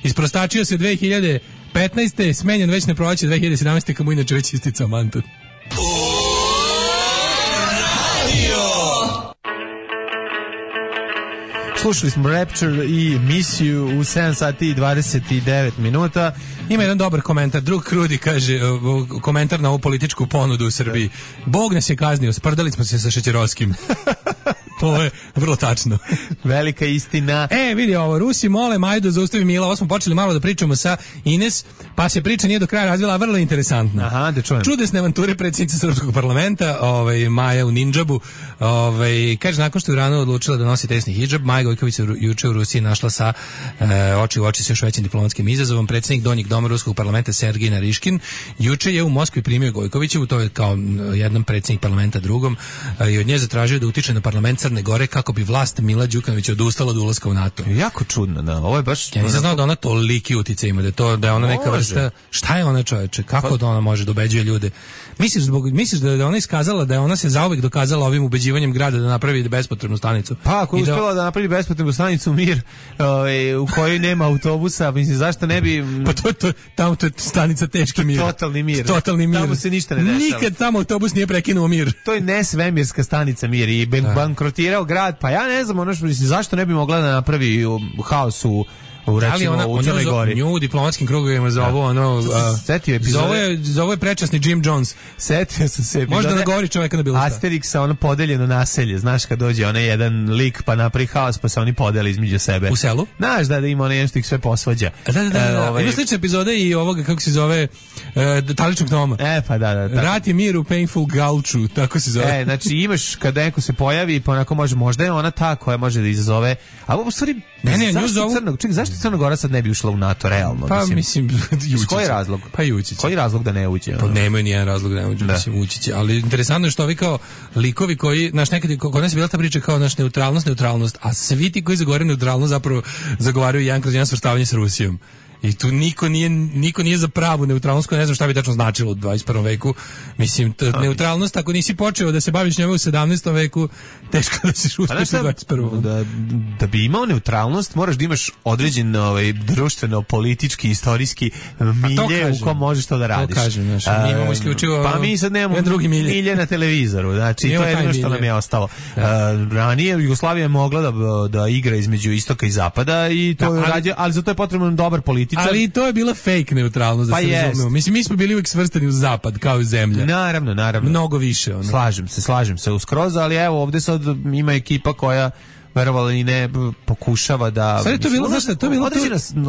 isprostačio se dve hiljade petnaeste. smenjen već ne proleće dve hiljade sedamnaeste. kad mu inače već isticao mandat. Slušali smo Rapture i Misiju u sedam sati i dvadeset devet minuta. Ima jedan dobar komentar. Drug Krudi kaže, uh, komentar na ovu političku ponudu u Srbiji. Bog nas je kaznio, sprdali smo se sa Šećerovskim. To je vrlo tačno. Velika istina. E, vidi ovo, Rusi mole Maju da zaustavi Mila. Ovo smo počeli malo da pričamo sa Ines, pa se priča nije do kraja razvila, a vrlo interesantna. Aha, da čujem. Čudesne avanture predsjednice Srpskog parlamenta, ovaj, Maja u nindžabu. Ovaj, kaže, nakon što je rano odlučila da nosi tesni hidžab, Maja Gojković se juče u Rusiji našla sa e, oči u oči sa još većim diplomatskim izazovom. Predsjednik Donjeg doma Ruskog parlamenta Sergij Nariškin juče je u Moskvi primio Gojkovićevu, to je kao jedan predsjednik parlamenta drugom, e, i od nje zatražio da utiče na parlament Crne Gore kako bi vlast Mila Đukanovića odustala od ulaska u NATO. Jako čudno, da. Ovo je baš... Ja nisam znao da ona toliki utjecaj ima, da, to, da je ona neka vrsta... Šta je ona, čoveče? Kako da ona može da ubeđuje ljude? Misliš, zbog, misliš da je ona iskazala, da je ona se zauvek dokazala ovim ubeđivanjem grada da napravi bespotrebnu stanicu? Pa, ako je da... uspjela da napravi bespotrebnu stanicu Mir, ovaj, u kojoj nema autobusa, mislim, zašto ne bi... Pa to, to, tamo to je stanica teški mir. Totalni mir. Totalni mir. Tamo se ništa ne dešava. Nikad tamo autobus nije prekinuo mir. To je nesvemirska stanica Mir i ben, bankrotirao grad, pa ja ne znam, ono što, mislim, zašto ne bi mogla da napravi haos u u recimo ona, u Crnoj Gori. Nju u diplomatskim krugovima zovu ono... Setio epizode... Zove, zove prečasni Jim Jones. Setio sam se epizode... Možda nagovori čoveka na bilo šta. Asterixa, ono podeljeno naselje. Znaš kad dođe onaj jedan lik pa napravi haos pa se oni podeli između sebe. U selu? Znaš da, da ima onaj jedan što ih sve posvađa. Da, da, da. da. E, ovaj... Ima slične epizode i ovoga, kako se zove, e, Taličnog Toma. E, pa da, da. Tako. Rat je mir u Painful Gulchu, tako se zove. E, znači imaš kada neko se pojavi pa onako može, možda je ona ta koja može da izazove, a u stvari ne, ne, zašto zovu... Crnog, čekaj, zašto Crna Gora sad ne bi ušla u NATO realno? Pa mislim, mislim koji je razlog? Pa i ući će. Koji je razlog da ne uđe? Pa nemaju nijedan razlog da ne uđe, da. Mislim, ući će. Ali interesantno je što ovi kao likovi koji, znaš, nekad kod nas je bila ta priča kao naš neutralnost, neutralnost, a svi ti koji zagovaraju neutralnost zapravo zagovaraju jedan kroz jedan svrstavanje s Rusijom. I tu niko nije, niko nije za pravu neutralnost, ne znam šta bi tačno značilo u dvadeset prvom veku. Mislim, t, neutralnost, ako nisi počeo da se baviš njome u sedamnaestom veku, teško da se uspeš u dvadeset prvom. Da, da bi imao neutralnost, moraš da imaš određen ovaj, društveno, politički, istorijski milje u kom možeš to da radiš. To kažem, znači, mi imamo isključivo... Pa mi sad nemamo drugi milje. milje na televizoru, znači, to je jedno što nam je ostalo. Uh, ranije Jugoslavija je mogla da, da igra između istoka i zapada, i to da, ali, rađe, ali za to je potrebno dobar političar. Ali i to je bila fake neutralnost, da pa se razumemo. Mislim, mi smo bili uvijek svrstani u zapad, kao i zemlja. Naravno, naravno. Mnogo više. Ono. Slažem se, slažem se uskroz, ali evo, ovdje sad ima ekipa koja verovalo i ne pokušava da... Sad je to bilo, znaš šta, to je bilo to,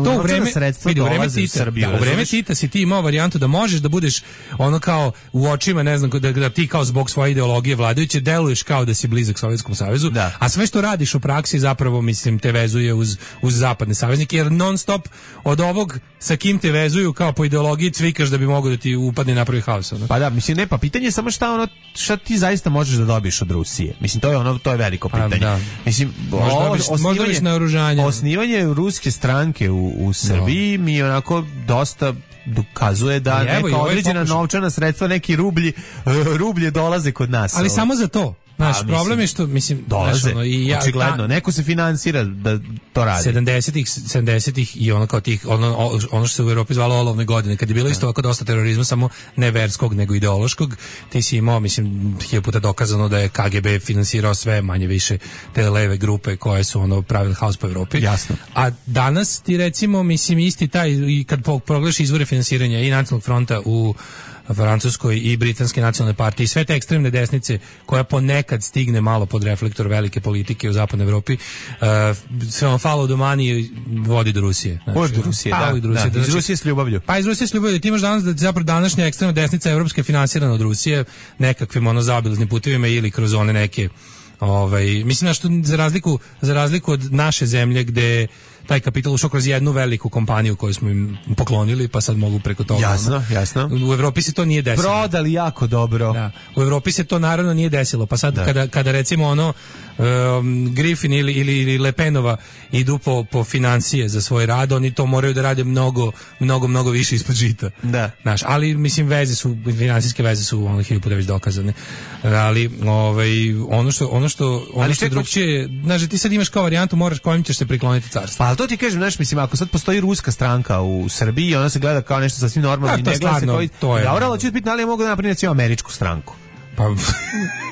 to u vreme, vidi, u vreme Tita, da, u vreme Tita si ti imao varijantu da možeš da budeš ono kao u očima, ne znam, da, da ti kao zbog svoje ideologije vladajuće deluješ kao da si blizak Sovjetskom savezu, da. A sve što radiš u praksi zapravo, mislim, te vezuje uz, uz zapadne saveznike, jer non stop od ovog sa kim te vezuju kao po ideologiji cvikaš da bi mogao da ti upadne napravi haos. Ono. Pa da, mislim, ne, pa pitanje je samo šta, ono, šta ti zaista možeš da dobiješ od Rusije. Mislim, to je ono, to je veliko pitanje. Da. Mislim, možda biš naoružanje. Osnivanje ruske stranke u, u Srbiji no. mi onako dosta dokazuje da neka evo, određena novčana sredstva, neki rublji, rublje dolaze kod nas. Ali samo za to. Naš problem je što, mislim, dolaze, ono, i ja, očigledno, ta, neko se finansira da to radi. sedamdesetih, sedamdesetih i ono kao tih, ono, ono što se u Evropi zvalo olovne godine, kad je bilo isto ovako dosta terorizma, samo ne verskog, nego ideološkog, ti si imao, mislim, hiljadu puta dokazano da je K G B finansirao sve manje više te leve grupe koje su ono pravili haos po Evropi. Jasno. A danas ti recimo, mislim, isti taj, i kad pogledaš izvore finansiranja i Nacionalnog fronta u Francuskoj i Britanske nacionalne partije i sve te ekstremne desnice koja ponekad stigne malo pod reflektor velike politike u zapadnoj Evropi, uh, sve on follow the money vodi do Rusije. Znači, vodi do Rusije, da, do Rusije, da, da, iz Rusije s ljubavlju. Pa iz Rusije s ljubavlju. Ti imaš danas da zapravo današnja ekstremna desnica evropska je finansirana od Rusije nekakvim ono zaobilaznim putevima ili kroz one neke ovaj, mislim da što za razliku, za razliku od naše zemlje gde taj kapital ušao kroz jednu veliku kompaniju koju smo im poklonili, pa sad mogu preko toga. Jasno, ono. jasno. U Evropi se to nije desilo. Prodali jako dobro. Da. U Evropi se to naravno nije desilo, pa sad kada, kada recimo ono um, Griffin ili, ili, ili Le Penova idu po, po financije za svoj rad, oni to moraju da rade mnogo, mnogo, mnogo više ispod žita. Da. Znaš, ali mislim veze su, finansijske veze su ono hiljadu puta već dokazane. Ali ovaj, ono što, ono što, ono što drugčije, znaš, ti sad imaš kao varijantu, moraš kojim ćeš se prikloniti carstvu. Pa to ti kažem, znaš, mislim, ako sad postoji ruska stranka u Srbiji, ona se gleda kao nešto sasvim normalno i ne gleda se koji... To je... Dobro, ali ću biti, ali ja mogu da napravim američku stranku. Pa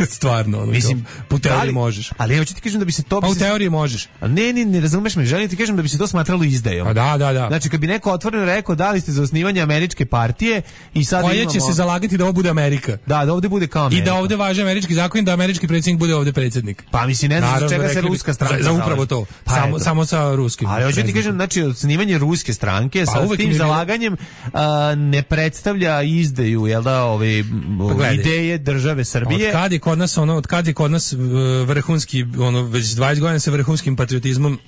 stvarno, ono, mislim, po teoriji možeš. Ali hoću ti kažem da bi se to... Pa u teoriji možeš. A ne, ne, ne razumeš me, želim ti kažem da bi se to smatralo izdajom. A da, da, da. Znači, kad bi neko otvoreno rekao da li ste za osnivanje američke partije i sad koja imamo... će se zalagati da ovo bude Amerika. Da, da ovde bude kao Amerika. I da ovde važe američki zakon, da američki predsjednik bude ovde predsjednik. Pa mislim, ne znam čega se ruska stranka za, za upravo to. Pa samo, samo sa ruskim. Ali hoću ti kažem, znači, osnivanje ruske stranke pa, sa tim zalaganjem a, ne predstavlja izdaju, jel da, ove pa, ideje države Srbije. Od kad je kod nas, ono, od kad je kod nas vrhunski, ono, već dvadeset godina se vrhunskim patriotizmom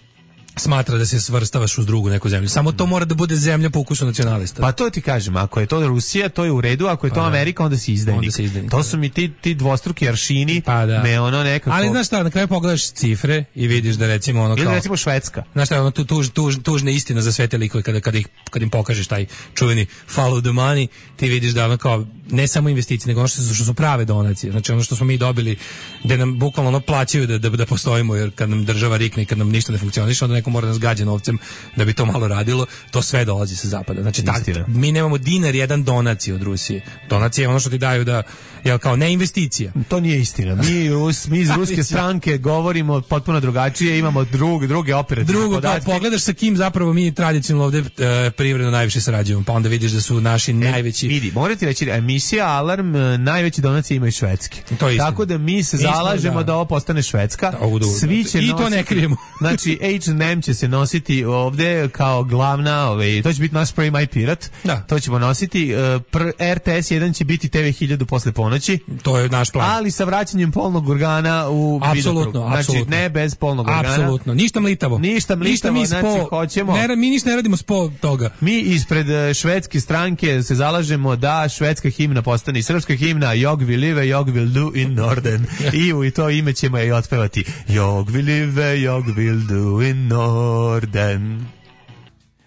smatra da se svrstavaš uz drugu neku zemlju. Samo to mora da bude zemlja po ukusu nacionalista. Pa to ti kažem, ako je to Rusija, to je u redu, ako je to Amerika, onda si izdajnik. Onda si izdajnik. To su mi ti, ti dvostruki aršini, pa da. Me ono nekako... Ali znaš šta, na kraju pogledaš cifre i vidiš da recimo ono kao... Ili recimo Švedska. Znaš šta, ono tu, tuž, tuž, tužna istina za sve te likove, kada, kada, ih, kada im pokažeš taj čuveni follow the money, ti vidiš da ono kao, ne samo investicije, nego ono što su, što su prave donacije. Znači ono što smo mi dobili, gde nam bukvalno ono plaćaju da, da, da postojimo, jer kad nam država rikne i kad nam ništa ne funkcioniše, onda neko mora da nas gađa novcem da bi to malo radilo, to sve dolazi sa zapada. Znači, tak, mi nemamo dinar jedan donacije od Rusije. Donacije je ono što ti daju da, jel kao, ne investicija. To nije istina. Mi, mi iz ruske stranke govorimo potpuno drugačije, imamo drug, druge operativne Drugo, podatke. Drugo, pogledaš sa kim zapravo mi tradicionalno ovde e, privredno najviše sarađujemo, pa onda vidiš da su naši e, najveći... Vidi, morate reći, emisija Alarm najveće donacije imaju Švedske. To je tako da mi se zalažemo da, da ovo postane Švedska. Da, Svi će I nositi, to ne krijemo. Znači, H and M će se nositi ovde kao glavna, ovaj, to će biti naš Spray My Pirate, da. To ćemo nositi, pr, R T S jedan će biti T V hiljadu posle ponoći, to je naš plan, ali sa vraćanjem polnog organa u apsolutno, znači apsolutno. Ne bez polnog organa, apsolutno, ništa mlitavo, ništa mlitavo, ništa mi znači spo, hoćemo, ne, mi ništa ne radimo spo toga, mi ispred švedske stranke se zalažemo da švedska himna postane i srpska himna, Jog vi live, Jog will do in Norden i u to ime ćemo je otpevati, Jog vi live, Jog will do in Norden.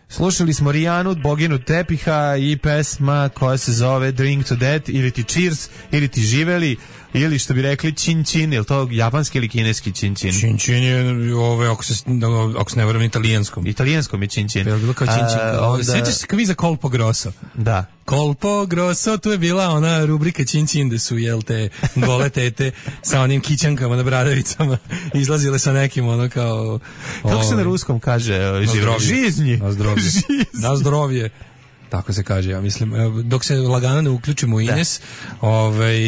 Slušali smo Rijanu, boginu tepiha i pesma koja se zove Drink to Death ili ti Cheers ili ti Živeli ili što bi rekli Chin Chin, je li to japanski ili kineski Chin Chin? Chin Chin je, ove, ako, se, ako se ne varam, italijanskom. Italijanskom je Chin Chin. Je bilo kao Chin Chin. Uh, onda... Sjećaš se kviza Colpo Grosso? Da. Colpo Grosso, tu je bila ona rubrika Chin Chin, gde su, jel te, gole tete sa onim kićankama na bradavicama izlazile sa nekim ono kao... Kako se na ruskom kaže? Na zdrovje. Žiznji. Na zdrovje. Na zdrovje. Tako se kaže, ja mislim. Dok se lagano ne uključimo u Ines, ovaj,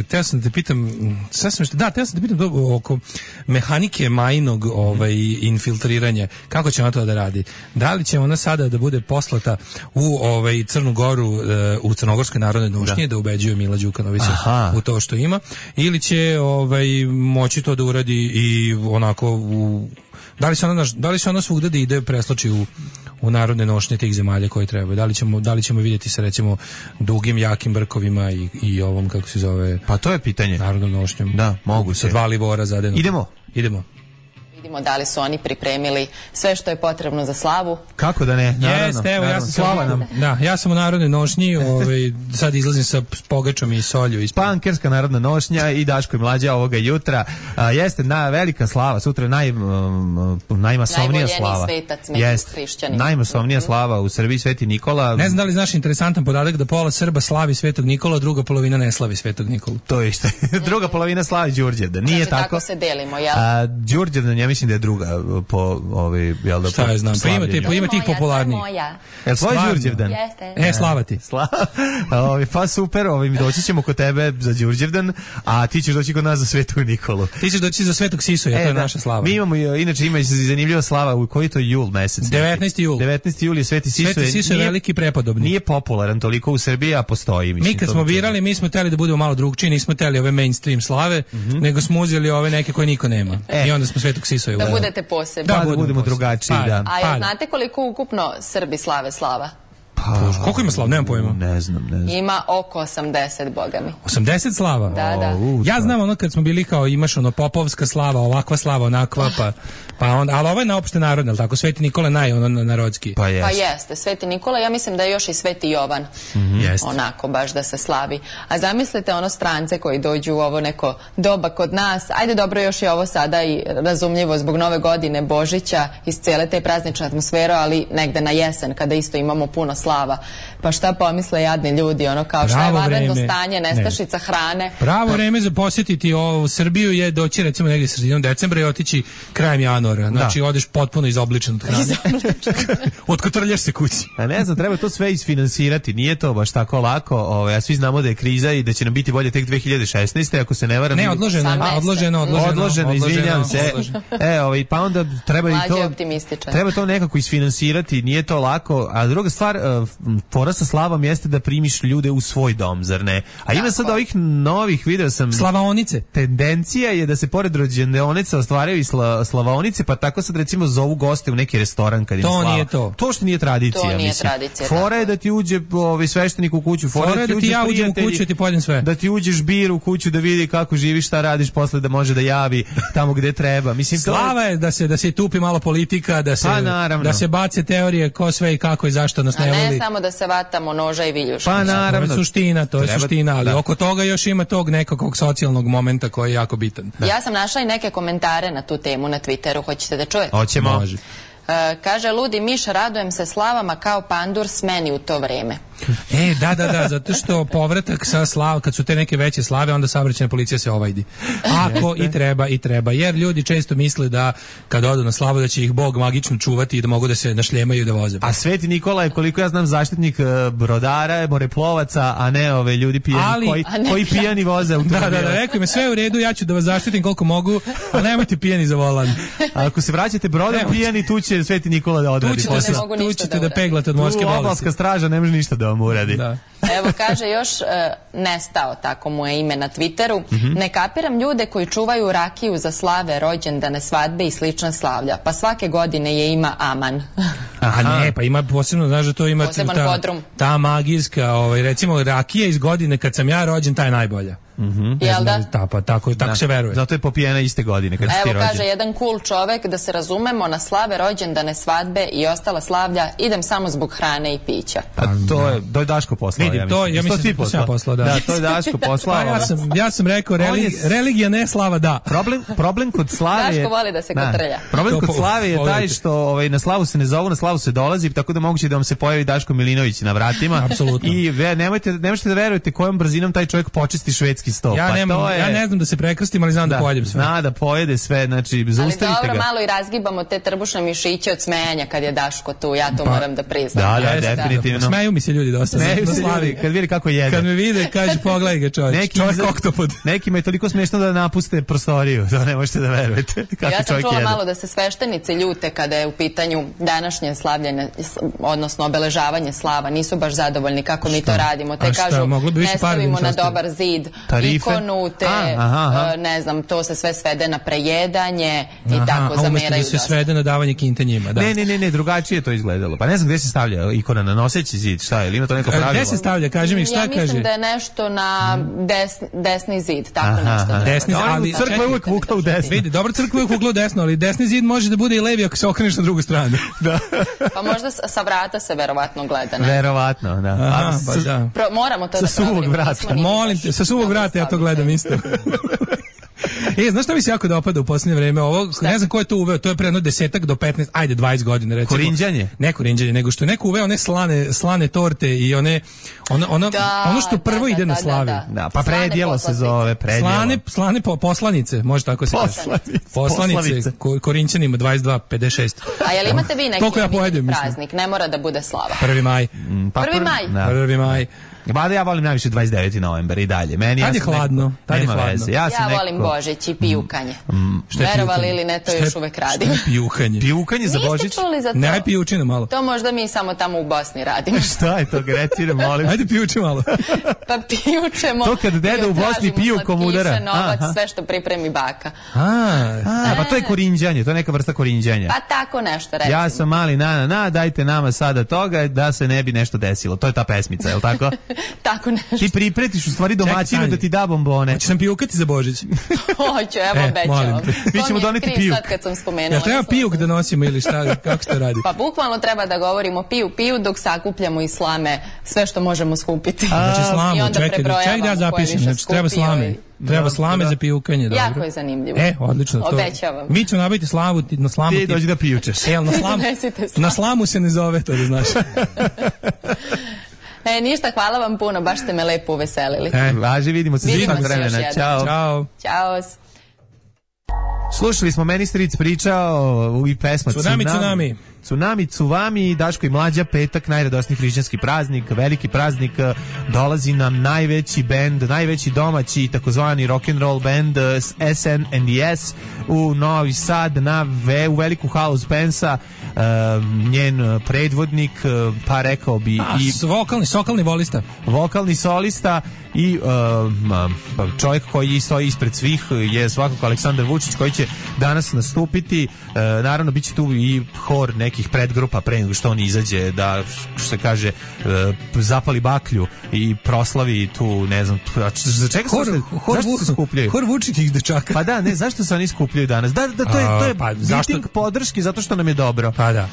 teo sam da te pitam, sasvim što, da, teo sam da te pitam oko mehanike majnog ovaj, infiltriranja. Kako će ona to da radi? Da li će ona sada da bude poslata u ovaj, Crnu Goru, u Crnogorskoj narodnoj nošnji, da, da ubeđuje Mila Đukanovića u to što ima, ili će ovaj, moći to da uradi i onako u... Da li se ona, da li se ona svugde da ide preslači u u narodne nošnje tih zemalja koje trebaju. Da li ćemo, da li ćemo vidjeti sa recimo dugim, jakim brkovima i, i ovom, kako se zove... Pa to je pitanje. Narodnom nošnjom. Da, mogu se. Sa dva livora zadeno. Idemo. Idemo. Vidimo da li su oni pripremili sve što je potrebno za slavu. Kako da ne? Naravno. Jeste, evo, naravno. ja sam Slava nam. Da, ja sam u narodnoj nošnji, ovaj, sad izlazim sa pogačom i solju. Ispred. Pankerska narodna nošnja i Daško i Mlađa ovoga jutra. A, jeste na velika slava, sutra naj, um, najmasovnija slava. Svetac među hrišćanima. Najmasovnija slava u Srbiji, Sveti Nikola. Ne znam da li znaš interesantan podatak da pola Srba slavi Svetog Nikola, a druga polovina ne slavi Svetog Nikolu. To je isto. Druga polovina slavi Đurđevdan. Nije znači, tako. Tako se delimo, jel? A Đurđevdan, ja mislim da je druga po ovaj, jel da, šta je znam, pa imate, pa ima tih popularnijih. Jel tvoj Đurđevdan? Jeste. E, slava ti. Slava. Ovaj, pa super, ovaj, mi doći ćemo kod tebe za Đurđevdan, a ti ćeš doći kod nas za Svetog Nikolu. Ti ćeš doći za Svetog Sisoja, e, to je da, naša slava. Mi imamo, inače ima zanimljiva slava, u koji to jul mesec? devetnaesti jul. devetnaesti jul je Sveti Sisoje. Sveti Sisoje je veliki prepodobni. Nije popularan toliko u Srbiji, a postoji. Mislim, mi kad smo birali, mi smo teli da budemo malo drugčiji, nismo teli ove mainstream slave, mm-hmm. nego smo uzeli ove neke koje niko nema. E. I onda smo Svetog Sisoja. Da budete posebni. Da, da, da budemo drugačiji, pa, da. A jel znate koliko ukupno Srbi slave slava? Pa, koliko ima slava? Nemam pojma. Ne znam, ne znam. Ima oko osamdeset, boga mi. osamdeset slava? Da, da. Ja znam ono kad smo bili kao imaš ono popovska slava, ovakva slava, onakva, pa Pa onda, ali ovo je na opšte narodno, ali tako, Sveti Nikola naj, ono, narodski. Pa jeste. Pa jeste, Sveti Nikola, ja mislim da je još i Sveti Jovan. Mm-hmm. Jeste. Onako, baš da se slavi. A zamislite ono strance koji dođu u ovo neko doba kod nas. Ajde, dobro, još je ovo sada i razumljivo zbog nove godine, Božića, iz cijele te praznične atmosfere, ali negde na jesen, kada isto imamo puno slava. Pa šta pomisle jadni ljudi, ono kao šta je vanredno stanje, nestašica ne. hrane. Pravo vreme za posjetiti ovu Srbiju je doći recimo negdje sredinom decembra i otići krajem januara. Znači da. odeš potpuno izobličen od hrane. Otkotrljaš se kući. A ne znam, treba to sve isfinansirati. Nije to baš tako lako. Ove, a svi znamo da je kriza i da će nam biti bolje tek dve hiljade šesnaeste. Ako se ne varam. Ne, odloženo, odloženo, odloženo, odloženo, odloženo, izvinjam se. E, ovaj, pa onda treba i to. Treba to nekako isfinansirati. Nije to lako. A druga stvar, fora sa slavom jeste da primiš ljude u svoj dom, zar ne? A ima sad ovih novih, video sam. Slavaonice. Tendencija je da se pored rođendaonica ostvaraju i sla, slavaonice, pa tako sad recimo zovu goste u neki restoran kad im slava. To nije to. To što nije tradicija, to nije mislim. Tradicija, fora je da ti uđe ovaj sveštenik u kuću, fora, fora je da ti ja uđem u kuću i ti pojedem sve. Da ti uđeš bir u kuću da vidi kako živiš, šta radiš, posle da može da javi tamo gde treba. Mislim, slava je da se da se tupi malo politika, da se pa, da se bace teorije ko sve i kako i zašto nas ne voli. A ne samo da se vatamo noža i viljuša. Pa naravno. To je suština, to je Treba, suština, ali da. oko toga još ima tog nekakvog socijalnog momenta koji je jako bitan. Da. Ja sam našla i neke komentare na tu temu na Twitteru, hoćete da čujete? Hoćemo. Može. E, kaže, ludi miš, radujem se slavama kao pandur smeni u to vreme. E, da, da, da, zato što povratak sa slav, kad su te neke veće slave, onda saobraćajna policija se ovajdi. Ako i treba, i treba. Jer ljudi često misle da kad odu na slavu da će ih Bog magično čuvati i da mogu da se našljemaju i da voze. A Sveti Nikola je, koliko ja znam, zaštitnik brodara, moreplovaca, a ne ove ljudi pijani, ali, koji, koji pijani voze automobile. Da, da, da, rekao mi, sve u redu, ja ću da vas zaštitim koliko mogu, a nemojte pijani za volan. A ako se vraćate brodom pijani, tu će Sveti Nikola da odradi. Tu ćete, tu ćete da, da peglate od morske bolesti. Obalska straža ne može ništa da vam uradi. Da. Evo, kaže još e, nestao, tako mu je ime na Twitteru. Mm-hmm. Ne kapiram ljude koji čuvaju rakiju za slave, rođendane, svadbe i slična slavlja. Pa svake godine je ima aman. A ne, pa ima posebno, znaš da to ima ta, ta magijska, ovaj, recimo rakija iz godine kad sam ja rođen, ta je najbolja. Mhm. Jel da? Ta, pa tako, tako da. se veruje. Zato je popijena iste godine kad si ti rođen. rođen. Evo kaže jedan cool čovek, da se razumemo, na slave, rođendane, svadbe i ostala slavlja idem samo zbog hrane i pića. A to je, to je Daško poslao. Vidim, ja to, ja mislim da to sam ja poslao, da. Da, to je Daško poslao. Pa ja sam, ja sam rekao, religi, religija ne, slava da. Problem, problem kod slave je... Daško voli da se kotrlja. Problem kod slave je taj što ovaj, na slavu se ne zovu, na slavu se dolazi, tako da moguće da vam se pojavi Daško Milinović na vratima. Apsolutno. I ve, nemojte, nemojte da verujete kojom brzinom taj čovjek počisti švedski sto. Ja, pa nemam, je... ja ne znam da se prekrstim, ali znam da, da pojedem sve. Zna da pojede sve, znači zaustavite ga. Ali dobro, malo i razgibamo te trbušne mišiće od smejanja kad je Daško tu, ja to pa, moram da priznam. Da, da, definitivno. Da. Smeju mi se ljudi dosta. Smeju se ljudi, kad vidi kako jede. Kad me vide, kaže, pogledaj ga čovjek. Neki čovjek oktopod. Nekima je toliko smiješno da napuste prostoriju, da ne možete da verujete. Kako ja sam čula jede. malo da se sveštenici ljute kada je u pitanju današnje slavljenje, odnosno obeležavanje slava, nisu baš zadovoljni kako mi to radimo. Te kažu, ne stavimo na dobar zid ikonu, te, ne znam, to se sve svede na prejedanje i aha, tako zameraju da se dosta. svede na davanje kinta njima, da. Ne, ne, ne, ne, drugačije to izgledalo. Pa ne znam gde se stavlja ikona na noseći zid, šta je, ili ima to neko pravilo? Gde se stavlja, kaži mi šta ja kaže? Ja mislim da je nešto na desni, desni zid, tako aha, nešto. Aha, desni, ali crkva je uvek vukla u desno. Vidi, dobro, crkva je uvek vukla u desno, ali desni zid može da bude i levi ako se okreneš na drugu stranu. Da. Pa možda sa vrata se verovatno gleda. Ne? Verovatno, da. Aha, pa da. Pro, moramo to sa da suvog vrata. Molim te, sa suvog vrata ja to gledam isto. E, znaš šta mi se jako dopada u posljednje vreme? Ovo, šta? Ne znam ko je to uveo, to je pre jedno desetak do petnaest, ajde dvadeset godina recimo. Korinđanje? Ne korinđanje, nego što je neko uveo one slane, slane torte i one, ono, ono, da, ono što prvo da, ide da, na da, slavi. Da, da. Da, pa predjelo se zove, predjelo. Slane, slane po, poslanice, može tako se kaže. Poslanice, poslanice ko, Korinćanima dvadeset dva pedeset šest. A jel imate vi neki ja pojedem, praznik? mislim. Ne mora da bude slava. prvi maj. Mm, pa prvi maj? Da. prvi maj. Mada ja volim najviše dvadeset deveti novembar i dalje. Meni tad ja je hladno, tad je hladno. Veze. Ja, ja neko... volim Božić i pijukanje. Mm, verovali ili ne, to šta još uvek radim. Šta je pijukanje? Pijukanje za Božić? Niste čuli za to? Ne, aj pijučina malo. To možda mi samo tamo u Bosni radimo. Šta je to, Grecire, molim? Ajde pijuči malo. Pa pijučemo. To kad deda u Bosni pijukom udara. Novac, aha. Sve što pripremi baka. A, a, pa to je korinđanje, to je neka vrsta korinđanja. Pa tako nešto, recimo. Ja sam mali na, na, na, dajte nama sada toga da se ne bi nešto desilo. To je ta pesmica, je li tako? tako nešto. Ti pripretiš u stvari domaćinu da ti da bombone. Hoćeš nam pijukati za Božić? Hoću, evo, obećavam. Mi ćemo doneti pijuk. Sad kad sam spomenula. Ja treba pijuk da nosimo ili šta, kako se to radi? Pa bukvalno treba da govorimo piju, piju dok sakupljamo iz slame sve što možemo skupiti. Znači slamu, čekaj, čekaj da ja zapišem, znači treba slame. Treba slame za pijukanje, dobro. Jako je zanimljivo. E, odlično. To. Obećavam. Mi ćemo nabaviti slavu, na slamu ti dođi da pijučeš. E, na slamu, na slamu se ne zove, to da znaš. E, ništa, hvala vam puno, baš ste me lepo uveselili. E, važi, vidimo se vidimo svih vremena. Ćao. Ćao. Ćao. Slušali smo Meni Stric pričao i pesma Tsunami, Tsunami. Tsunami, Tsuvami, Daško i Mlađa, petak, najradosniji hrišćanski praznik, veliki praznik, dolazi nam najveći bend, najveći domaći takozvani rock'n'roll band S N and the S u Novi Sad na ve, u veliku halu Spensa, uh, njen predvodnik, pa rekao bi A, i vokalni, sokalni volista. Vokalni solista i uh, čovjek koji stoji ispred svih je svakako Aleksandar Vučić koji će danas nastupiti. Uh, naravno bit će tu i hor nekih predgrupa pre nego što on izađe da, što se kaže, uh, zapali baklju i proslavi tu, ne znam, za čega hor, se, hor, zašto se skupljaju? Hor Vučićih dečaka. Pa da, ne, zašto se oni skupljaju danas? Da, da, to je, to je pa, miting zašto? podrški zato što nam je dobro. Pa da.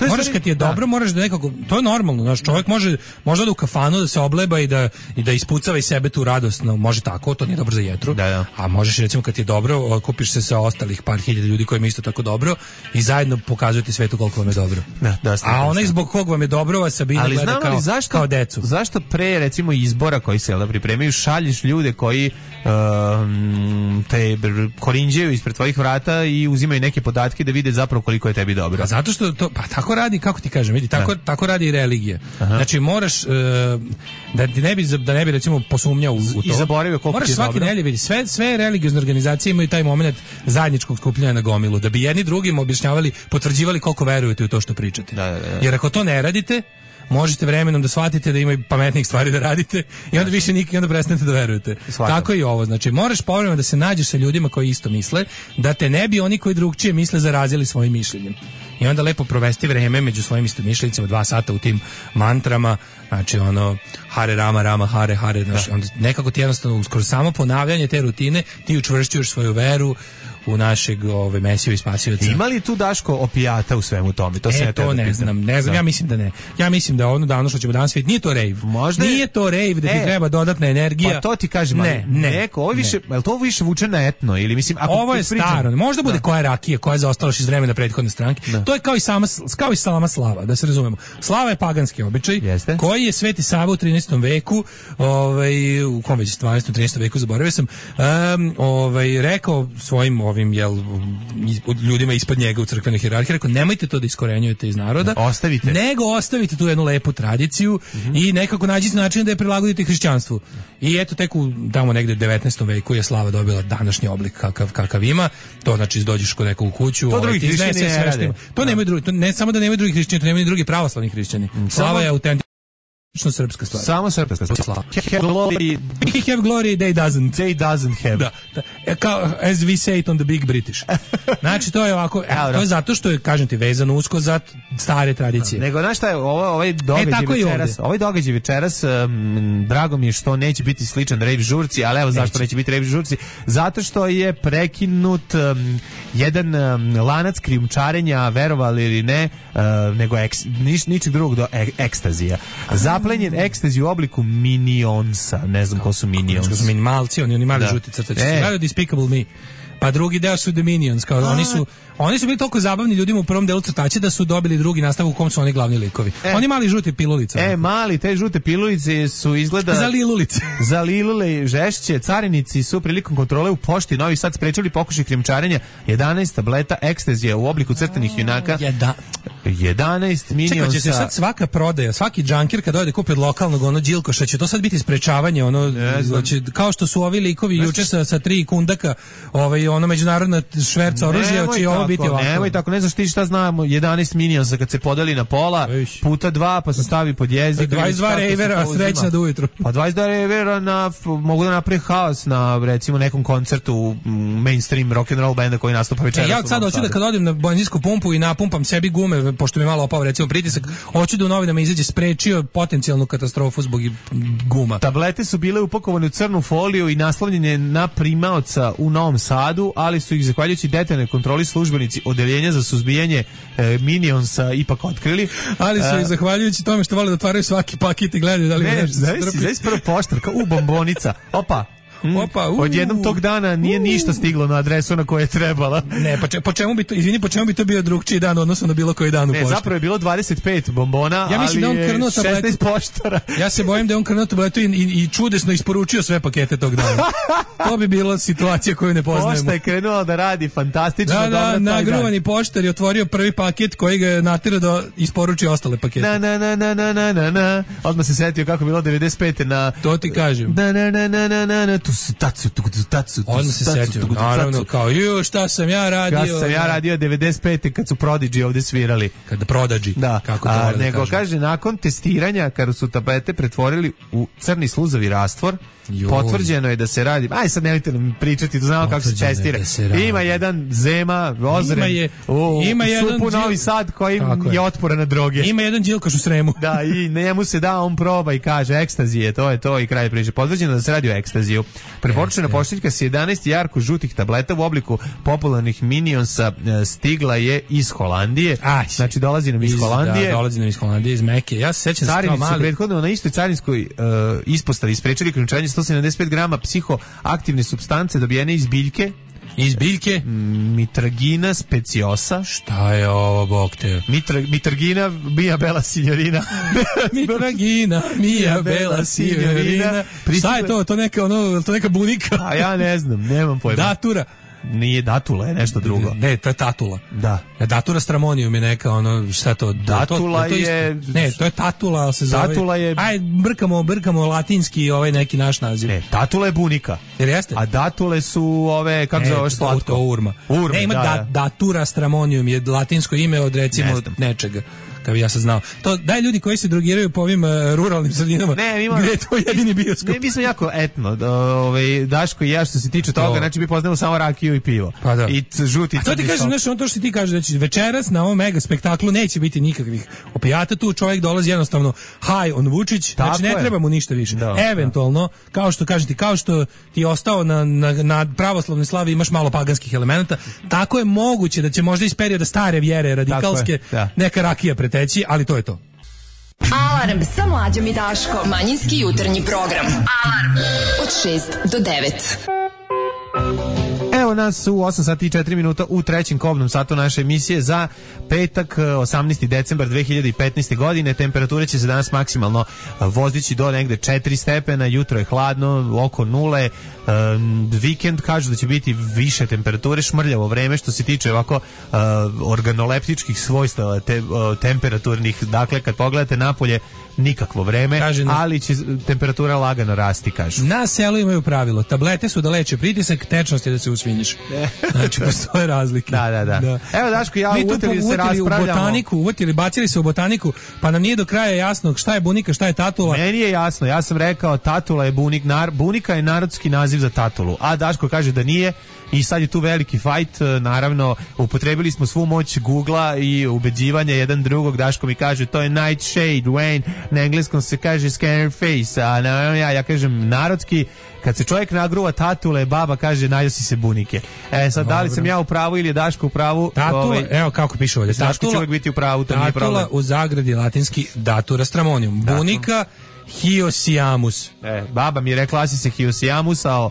Moraš kad ti je dobro, da. moraš da nekako, to je normalno, znaš, čovjek može možda da u kafanu da se obleba i da i da ispucava iz sebe tu radost, no, može tako, to nije dobro za jetru. Da, da. A možeš recimo kad ti je dobro, kupiš se sa ostalih par hiljada ljudi kojima je isto tako dobro i zajedno pokazujete svetu koliko vam je dobro. Da, da, a onaj zbog kog vam je dobro, vas Sabina ali gleda kao, zašto, kao decu. Zašto pre recimo izbora koji se pripremaju šalješ ljude koji um, te korinđaju ispred tvojih vrata i uzimaju neke podatke da vide zapravo koliko je tebi dobro. A zato što to, pa tako radi, kako ti kažem, vidi, tako, da. tako radi i religija. Aha. Znači moraš uh, da ti ne bi da ne bi recimo posumnjao u, u to. I zaboravio koliko moraš ti je svaki nedelje vidi sve sve religiozne organizacije imaju taj momenat zajedničkog skupljanja na gomilu da bi jedni drugim objašnjavali, potvrđivali koliko verujete u to što pričate. Da, da, da. Jer ako to ne radite, možete vremenom da shvatite da ima i pametnijih stvari da radite i onda više nikad onda prestanete da verujete. Svakom. Tako i ovo. Znači, moraš povremeno da se nađeš sa ljudima koji isto misle, da te ne bi oni koji drugčije misle zarazili svojim mišljenjem. I onda lepo provesti vreme među svojim istomišljenicima dva sata u tim mantrama, znači ono Hare Rama, Rama, Hare, Hare, znači, onda nekako ti jednostavno skoro samo ponavljanje te rutine ti učvršćuješ svoju veru u našeg ove Mesiju i Spasioca. Ima li tu Daško opijata u svemu tome? To e, se ne to ne znam, ne znam, da. ja mislim da ne. Ja mislim da ono da ono što ćemo danas vidjeti nije to rave. Možda nije to rave da ti e, treba dodatna energija. Pa to ti kažem, ne, ne, neko, ovo više, je li to više vuče na etno ili mislim ako ovo je pričam, staro, možda bude da. koja rakija, koja je zaostala iz vremena prethodne stranke. Da. To je kao i sama kao i salama slava, da se razumemo. Slava je paganski običaj, jeste? Koji je Sveti Sava u trinaestom veku, ovaj u kom već dvanaestom trinaestom veku zaboravio sam, um, ovaj rekao svojim ovim jel ljudima ispod njega u crkvenoj hijerarhiji, rekao nemojte to da iskorenjujete iz naroda, ostavite. Nego ostavite tu jednu lepu tradiciju mm-hmm. i nekako nađite način da je prilagodite hrišćanstvu. I eto tek u tamo negde u devetnaestom veku je slava dobila današnji oblik kakav kakav ima. To znači dođeš kod nekog u kuću, to ovaj, ti sve sve što ima. To nemaju drugi, to ne samo da nemaju drugih hrišćana, to nemaju drugi pravoslavni hrišćani. Mm. Slava je autentična srpska stvar. Samo srpska stvar. Have glory, he have glory, they doesn't. They doesn't have. Da, da. Kao, as we say it on the big British. Znači, to je ovako, e, to je zato što je, kažem ti, vezano usko za stare tradicije. Nego, znaš šta je, ovo, ovaj događaj e, večeras, ovaj događaj večeras, um, drago mi je što neće biti sličan rave žurci, ali evo zašto neće, neće biti rave žurci, zato što je prekinut um, jedan um, lanac krijumčarenja, verovali ili ne, uh, nego eks, nič, ničeg drugog do ek, ekstazija. Zaplenjen ekstazi u obliku minionsa. Ne znam ko su minionsi. Ko su minimalci, oni, oni mali da. žuti crtači. E. Gledaju Despicable Me. Pa drugi deo su The Minions. Kao, oni, su, oni su bili toliko zabavni ljudima u prvom delu crtače da su dobili drugi nastav u kom su oni glavni likovi. E. Oni mali žuti pilulice. E, mali, te žute pilulice su izgleda... Za lilulice. Za lilule žešće. Carinici su prilikom kontrole u pošti Novi Sad sprečili pokušaj krijumčarenja jedanaest tableta ekstazija u obliku crtanih junaka. Jeda. jedanaest minionsa. Čekaj, će se sad svaka prodaja, svaki džankir kad dojde kupi od lokalnog ono Đilkoša, će to sad biti sprečavanje, ono, će, kao što su ovi likovi juče sa, sa tri kundaka ovaj, ono međunarodna šverca oružja, će ovo biti ovako. Nemoj tako, ne znaš ti šta znamo, jedanaest minionsa kad se podeli na pola, Viš. puta dva, pa se stavi pod jezik. dvadeset dva rejvera, srećna do ujutru. Pa dvadeset dva rejvera na, mogu da napravi haos na, recimo, nekom koncertu mainstream rock'n'roll benda koji nastupa večeras. E, ja sad hoću da kad odim na benzinsku pumpu i napumpam sebi gume, pošto mi malo opao recimo pritisak, hoću da u novinama izađe sprečio potencijalnu katastrofu zbog guma. Tablete su bile upakovane u crnu foliju i naslovljene na primaoca u Novom Sadu, ali su ih zahvaljujući detaljnoj kontroli službenici odeljenja za suzbijanje e, Minionsa ipak otkrili. Ali su ih zahvaljujući tome što vole da otvaraju svaki paket i gledaju da li ne, znaš prvo poštarka, u bombonica, opa. Mm. Opa, uh. Odjednom tog dana nije uh. ništa stiglo na adresu na koje je trebala. Ne, pa če, po čemu bi to, izvini, po čemu bi to bio drugčiji dan odnosno na bilo koji dan u pošti? Ne, zapravo je bilo dvadeset pet bombona, ja mislim ali da on krnuo šesnaest poštara. Ja se bojim da je on krnuo tabletu i, i, i čudesno isporučio sve pakete tog dana. To bi bila situacija koju ne poznajemo. Pošta je krenula da radi fantastično. Da, dobro da, nagruvani poštar je otvorio prvi paket koji ga je naterao da isporuči ostale pakete. Na, na, na, na, na, na, na, na. Odmah se setio kako je bilo devedeset pete na... To ti kažem. Na, na, na, na, na, na, na, tu su, tacu, tu, Tacu, odmah se setio, naravno, kao, ju, šta sam ja radio. Šta sam ja radio devedeset pete kad su Prodigy ovde svirali. Kada Prodigy, da. Kako to A, da nego kažem. Kaže, nakon testiranja, kada su tablete pretvorili u crni sluzavi rastvor, Joj. potvrđeno je da se radi, aj sad nemojte nam pričati, to znamo kako se testira. Ima jedan Zema, Ozren, je, u, ima u supu jedan Novi Sad koji je, je otporan na droge. Ima jedan Đilkoš u Sremu. Da, i njemu se da, on proba i kaže, ekstazije, to je to i kraj priče. Potvrđeno da se radi o ekstaziju. Preporučena pošiljka s jedanaest jarko žutih tableta u obliku popularnih Minionsa stigla je iz Holandije. Aj, znači dolazi nam iz, iz Holandije. Da, dolazi nam iz Holandije, iz Meke. Ja se sećam se kao mali. Su prethodno na istoj carinskoj uh, ispostavi isprečili krijumčarenje sto sedamdeset pet grama psihoaktivne supstance dobijene iz biljke. Iz biljke? Mitragina speciosa. Šta je ovo, bog te? Mitra, mitragina, mia bella signorina. Mitragina, mia bella signorina. Šta je to? To neka, ono, to neka bunika? A ja ne znam, nemam pojma. Datura. Nije datula, je nešto drugo. Ne, to je tatula. Da. Datura stramonium je neka, ono, šta to? Datula to, to, to je... Ne, to je tatula, ali se zove... Tatula je... Aj, brkamo, brkamo latinski ovaj neki naš naziv. Ne, tatula je bunika. Jer jeste? A datule su ove, kako ne, zoveš slatko? To urma. Urma, ne, ima da, da, da. datura stramonium je latinsko ime od recimo ne nečega. Kad bi ja sad znao. To daj ljudi koji se drogiraju po ovim uh, ruralnim sredinama. Ne, ima, gde je to jedini bioskop. Ne, mi smo jako etno. Ovaj Daško i ja što se tiče toga, znači mi poznajemo samo rakiju i pivo. Pa da. I žuti. A to ti kažeš, znači on to što ti kažeš da će večeras na ovom mega spektaklu neće biti nikakvih opijata, tu čovjek dolazi jednostavno high on Vučić, tako znači ne je. treba mu ništa više. Da, eventualno, da. kao što kažete, kao što ti je ostao na, na, na pravoslavnoj slavi imaš malo paganskih elemenata, tako je moguće da će možda iz perioda stare vjere radikalske da. neka rakija preteći, ali to je to. Alarm sa Mlađom i Daškom. Manjinski jutarnji program. Alarm od šest do devet. Evo nas u osam sati i četiri minuta u trećem kobnom satu naše emisije za petak osamnaesti decembar dve hiljade petnaeste. godine. Temperature će se danas maksimalno vozdići do negde četiri stepena, jutro je hladno, oko nule, um, vikend kažu da će biti više temperature, šmrljavo vreme što se tiče ovako uh, organoleptičkih svojstava te, uh, temperaturnih, dakle kad pogledate napolje nikakvo vreme, kaže, ali će temperatura lagano rasti, kažu. Na selu imaju pravilo, tablete su da leče pritisak, tečnost je da se usvinjiš. Znači, postoje razlike. Da, da, da. da. Evo, Daško, ja uvotili se raspravljamo. U botaniku, uvotili, bacili se u botaniku, pa nam nije do kraja jasno šta je bunika, šta je tatula. Meni je jasno, ja sam rekao tatula je bunik, nar, bunika je narodski naziv za tatulu, a Daško kaže da nije. I sad je tu veliki fajt, naravno upotrebili smo svu moć Googla i ubeđivanja jedan drugog. Daško mi kaže to je nightshade, Wayne, na engleskom se kaže scanner face, a naravno ja, ja kažem narodski, kad se čovjek nagruva tatule, baba kaže najde si se bunike. E sad, da li sam ja u pravu ili je Daško u pravu? Tatula, ovaj, evo kako piše ovdje. Daško će uvijek biti u pravu, to nije problem. Tatula u zagradi latinski datura stramonium. Bunika Hiosiamus. E, baba mi je rekla si se Hiosiamus, a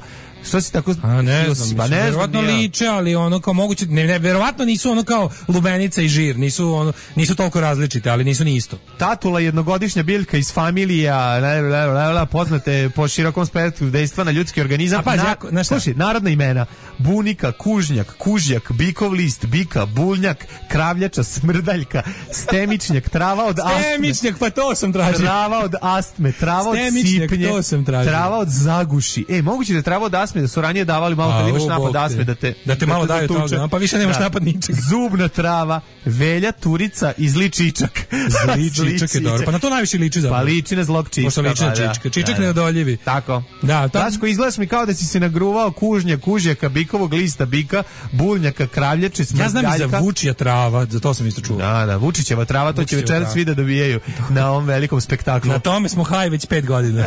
što si tako... A ne znam, pa ne verovatno liče, ali ono kao moguće, ne, ne, verovatno nisu ono kao lubenica i žir, nisu ono, nisu toliko različite, ali nisu ni isto. Tatula jednogodišnja biljka iz familija, le, le, le, le, poznate po širokom spektru dejstva na ljudski organizam. A pa, na, jako, na slušaj, narodna imena: bunika, kužnjak, kužjak, bikov list, bika, buljnjak, kravljača, smrdaljka, stemičnjak, trava od astme. Stemičnjak, pa to sam tražio. Trava od astme, trava od sipnje, to sam tražio. Trava od zaguši. E, moguće da trava od astme dasme, da su ranije davali malo kad imaš napad dasme, da te... Da te malo daju toga, pa više nemaš napad ničeg. Zubna trava, Velja Turica i zli čičak. Zli čičak je dobro, pa na to najviše liči zapravo. Pa liči na zlog čička. Pošto liči na čička, čičak neodoljivi. Tako. Da, to... Daško, izgledaš mi kao da si se nagruvao kužnja, kužjaka, bikovog lista, bika, bulnjaka, kravljače, smrzgaljka. Ja znam i za vučija trava, za to sam isto čuo. Da, da, Vučićeva trava, to će večeras svi da dobijaju na ovom velikom spektaklu. Na tome smo haj već pet godina.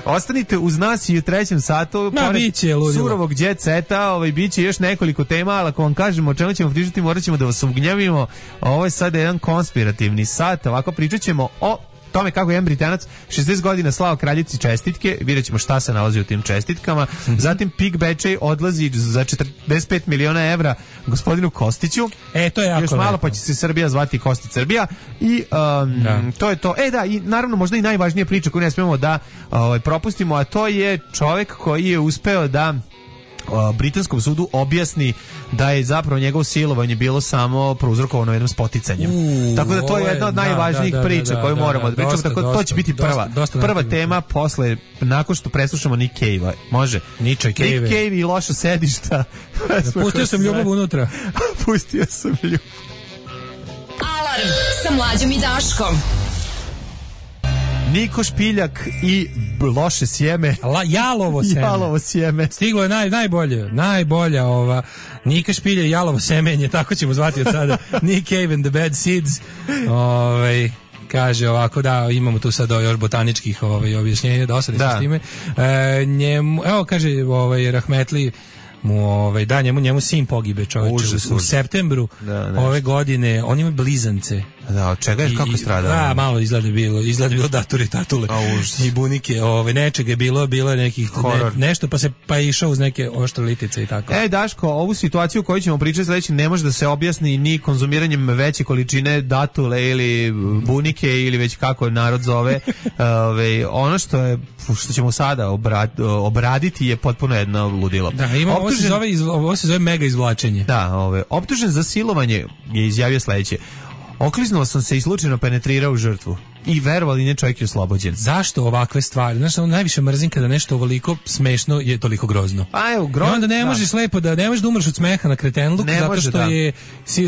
Ostanite uz nas i u trećem satu. Ma, biće ludilo. Surovog jet seta, ovaj, biće još nekoliko tema, ali ako vam kažemo o čemu ćemo pričati, morat ćemo da vas ugnjavimo. Ovo je sada jedan konspirativni sat, ovako pričat ćemo o tome kako jedan Britanac šezdeset godina slao kraljici čestitke, vidjet ćemo šta se nalazi u tim čestitkama. Mm-hmm. Zatim Pik Bečej odlazi za četrdeset pet miliona evra gospodinu Kostiću. E, to je jako još malo lepo. Pa će se Srbija zvati Kostić Srbija i um, da. to je to. E da, i naravno možda i najvažnija priča koju ne smemo da ovaj, propustimo, a to je čovjek koji je uspeo da britanskom sudu objasni da je zapravo njegovo silovanje bilo samo prouzrokovano jednom spoticanjem. Uh, Tako da to je jedna od najvažnijih da, da, priča da, koju da, moramo da, da pričamo. Tako dosta, to će biti prva, dosta, dosta prva tema posle, nakon što preslušamo Nick Cave-a. Može? Nick Cave. Nick Cave i loša sedišta. Pustio sam ljubav unutra. Pustio sam ljubav. Alarm sa Mlađom i Daškom. Niko Špiljak i loše sjeme. La, jalovo sjeme. Jalovo sjeme. Stiglo je naj, najbolje, najbolja ova Nika Špilja i jalovo semenje, tako ćemo zvati od sada. Nick Cave and the Bad Seeds. Ovaj kaže ovako, da, imamo tu sad još botaničkih ovaj objašnjenja, da osadimo s time. E, njemu, evo kaže ovaj Rahmetli mu ovaj da njemu njemu sin pogibe, čoveče, užas, u, u septembru da, ove godine. On ima blizance. Da, od čega je, kako stradao? Da, malo izgleda bilo, izgleda bilo daturi, tatule i bunike, ove, nečega je bilo, bilo je nekih ne, nešto, pa se pa je išao uz neke oštre litice i tako. E, Daško, ovu situaciju koju ćemo pričati sledeći ne može da se objasni ni konzumiranjem veće količine datule ili bunike ili već kako narod zove. Ove, ono što je što ćemo sada obrad, obraditi je potpuno jedno ludilo. Da, ima, optužen, ovo, se zove, ovo se zove mega izvlačenje. Da, ove, optužen za silovanje je izjavio sledeće: okliznuo sam se i slučajno penetrirao u žrtvu. I verovali ne, čovjek je oslobođen. Zašto ovakve stvari? Znaš, ono najviše mrzim kada nešto ovoliko smešno je toliko grozno. Pa evo, grozno. I onda ne možeš da. lepo da ne možeš da umreš od smeha na kretenluk zato može, što da. je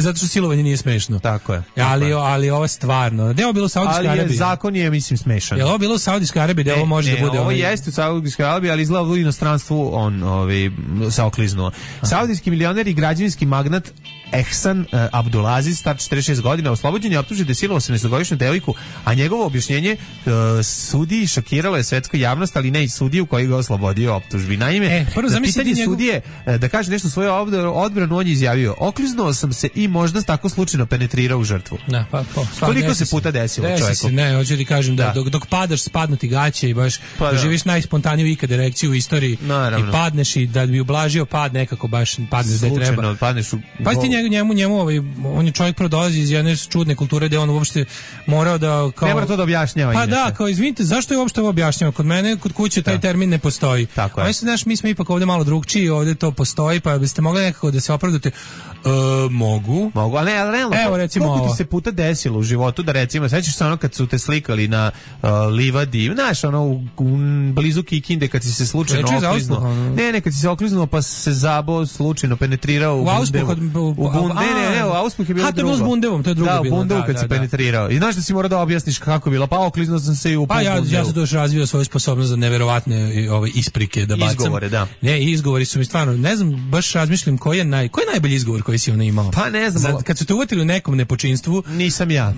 zato što silovanje nije smešno. Tako je. Tako ali je. ali ovo stvarno. Da je ovo bilo u Saudijskoj Arabiji. Ali zakon je mislim smešan. Je ovo bilo u Saudijskoj Arabiji da ovo može ne, da bude. Ovo ovaj... jeste u Saudijskoj Arabiji, ali izgleda u inostranstvu on ovaj se okliznuo. Saudijski milioner i građevinski magnat Ehsan uh, Abdulaziz, star četrdeset šest godina, oslobođen je optužen da je silovao osamnaestogodišnju devojku, a njegovo objašnjenje uh, sudiji šokiralo je svetsku javnost, ali ne i sudiju koji ga oslobodio optužbi. Naime, e, prvo, za pitanje njegov... sudije uh, da kaže nešto svoje odbranu, on je izjavio: okliznuo sam se i možda tako slučajno penetrirao u žrtvu. Da, pa, pa, koliko se puta desilo desi čovjeku? Se, ne, hoću ti kažem da, da dok, dok padaš spadnu ti gaće i baš pa, doživiš da. najspontaniju ikad erekciju u istoriji. Naravno. I padneš i da bi ublažio pad nekako baš padneš da treba. Padneš u... Pa ti njemu, njemu, njemu ovaj, on je čovjek prodolazi iz jedne čudne kulture gde on uopšte morao da kao... Ne mora to da objašnjava. Pa inače. Da, kao izvinite, zašto je uopšte ovo objašnjava? Kod mene, kod kuće taj da. termin ne postoji. Tako je. A znaš, mi smo ipak ovdje malo drugčiji, ovdje to postoji, pa biste mogli nekako da se opravdate. E, mogu. Mogu, ali ne, ali realno, evo recimo koliko ovo. ti se puta desilo u životu da recimo, sećaš se ono kad su te slikali na uh, livadi, znaš, ono u, u blizu Kikinde kad si se slučajno okliznuo. Ne, ne, kad si se okliznuo pa se zabo slučajno penetrirao u, u Auspuh. U, u bund, ne, ne, ne, u Auspuh je bilo drugo. Ha, to je bilo s Bundevom, to je drugo da, bilo. Da, u Bundevu kad da, si da, penetrirao. I znaš da si morao da objasniš kako je bilo, pa okliznuo sam se i u Pa ja, Bundevu. ja sam to još razvio svoju sposobnost za neverovatne ove isprike da bacam. Izgovore, da. Ne, izgovori su mi stvarno, ne znam, baš razmišljam koji je, naj, koji je najbolji izgovor koji si ona imao. Pa ne znam. Za, kad su te uvatili u nekom nepočinstvu. Nisam ja.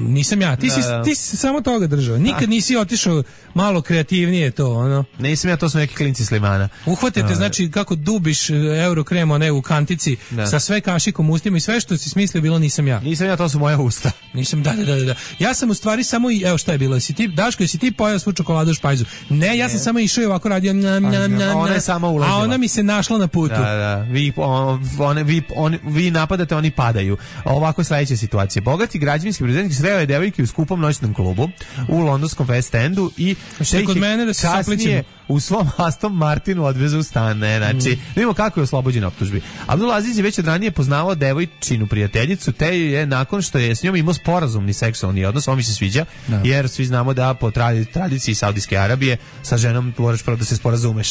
Nisam ja. Ti, da, si, ti si samo toga držao. Nikad da. nisi otišao malo kreativnije to, ono. Nisam ja, to su neki klinci Slimana. Uhvatite, znači, kako dubiš eurokrem, one u kantici, da. sa sve kašikom ustima i sve što si smislio bilo nisam ja. Nisam ja, to su moja usta. Nisam, da, da, da, da. Ja sam u stvari samo, i, evo šta je bilo, jesi ti, Daško, jesi ti pojao svu čokoladu u špajzu? Ne, ja ne. sam samo išao i ovako radio, njam, njam, njam, ona je sama ulazila. A ona mi se našla na putu. Da, da, vi, on, one, vi, on, vi napadate, oni padaju. Ovako sledeća situacija. Bogati građevinski preduzetnik sreo je devojke u skupom noćnom klubu u londonskom West Endu i što kod mene da se kasnije u svom Aston Martinu odveze u stan. Ne, znači, mm. vidimo kako je oslobođen optužbi. Abdulaziz je već od ranije poznavao devojčinu prijateljicu, te je nakon što je s njom imao sporazumni seksualni odnos, on mi se sviđa, leđa, da. Jer svi znamo da po tradiciji Saudijske Arabije sa ženom moraš prvo da se sporazumeš.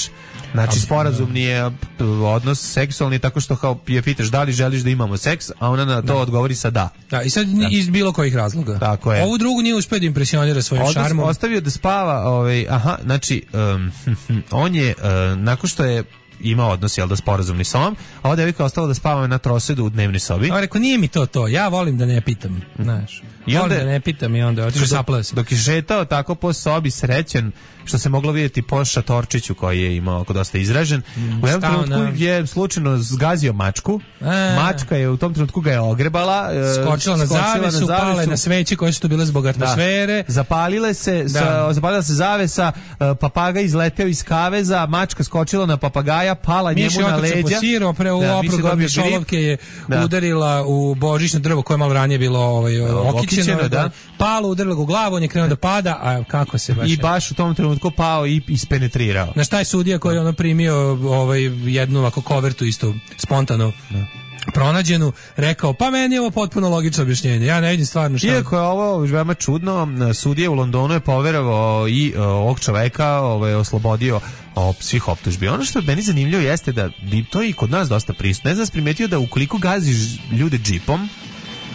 Znači, sporazum nije odnos seksualni, tako što kao je pitaš da li želiš da imamo seks, a ona na to da. odgovori sa da. Da, i sad da. iz bilo kojih razloga. Tako je. Ovu drugu nije uspio da impresionira svojim Odnos, šarmom. Ostavio da spava, ovaj, aha, znači, um, on je, uh, nakon što je ima odnos, jel da, sporazumni s ovom, a ova devojka ostala da spava na trosedu u dnevnoj sobi. A rekao, nije mi to to, ja volim da ne pitam, znaš. I onda, volim da ne pitam i onda otišao saplao se. Dok je šetao tako po sobi srećen, što se moglo vidjeti po šatorčiću koji je imao oko dosta izražen, mm, u jednom trenutku je slučajno zgazio mačku, e. mačka je u tom trenutku ga je ogrebala, skočila na zavesu, pale na sveće koje su tu bile zbog atmosfere. Da. Zapalile se, da. sa, zapalila se zavesa, papaga izleteo iz kaveza, mačka skočila na papagaja, pala Miši njemu na leđa. Miši posirao, pre u da, oprugom mišolovke je da. udarila u božićno drvo koje malo ranije bilo ovaj, okićeno, da. Palo, udarila ga u glavu, on je krenuo da pada, a kako se baš... I baš u tom trenutku pao i ispenetrirao. Na šta je sudija koji je ono primio ovaj, jednu ovako kovertu isto spontano da. pronađenu, rekao, pa meni je ovo potpuno logično objašnjenje. Ja ne vidim stvarno šta... Iako je ovo veoma čudno, sudija u Londonu je poverovao i uh, ovog čoveka ovaj, oslobodio o svih optužbi. Ono što je meni zanimljivo jeste da to je i kod nas dosta prisutno. Ne znam, primetio da ukoliko gaziš ljude džipom,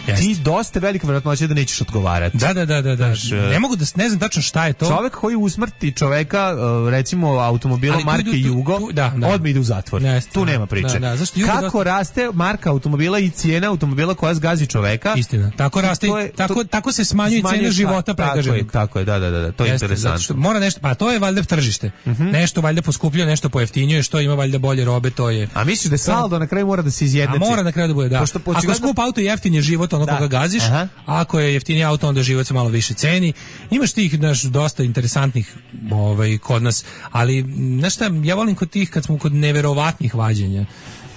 Jeste. Ti dosta velika verovatnoća da nećeš odgovarati. Da, da, da, da, da. Znaš, ne mogu da ne znam tačno šta je to. Čovjek koji usmrti čoveka, recimo automobilom marke tu, Jugo, tu, da, da. odmah ide u zatvor. Jeste, tu nema priče. Da, da. Kako dosta... raste marka automobila i cijena automobila koja zgazi čoveka? Istina. Tako raste, je, tako, to, tako se smanjuje cena života pregaženog. Tako je, tako je, da, da, da, to je Jeste, interesantno. Što mora nešto, pa to je valjda tržište. Uh-huh. Nešto valjda poskupljuje, nešto pojeftinjuje, što ima valjda bolje robe, to je. A misliš da saldo na kraju mora da se izjednači? A mora na kraju da bude, da. Ako skup auto jeftin je život onog koga gaziš. Aha. Ako je jeftiniji auto, onda život se malo više ceni. Imaš tih naš dosta interesantnih ovaj, kod nas, ali znaš šta, ja volim kod tih kad smo kod neverovatnih vađenja.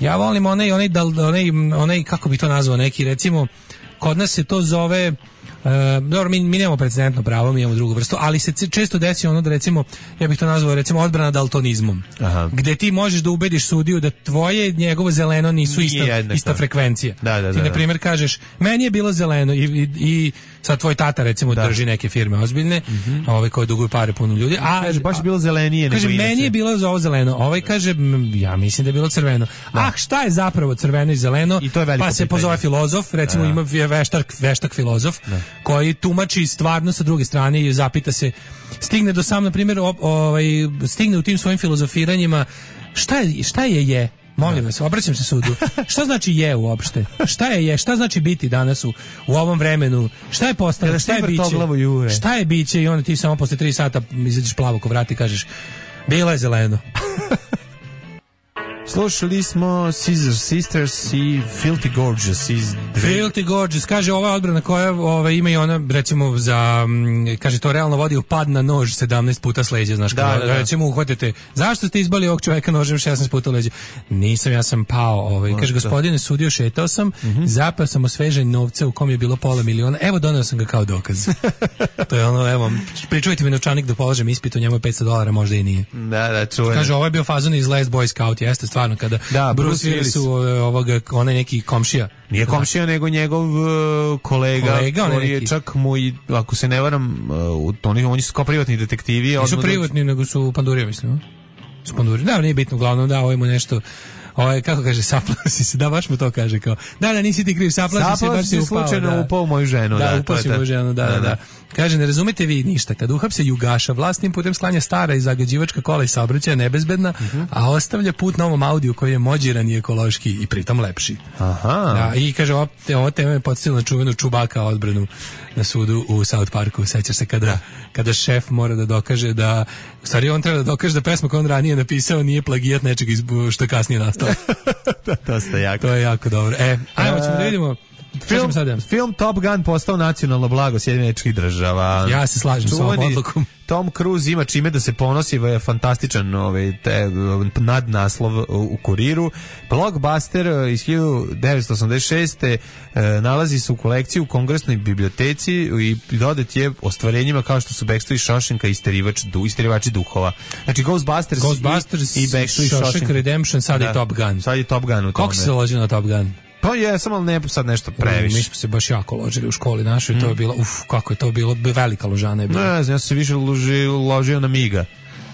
Ja volim onaj, onaj, onaj, onaj kako bi to nazvao, neki recimo, kod nas se to zove... Uh, dobro, mi, mi nemamo precedentno pravo, mi imamo drugu vrstu, ali se često desi ono da recimo, ja bih to nazvao recimo odbrana daltonizmom. Aha. Gde ti možeš da ubediš sudiju da tvoje njegovo zeleno nisu ista, ista frekvencija. Da, da, ti, na primjer, kažeš, meni je bilo zeleno i, i, i sad tvoj tata recimo da. drži neke firme ozbiljne, mm-hmm. ovaj koji duguju pare puno ljudi, a kaže baš je bilo zelenije kaže, nego meni je bilo za ovo zeleno, ovaj kaže, ja mislim da je bilo crveno. Da. Ah, šta je zapravo crveno i zeleno? I to je pa se pitanje. Pozove filozof, recimo da. ima veštak, veštak filozof, da. koji tumači stvarno sa druge strane i zapita se, stigne do sam, na primjer, ovaj, stigne u tim svojim filozofiranjima, šta je, šta je je? Molim vas, obraćam se sudu. Šta znači je uopšte? Šta je je? Šta znači biti danas u, u ovom vremenu? Šta je postalo? Šta je biće? Šta je biće? I onda ti samo posle tri sata izađeš plavo ko vrati i kažeš, bilo je zeleno. Slušali smo Scissor Sisters i Filthy Gorgeous iz Filthy Gorgeous, kaže ova odbrana koja ova, ima i ona recimo za, kaže to realno vodi u pad na nož sedamnaest puta s leđa, znaš, da, kada, da, da. recimo uhvatite, zašto ste izbali ovog čoveka nožem šesnaest puta u leđa? Nisam, ja sam pao, ovaj, kaže gospodine sudio, šetao sam, mm-hmm. zapao sam osvežen novca u kom je bilo pola miliona, evo doneo sam ga kao dokaz. To je ono, evo, pričujte mi novčanik da položem ispit, u njemu je petsto dolara, možda i nije. Da, da, čujem. Kaže, ovo je bio fazon iz Last Boy Scout, jeste stvarno, kada da, Bruce Willis ovoga, onaj neki komšija. Nije komšija, nego njegov uh, kolega, kolega koji je čak mu i, ako se ne varam, uh, oni, oni su kao privatni detektivi. Nisu privatni, nego su pandurije, mislim. Su pandurije. Da, nije bitno, uglavnom da, ovo ima nešto... Ovaj, kako kaže, saplao si se, da, baš mu to kaže, kao, da, da, nisi ti kriv, saplao si se, baš si upao. Slučajno da. upao u moju ženu. Da, da upao si u moju ženu, da, da, da, da. Kaže, ne razumete vi ništa, kad uhapse Jugaša, vlastnim putem sklanja stara i zagađivačka kola i saobraćaja nebezbedna, uh-huh. a ostavlja put novom Audiju koji je mođiran i ekološki i pritom lepši. Aha. Da, i kaže, ovo, ovo tema je podsjetila na čuvenu Čubaka odbranu na sudu u South Parku, sećaš se kada, kada šef mora da dokaže da, u stvari on treba da dokaže da pesma koju on ranije napisao nije plagijat nečeg što je kasnije nastalo. To ste jako. To je jako dobro. E, ajmo ćemo da vidimo. Film, film Top Gun postao nacionalno blago Sjedinjenih Američkih Država. Ja se slažem sa ovom odlukom. Tom Cruise ima čime da se ponosi, je fantastičan ovaj, te, nadnaslov u Kuriru. Blockbuster iz hiljadu devetsto osamdeset šeste nalazi se u kolekciji u Kongresnoj biblioteci i dodat je ostvarenjima kao što su Backstreet i Shawshanka i Isterivač, du, Isterivači duhova. Znači Ghostbusters, Ghostbusters i, i Backstreet i Shawshank Redemption, sad da, je Top Gun. Sad je Top Gun u tome. Kako se loži na Top Gun? Pa je, samo ne sad nešto previše. Mi smo se baš jako ložili u školi našoj, mm. to je bilo, uf, kako je to bilo, velika ložana je bila. Ne znam, ja sam se više ložio, ložio na Miga.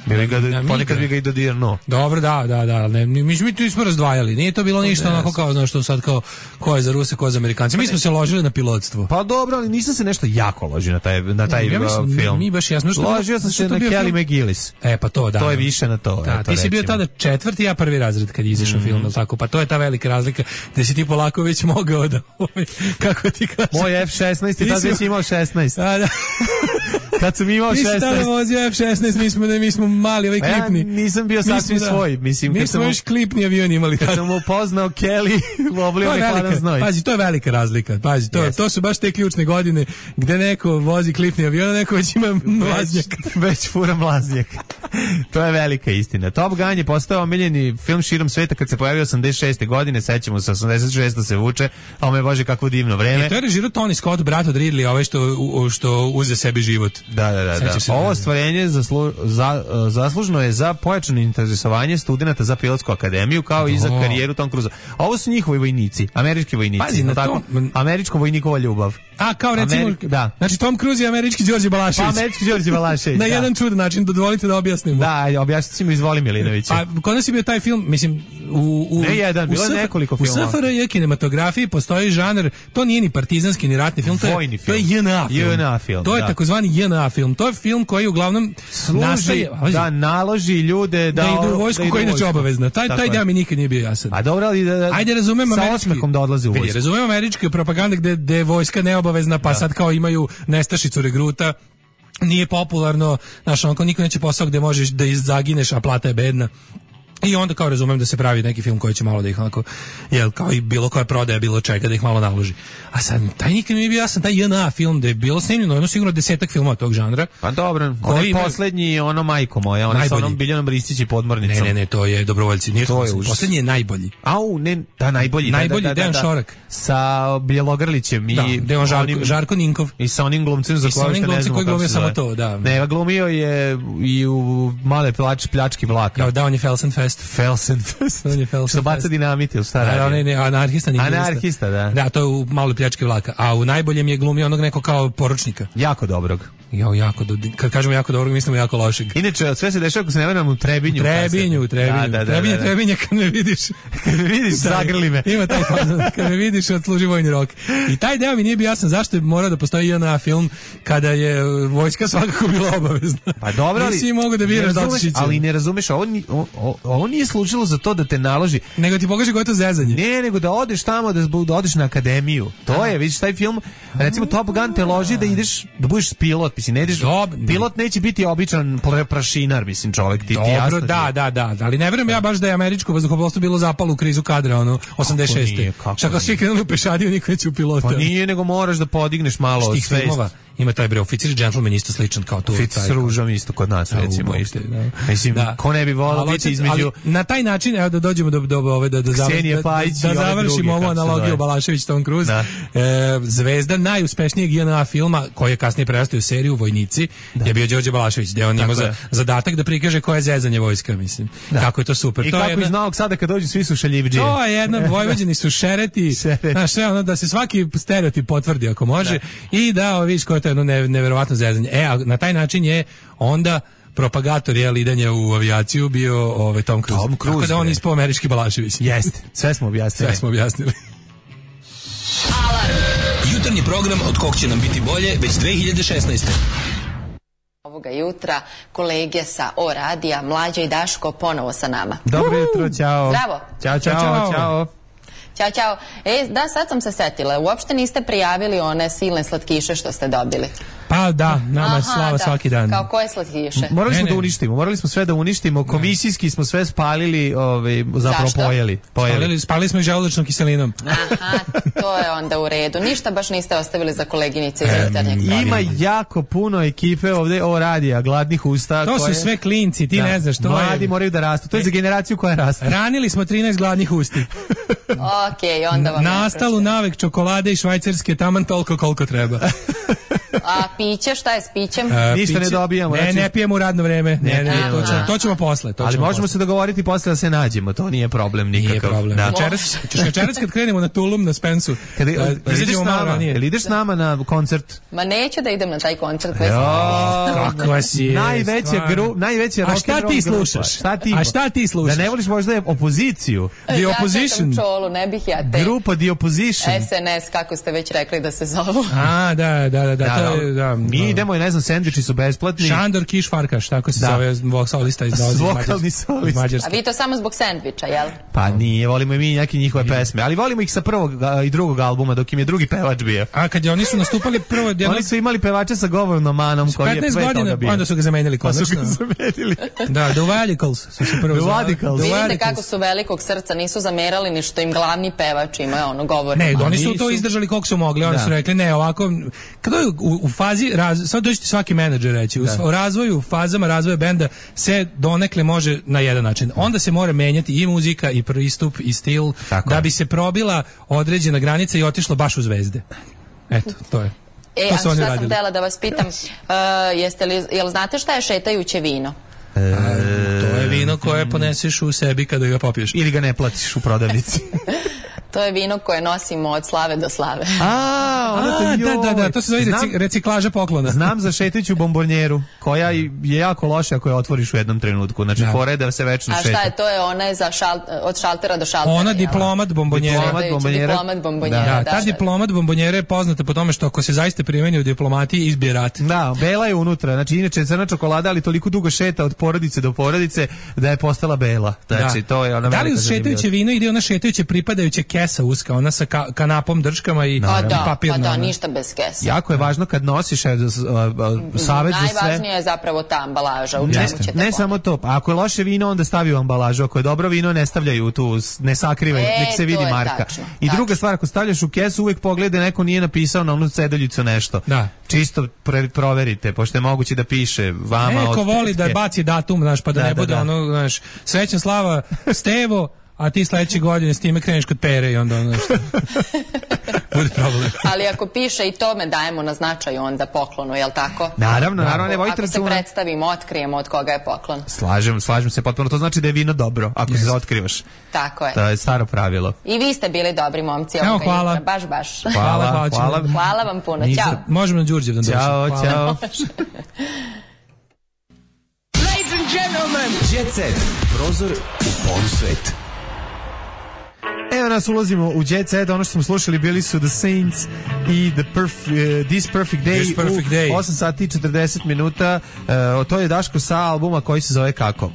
Bi ga, na ponekad bi ga i dodirno. Dobro, da, da, da. Ne, mi, mi tu smo razdvajali. Nije to bilo ništa onako kao, znaš, što sad kao ko je za Ruse, ko je za Amerikanci. Mi smo se ložili na pilotstvo. Pa dobro, ali nisam se nešto jako ložio na taj, na taj ja mislim, uh, film. Mi baš jasno što ložio sam se na Kelly McGillis. E, pa to, da. To je više na to. Da, eto, ti si bio tada četvrti, ja prvi razred kad je izašao mm. film, tako. Pa to je ta velika razlika da si ti polako već mogao da, kako ti kažem. Moj F šesnaest i tad već imao šesnaest. A, da. Kad sam imao šesnaest. Ti si tada vozio F šesnaest, mi smo, mi smo mali, ovaj klipni. Ja nisam bio sasvim da, svoj. Mislim, mi smo još klipni avion imali. Kad sam upoznao Kelly, oblio me hladan znoj. Pazi, to je velika razlika. Pazi, to, yes. to su baš te ključne godine gde neko vozi klipni avion, a neko već ima mlaznjak. Već, već fura mlaznjak. To je velika istina. Top Gun je postao omiljeni film širom sveta kad se pojavio osamdeset šeste godine, sećamo se, osamdeset šeste se vuče, a ome bože kakvo divno vreme. I to je režirao Tony Scott, brat od Ridley, ovaj što, što uze sebi život. Da, da, da. da. Ovo ostvarenje zaslu, za, zaslužno je za pojačano interesovanje studenata za pilotsku akademiju, kao i za karijeru Tom Cruisa. Ovo su njihovi vojnici, američki vojnici. Pazi, na tako, tom... Američko vojnikova ljubav. A, kao recimo, Amerik, da. Znači Tom Cruise je američki Đorđe Balašević. Pa američki Đorđe Balašević, na da. jedan čudan način, dozvolite da objasnimo. Da, objasnite si mi, izvoli Milinovića. A kod nas je bio taj film, mislim, u, u, ne jedan, bilo je nekoliko filmova. U S F R J kinematografiji postoji žanr, to nije ni partizanski, ni ratni film, to je, vojni film. To je J N A film. J N A film, to je da. takozvani J N A film. To je film koji uglavnom služi nastaje, da naloži ljude da, da idu u vojsku, koja je inače obavezna. Taj, taj deo mi nikad nije bio jasan. A dobro, ali da, da ajde razumem sa osmehom da odlaze u vojsku. Razumem američka propaganda gde, gde je vojska neobavezna, pa da. Sad kao imaju nestašicu regruta. Nije popularno, znaš, onako niko neće posao gde možeš da zagineš, a plata je bedna. I onda kao razumem da se pravi neki film koji će malo da ih onako, jel, kao i bilo koja prodaja, bilo čega, da ih malo naloži. A sad, taj nikad mi je bio jasan, taj J N A film, da je bilo snimljeno, jedno sigurno desetak filmova tog žanra. Pa dobro, onaj ima... poslednji, ono Majko moja, ono sa onom Biljanom Ristić i podmornicom. Ne, ne, ne, to je Dobrovoljci. Nije to je užas. Poslednji je najbolji. Au, ne, da, najbolji. Najbolji, da, da, da, Dejan da, Šorak. Sa Bjelogrlićem i... Da, Dejan Žarko, onim, Žarko Ninkov. I sa onim glumcem za koje što ne znamo koji glumio samo zove. to, da. Ne, glumio je i u Male plač, pljački vlaka. Ja, da, on je Felsenfest. Felsenfest. Što baca dinamit ili šta radi? Ne, ne, anarhista. Anarhista, da. Da, to je u Maloj pljački vlaka. A u najboljem je glumio onog neko kao poručnika. Jako dobrog. Jo, jako do, kad kažemo jako dobrog, mislimo jako lošeg. Inače, sve se dešava ako se ne varam u Trebinju. U Trebinju, u Trebinju. Da, da, da, da, Trebinje, da. Trebinje, kad me vidiš. Kad me vidiš, zagrli me. Ima taj fazon, kad me vidiš, odsluži vojni rok. I taj deo mi nije bio jasan zašto je morao da postoji J N A film kada je vojska svakako bila obavezna. Pa dobro, ali... Nisi mogu da biraš da otišići. Ali ne razumeš, ovo, ovo, ovo nije služilo za to da te naloži. Nego ti pokaže koje je to zezanje. Ne, nego da odeš tamo, da, da odeš na akademiju. To je, vidiš, taj film, recimo Top Gun te loži da ideš, da budeš pilot, mislim, ne ideš... Pilot neće biti običan prašinar, mislim, čovjek, ti, dobro, ti jasno. Da, da, da, da, ali ne verujem ja baš da je američko vazduhoplovstvo bilo zapalo u krizu kadra, ono, osamdeset šeste. Čak svi krenuli u pešadiju, niko neće u pilota. Pa nije, nego moraš da podigneš malo svest. Ima taj bre oficir gentleman isto sličan kao tu. Oficir s ružom isto kod nas, recimo, isto. Mislim, da. Ko ne bi volao biti između... Na taj način, evo da dođemo do, do ove, da, da, da, da završimo ovu analogiju Balašević, Tom Cruise. E, zvezda najuspešnijeg J N A filma, koji je kasnije prerastao u seriju Vojnici, da. Je bio Đorđe Balašević, gde on imao za, zadatak da prikaže koje je zezanje vojska, mislim. Da. Kako je to super. I to kako jedna, iz Novog Sada kad dođu svi su šaljivđije. To je jedna, Vojvođani su šereti, znaš, sve ono, da se svaki stereotip potvrdi ako može, da. I da, vidiš koje je to jedno neverovatno zezanje. E, a na taj način je onda propagator je lidanja u avijaciju bio ovaj Tom Cruise. Tom Cruise. Tako da on ispao američki Balašević. Jeste. Sve smo objasnili. Sve smo objasnili. Alarm. Jutarnji program od kog će nam biti bolje već dve hiljade šesnaeste. Ovoga jutra kolege sa O radija, Mlađa i Daško ponovo sa nama. Dobro jutro, ćao. Zdravo. Ćao, ćao, ćao. ćao. Ćao, čao. E, da, sad sam se setila. Uopšte niste prijavili one silne slatkiše što ste dobili. Pa da, nama je slava da. Svaki dan. Kao koje slatkiše? Morali smo ne, ne. da uništimo, morali smo sve da uništimo. Komisijski smo sve spalili, ovaj, zapravo Zašto? pojeli. pojeli. Spalili, spalili smo i želudačnom kiselinom. Aha, to je onda u redu. Ništa baš niste ostavili za koleginice iz jutarnjeg programa. Ima jako puno ekipe ovde O radija, gladnih usta. To koje... su sve klinci, ti da. Ne znaš. To Mladi je... moraju da rastu. To je za generaciju koja raste. Ranili smo trinaest gladnih usti. Okej, onda vam nastalu navek čokolade i švajcarske taman toliko koliko treba. A piće, šta je s pićem? A, Ništa piće, ne dobijamo. Ne, znači, ne pijemo u radno vreme. Ne, ne, Ne, to, ne, ćemo, ne. to ćemo posle. To ali ćemo možemo posle. se dogovoriti posle da se nađemo, to nije problem nikakav. Nije problem. Da. Večeras, ćeš večeras kad krenemo na Tulum, na Spensu, Kada, da jel ideš izađemo s malo nama? ranije. Jel ideš s nama na koncert? Ma neću da idem na taj koncert. već Jo, Kakva si je, najveća stvarno. gru, najveća A rock šta and roll ti grupa. slušaš? Šta ti? A šta ti slušaš? Da ne voliš možda opoziciju? The Ja Opposition. čekam Čolu, ne bih ja te. Grupa The Opposition. S N S, kako ste već rekli da se zovu. A, da, da, da, da, to je, da. Mi idemo i ne znam, sendviči su besplatni. Šandor Kiš Farkaš, tako se Da. zove vokalista iz dolazi iz Vokalni Mađarske. solista. Iz A Mađarske. vi to samo zbog sendviča, jel? Pa nije, volimo i mi neke njihove pesme, ali volimo ih sa prvog a, i drugog albuma, dok im je drugi pevač bio. A kad je oni su nastupali prvo jedno Oni su imali pevača sa govornom manom koji je petnaest pre toga godina, bio. onda su ga zamenili Pa su konačno. ga zamenili. Da, The Radicals su se prvo The zvali. Radicals. The Vidite Radicals. kako su velikog srca, nisu zamerali ni što im glavni pevač ima ono govor. Ne, Ma oni su nisu. to izdržali koliko su mogli, oni Da. su rekli ne, ovako, kada je u, u fazi, raz, sad dođete svaki menadžer reći, u, u razvoju, u fazama razvoja benda se donekle može na jedan način. Onda se mora menjati i muzika, i pristup, i stil, Tako da je. bi se probila određena granica i otišlo baš u zvezde. Eto, to je. E, to a su oni šta sam radili. htjela da vas pitam, uh, jeste li, jel znate šta je šetajuće vino? To je vino koje poneseš u sebi kada ga popiješ. Ili ga ne platiš u prodavnici. To je vino koje nosimo od slave do slave. A, onda to A, da, da, da, to se zove Znam- reci, reciklaža poklona. Znam za šetajuću bombonjeru, koja je jako loša ako je otvoriš u jednom trenutku. Znači, Da. fora je da se večno A šeta. šta je, to je ona je za šal, od šaltera do šaltera. Ona jel? diplomat bombonjera. Diplomat Šetajući bombonjera. Diplomat bombonjera, Da, da, ta da. diplomat bombonjera je poznata po tome što ako se zaista primeni u diplomatiji izbije rat. Da, bela je unutra. Znači, inače je crna čokolada, ali toliko dugo šeta od porodice do porodice da je postala bela. Znači, Da. to je ona Da li velika uz šetajuće zanimljivost. vino ide ona šetajuća pripadajuća kesa uska, ona sa ka, kanapom, drškama i, Pa i da, papirna. pa da, ona. ništa bez kesa. Jako je važno kad nosiš evo, s- a, a, savet za sve. Najvažnija je zapravo ta ambalaža, u čemu Jeste. ćete Ne pomoći. samo to, pa ako je loše vino onda stavi u ambalažu, ako je dobro vino ne stavljaju tu, s- ne sakrivaju, E, nek se to vidi je marka. tačno, I tačno. druga stvar, ako stavljaš u kesu uvek pogledaj neko nije napisao na onu ceduljicu nešto. Da. Čisto pre, proverite, pošto je moguće da piše vama od Neko voli da tetke. baci datum, znaš, pa da, Da, ne da, bude da. ono, znaš, srećna slava Stevo, a ti sledeće godine s time kreneš kod Pere i onda ono što bude problem. Ali ako piše i tome dajemo na značaju onda poklonu, jel tako? Naravno, naravno, ne vodite Ako se računa. predstavimo, otkrijemo od koga je poklon. Slažem, slažem se potpuno, to znači da je vino dobro, ako se otkrivaš. Tako je. To je staro pravilo. I vi ste bili dobri momci Evo, ovoga hvala. jutra, baš, baš. Hvala, hvala, hvala. Hvala vam puno, Nisam- ćao. Možemo na Đurđev da dođemo. Ćao, Hvala. ćao. Jet set. Prozor u polsvet. Evo nas, ulazimo u Jet Set, ono što smo slušali bili su The Saints i The Perf- uh, This Perfect Day This Perfect u Day. osam sati i četrdeset minuta. Uh, to je Daško sa albuma koji se zove kako?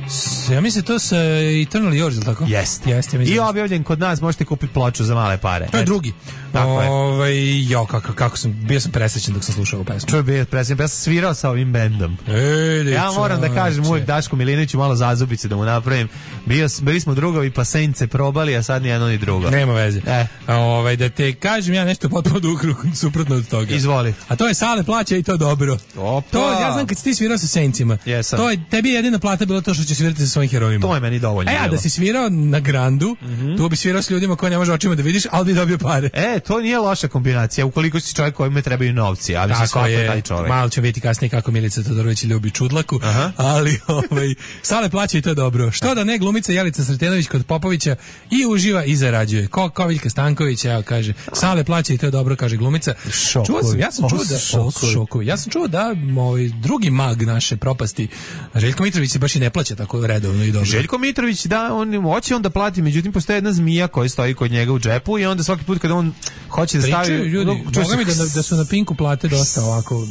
S- Ja mislim to sa Eternal Yours, ili tako? Jeste. Jeste, ja mislim. I objavljen kod nas, možete kupiti ploču za male pare. To je Eto. drugi. Tako je. Ovaj, jo, kako, kako sam, bio sam presrećen dok sam slušao ovu pesmu. Čuj, bio presrećan, ja sam svirao sa ovim bendom. Ej, Ja moram da kažem uvijek Daško Milinoviću malo zazubice da mu napravim. Bio, s- bili smo drugovi pa Saints se probali, a sad ni jedno ni drugo. Nema veze. E. A, ovaj, da te kažem ja nešto potpuno ukru, suprotno od toga. Izvoli. A to je Sale plaća i to dobro. Opa. To, ja znam kad si ti svirao sa Saintsima. Jesam. To je, tebi je jedina plata bilo to što će svirati sa svojim herojima. To je meni dovoljno E, a bilo. da si svirao na Grandu, tu bi svirao s ljudima koje ne može očima da vidiš, ali bi dobio pare. E, to nije loša kombinacija, ukoliko si čovjek kojima trebaju novci, ali se Tako svako je je, taj čovjek. malo ćemo vidjeti kasnije kako Milica Todorović ljubi čudlaku, ali ovaj, Sale plaća i to je dobro. Što da ne, glumica Jelica Sretenović kod Popovića i uživa i zarađuje. Ko Koviljka Stanković, evo kaže, Sale plaća i to je dobro, kaže glumica. Šokovi. Čuo sam, ja sam Ovo čuo su da, šokovi. ovo su šokovi. Ja sam čuo da ovaj, drugi mag naše propasti, Željko Mitrović se baš i ne plaća tako redovno i dobro. Željko Mitrović, da, on hoće on da plati, međutim postoji jedna zmija koja stoji kod njega u džepu i onda svaki put kada on hoće da stavi... Pričaju ljudi, čuje boga mi da, se- da su na Pinku plate dosta ovako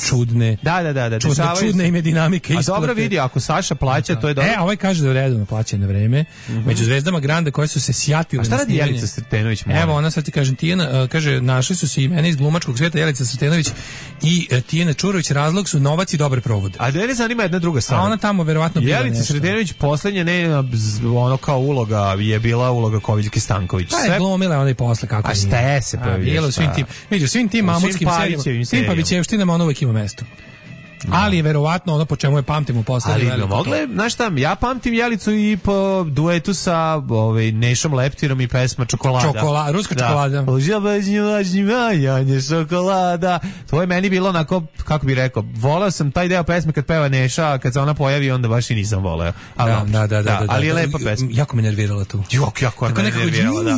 čudne. Da, da, da, da. Čudne, dešavaju čudne se. im je dinamika A isplate. dobro vidi, ako Saša plaća, to je dobro. E, a ovaj kaže da je redovno plaća na vreme. Među zvezdama Granda koje su se sjatile A šta na radi snimanje. Jelica Sretenović? molim? Evo, ona sad ti kažem, Tijana, uh, kaže, našli su se imena iz glumačkog svijeta, Jelica Sretenović i uh, Tijana Čurović, razlog su novac i dobre provode. A da ne zanima jedna druga stvar. A ona tamo verovatno bila Jelica nešto. Sretenović poslednje ne bz- ono kao uloga je bila uloga Koviljke Stanković. Pa je glumila ona i posle kako A nije. ste se A, pojavljuješ, bilo u svim pa. tim, vidi, u svim tim U svim mamutskim Pavićevim serijama, svim serijama. Pavićevštinama on uvek ima mesto. Ali je verovatno ono po čemu je pamtimo postavili Ali mogle, znaš šta, ja pamtim Jelicu i po duetu sa ovaj, Nešom Leptirom i pesma Čokolada. Čokolada, ruska čokolada. Janje šokolada. To je meni bilo onako, kako bi rekao, voleo sam taj deo pesme kad peva Neša, a kad se ona pojavi onda baš i nisam voleo. Da, da, da, da, ali je lepa pesma. Jako me nervirala tu. Jok, jako me nervirala, da.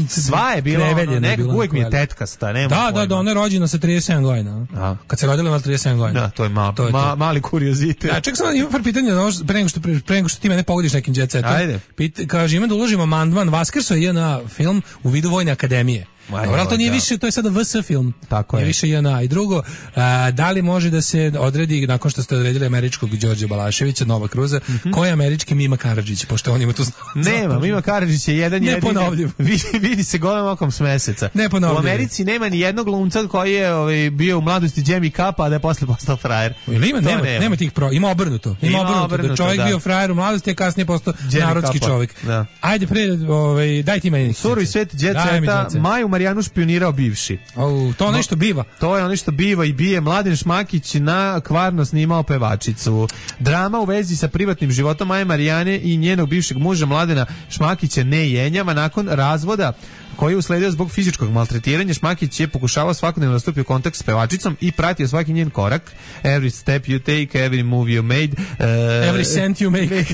Sva je bila, ono, nekako uvijek mi je tetkasta, nema Da, da, da, ona je rođena sa trideset sedam godina. Kad se rodila ima trideset sedam godina. Da, to je ma, to je ma, to. mali kuriozitet. Ja, ček sam, imam par pitanja, pre nego što, pre nego što ti mene pogodiš nekim jet setom. Ajde. Pit, kaže, ima da uložimo amandman, Vaskrso je na film u vidu Vojne akademije. Dobro, ali to nije više, to je sada V S film. Tako je. Nije više J N A. I drugo, a, da li može da se odredi, nakon što ste odredili američkog Đorđe Balaševića, Nova Kruza, mm-hmm. koji je američki Mima Karadžić, pošto on ima tu znao. Nema, Mima Karadžić je jedan jedini. Vidi, vidi se golem okom s meseca. U Americi nema ni jednog glumca koji je ovaj, bio u mladosti Jamie Kappa, a da je posle postao frajer. Ili ima, nema, nema. nema tih pro, ima obrnuto. Ima, ima obrnuto, obrnuto, da čovjek da. bio frajer u mladosti, a kasnije postao Jamie narodski Kappa. Čovjek. Da. Ajde pre, ovaj, daj ti meni. Surovi svet jet seta, Maju Marijanu špionirao bivši. Oh, to nešto biva. To je ono što biva i bije. Mladen Šmakić na kvarno snimao pevačicu. Drama u vezi sa privatnim životom Maje Marijane i njenog bivšeg muža Mladena Šmakića ne jenjava. Nakon razvoda koji je usledio zbog fizičkog maltretiranja, Šmakić je pokušavao svakodnevno da stupi u kontakt s pevačicom i pratio svaki njen korak. Every step you take, every move you made. Uh, every cent you make.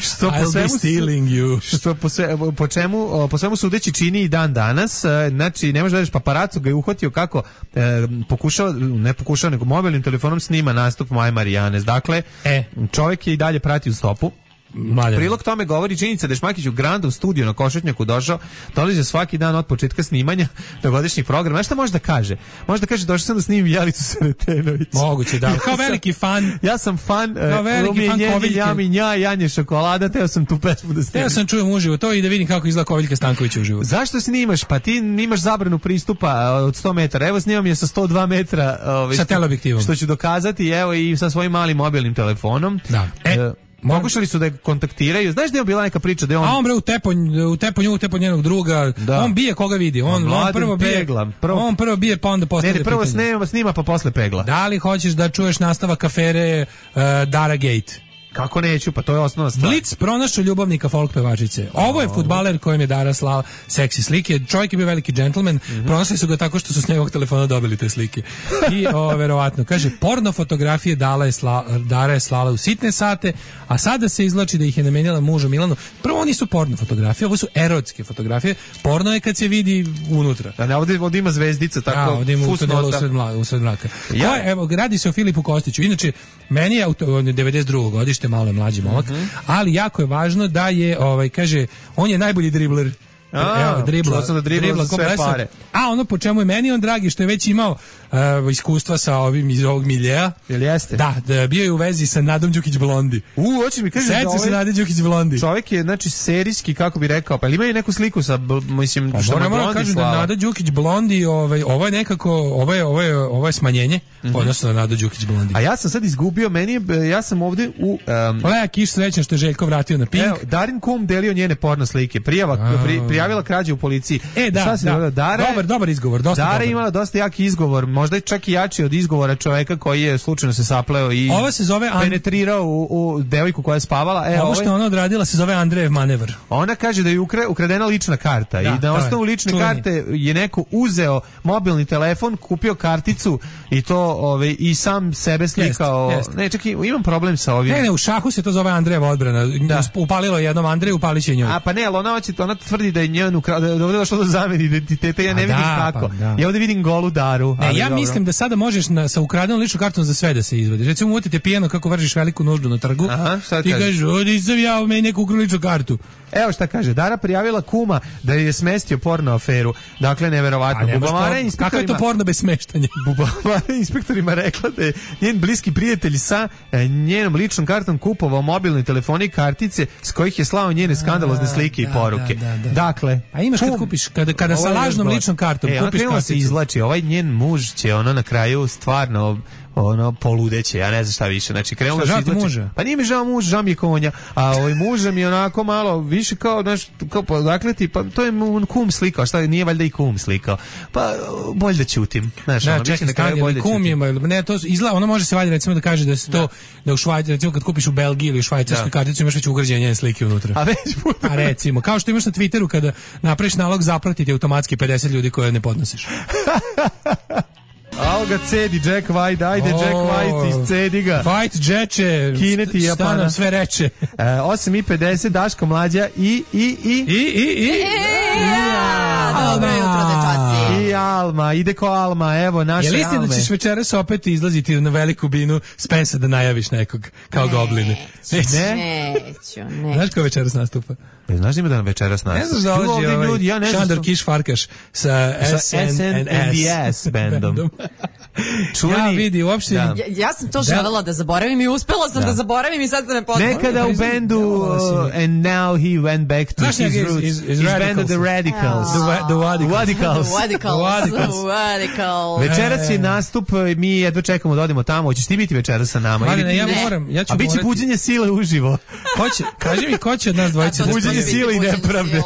što po svemu, you. Što po, sve, po, čemu, po svemu sudeći čini i dan danas. Znači, ne možeš da vidiš, paparacu ga je uhvatio kako e, pokušao, ne pokušao, nego mobilnim telefonom snima nastup Maje Marijane. Dakle, e. čovjek je i dalje pratio stopu. Mladen. Prilog tome govori činjenica da je Šmakić u Grandu u studiju na Košutnjaku došao, dolazi svaki dan od početka snimanja do godišnjih programa. Znaš šta može da kaže? Može da kaže došao sam da snimim Jelicu Sretenović. Moguće, da. Kao veliki fan. Ja sam fan Kao veliki fan Koviljke. Jami nja, Janje Šokolada, teo sam tu pesmu da snimim. Teo sam čujem uživo to i da vidim kako izgleda Koviljka Stanković uživo. Zašto snimaš? Pa ti imaš zabranu pristupa od sto metara. Evo snimam je sa sto dva metra. Ovaj, sa teleobjektivom. Što ću dokazati, evo i sa svojim malim mobilnim telefonom. Da. E, Pokušali su da je kontaktiraju. Znaš da je bila neka priča da je on... A on bre utepo, utepo nju, utepo njenog druga. Da. On bije koga vidi. On, on prvo bije, pegla, prvo... on prvo bije pa onda postavlja pitanje. Ne, prvo snima, snima pa posle pegla. Da li hoćeš da čuješ nastavak afere uh, Dara Gate? Kako neću, pa to je osnovna stvar. Blic pronašao ljubavnika folk pevačice. Ovo je fudbaler kojem je Dara slala seksi slike. Čovjek je bio veliki džentlmen. Mm-hmm. Pronašli su ga tako što su s njegovog telefona dobili te slike. I o, verovatno, kaže, porno fotografije Dala je sla, Dara je slala u sitne sate, a sada se izvlači da ih je namenjala mužu Milanu. Prvo, oni su porno fotografije, ovo su erotske fotografije. Porno je kad se vidi unutra. Da, ne, ovdje, ovdje ima zvezdica, tako. Da, ovdje ima u tunelu usred mlaka. Usred mlaka. Ja. Ko je, evo, radi se o Filipu Kostiću. Inače, meni je devedeset drugo godište, malo je mlađi momak, mm-hmm. ali jako je važno da je, ovaj, kaže, on je najbolji dribler. A, evo, dribla, da dribla sve pare. A ono po čemu je meni on dragi, što je već imao uh, iskustva sa ovim iz ovog miljeja. Jel jeste? Da, da, bio je u vezi sa Nadom Đukić Blondi. U, hoće mi kaže da ovaj... se Nade Đukić Blondi. Čovjek je, znači, serijski, kako bi rekao, pa ima i neku sliku sa, mislim, pa, što moram Blondi kažem slava. Da Nada Đukić Blondi, ovaj, ovo je nekako, ovo je, ovo je, ovo je smanjenje, mm-hmm. odnosno na Nada Đukić Blondi. A ja sam sad izgubio, meni je, ja sam ovdje u... Um, Lea Kiš srećan što je Željko vratio na Pink. Evo, Darin Kum delio njene porno slike, prijava, pri, prijavila krađe u policiji. E, da, da. Dara, dobar, dobar izgovor, dosta Dara dobar. je imala dosta jaki izgovor, možda čak i jači od izgovora čoveka koji je slučajno se sapleo i Ova se zove an... penetrirao u, u devojku koja je spavala. E, ovo što ovaj... ona odradila se zove Andrejev manevar. Ona kaže da je ukre, ukradena lična karta da, i na osnovu lične čuveni. Karte je neko uzeo mobilni telefon, kupio karticu i to ove, i sam sebe slikao. Jest, jest. Ne, čekaj, imam problem sa ovim. Ne, ne, u šahu se to zove Andrejeva odbrana. Da. Upalilo je jednom Andreju, upalić je njoj. A pa ne, ali ona, hoće, ona tvrdi da je njen ukra... da je ovdje došlo do zamene identiteta, ja ne vidim da, kako. Pa, da. Ja ovdje vidim golu Daru. Ne, ja dobro. Mislim da sada možeš na, sa ukradenom ličnom kartom za sve da se izvadiš. Recimo, uvotite pijano kako vršiš veliku nuždu na trgu. Aha, šta ti kažeš, ovdje sam ja u meni neku ukrao ličnu kartu. Evo šta kaže, Dara prijavila kuma da je smestio porno aferu. Dakle, neverovatno. Por... Kako je to porno bez smeštanja? Bubamara inspektorima rekla da je njen bliski prijatelj sa njenom ličnom kartom kupovao mobilne telefone i kartice s kojih je slao njene skandalozne slike i poruke. Da, da, da. Dakle, a imaš kad kupiš, kada, kada sa lažnom ličnom kartom e, kupiš karticu. Se izvlači, ovaj njen muž će ono na kraju stvarno ono poludeće, ja ne znam šta više. Znači krenulo se izvlači. Muža? Pa nije mi žao muž, žao mi je konja. A ovaj muža mi je onako malo više kao, znaš, kao dakle ti, pa to je kum slikao, šta nije valjda i kum slikao. Pa bolje da ćutim. Znaš, da, ono, čekaj, na kraju bolje da kum je, ne, to izgleda, ono može se valjda recimo da kaže da se to, da u Švajcarskoj, recimo kad kupiš u Belgiji ili u Švajcarskoj karticu imaš već ugrađene njene slike unutra. A već a recimo, kao što imaš na Twitteru kada napraviš nalog zapratiti automatski pedeset ljudi koje ne podnosiš. Ao ga cedi Jack White, ajde oh, Jack White, iscedi ga. White Jetche, kineti Japana. Šta nam sve reče. E, osam i pedeset, Daško Mlađa i, i, i... I, i, i... Dobro jutro, dečaci. I Alma, ide ko Alma, evo naše Alme. Je li istina da ćeš večeras opet izlaziti na veliku binu Spensa da najaviš nekog kao ne, gobline? Neću, ne? neću, neću. Znaš ko večeras nastupa? Ne znaš ima da nam večeras nastupa? Ne znaš da ovdje ovaj ljudi, ja ne Šandor Kiš Farkaš sa S N and S bandom. Čuni, ja vidi, uopšte... Da. Ja, ja sam to želela da zaboravim i uspela sam da, da zaboravim i sad da ne poznam. Nekada u bendu uh, and now he went back to Znaš, his is, roots. Is, is his band of the Radicals. Yeah. The, the Wadicals. The Wadicals. Wadicals. Večeras je nastup, mi jedva čekamo da odemo tamo. Hoćeš ti biti večeras sa nama? Ali ne, ja moram. Ja ću A bit će buđenje sile uživo. Ko će, kaži mi, ko će od nas dvojice da buđenje sile i nepravde.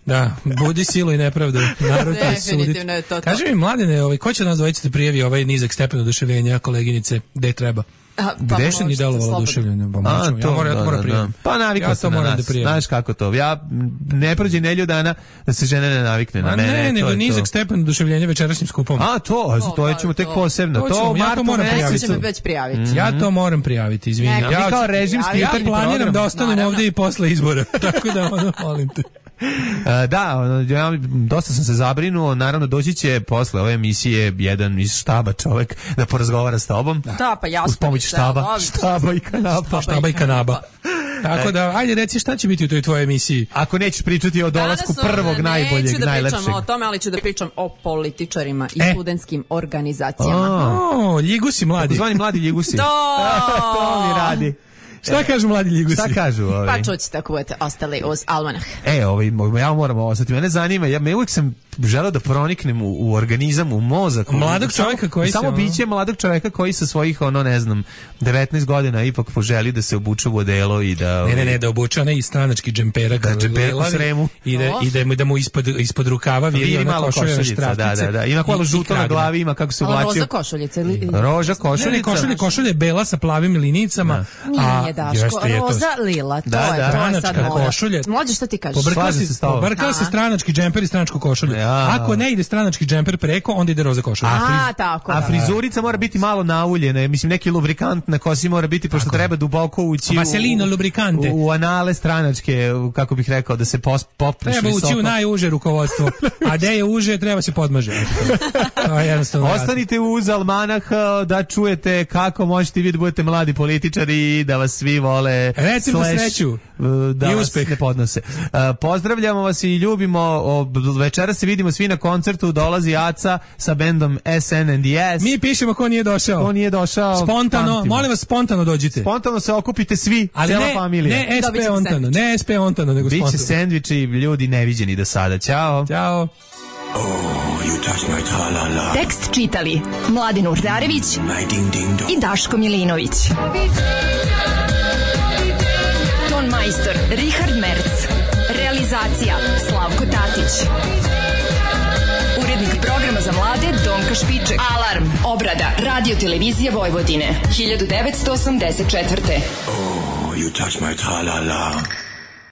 Da, budi silu i nepravdu. Narod će suditi. Kaži mi, Mladene, ovaj, ko će od nas dvojice da prijavi ovaj nizak stepen oduševljenja koleginice gde treba? Gde se ni delovalo oduševljenje? Pa A, to, ja moram, da, moram da, prijaviti. da. Pa navikao ja sam na nas. Da znaš kako to. Ja ne prođe nelju dana da se žene ne navikne na mene. Ne, ne, nego to nizak stepen oduševljenja večerašnjim skupom. A, to, a to ćemo tek posebno. To, to ja to moram prijaviti. Već prijaviti. Mm-hmm. Ja to moram prijaviti, izvini. Ja, ja kao režimski ja planiram da ostanem ovdje i posle izbora. Tako da, ono, molim te. Uh, da, ja dosta sam se zabrinuo, naravno doći će posle ove emisije jedan iz štaba čovek da porazgovara s tobom. Da, pa jasno. Uz pomoć štaba, štaba i kanapa. Štaba i kanaba. Tako da, ajde reci šta će biti u toj tvojoj emisiji. Ako nećeš pričati o dolasku prvog najboljeg, neću da najlepšeg. Neću da pričam o tome, ali ću da pričam o političarima i e. studentskim organizacijama. O, ljugusi mladi. Zvani mladi ljugusi. To! To mi radi. Šta kažu mladi ljugusi? Šta kažu ovi? Pa čućete ako budete ostali uz Almanah. E, ovi, ja moram ostati. Mene zanima, ja me uvijek sam želeo da proniknem u, u organizam, u mozak. Mladog čovjeka koji samo se... biće mladog čovjeka koji sa svojih, ono, ne znam, devetnaest godina ipak poželi da se obuče u odelo i da... Ovi, ne, ne, ne, da obuče onaj stranački džempera. Da, džemperak u sremu. I da, i da, da mu ispod, ispod rukava viri ona košulja štraftice. Da, da, da. Ima malo žuto na glavi, ima kako se uvlačio. Roža košuljica. Roža košuljica. Košulje, košulje je bela sa plavim linicama. Nije, Daško, roza lila, to da, je da, stranačka košulja. Mlađe, šta ti kažeš? Pobrkao se stranački džemper i stranačko košulje. Ja. Ako ne ide stranački džemper preko, onda ide roza košulja. A, friz... tako, a frizurica mora biti malo nauljena, mislim neki lubrikant na kosi mora biti, pošto tako. Treba duboko ući Vaselino lubrikante. U, u anale stranačke, kako bih rekao, da se pos, popriš treba visoko. Ući u najuže rukovodstvo, a gde je uže, treba se podmaže. To je jednostavno. Ostanite uz Almanah da čujete kako možete vi da budete mladi političari i da vas svi vole. Recimo sreću da i vas uspeh. ne podnose. Uh, pozdravljamo vas i ljubimo. O, večera se vidimo svi na koncertu. Dolazi Aca sa bendom S N and S. Mi pišemo ko nije došao. Ko nije došao. Spontano, pamtimo. Molim vas, spontano dođite. Spontano se okupite svi, ali cela ne, familija. Ne S P ontano, ne S P ontano, nego spontano. Biće sendviči, ljudi neviđeni do sada. Ćao. Ćao. Oh, you touch my tra-la-la. Tekst čitali Mladin Urdarević i Daško Milinović. Ton majstor Richard Merc. Realizacija Slavko Tatić. Urednik programa za mlade Donka Špiček. Alarm, obrada, radio televizije Vojvodine. hiljadu devetsto osamdeset četvrte. Oh, you touch my tra-la-la.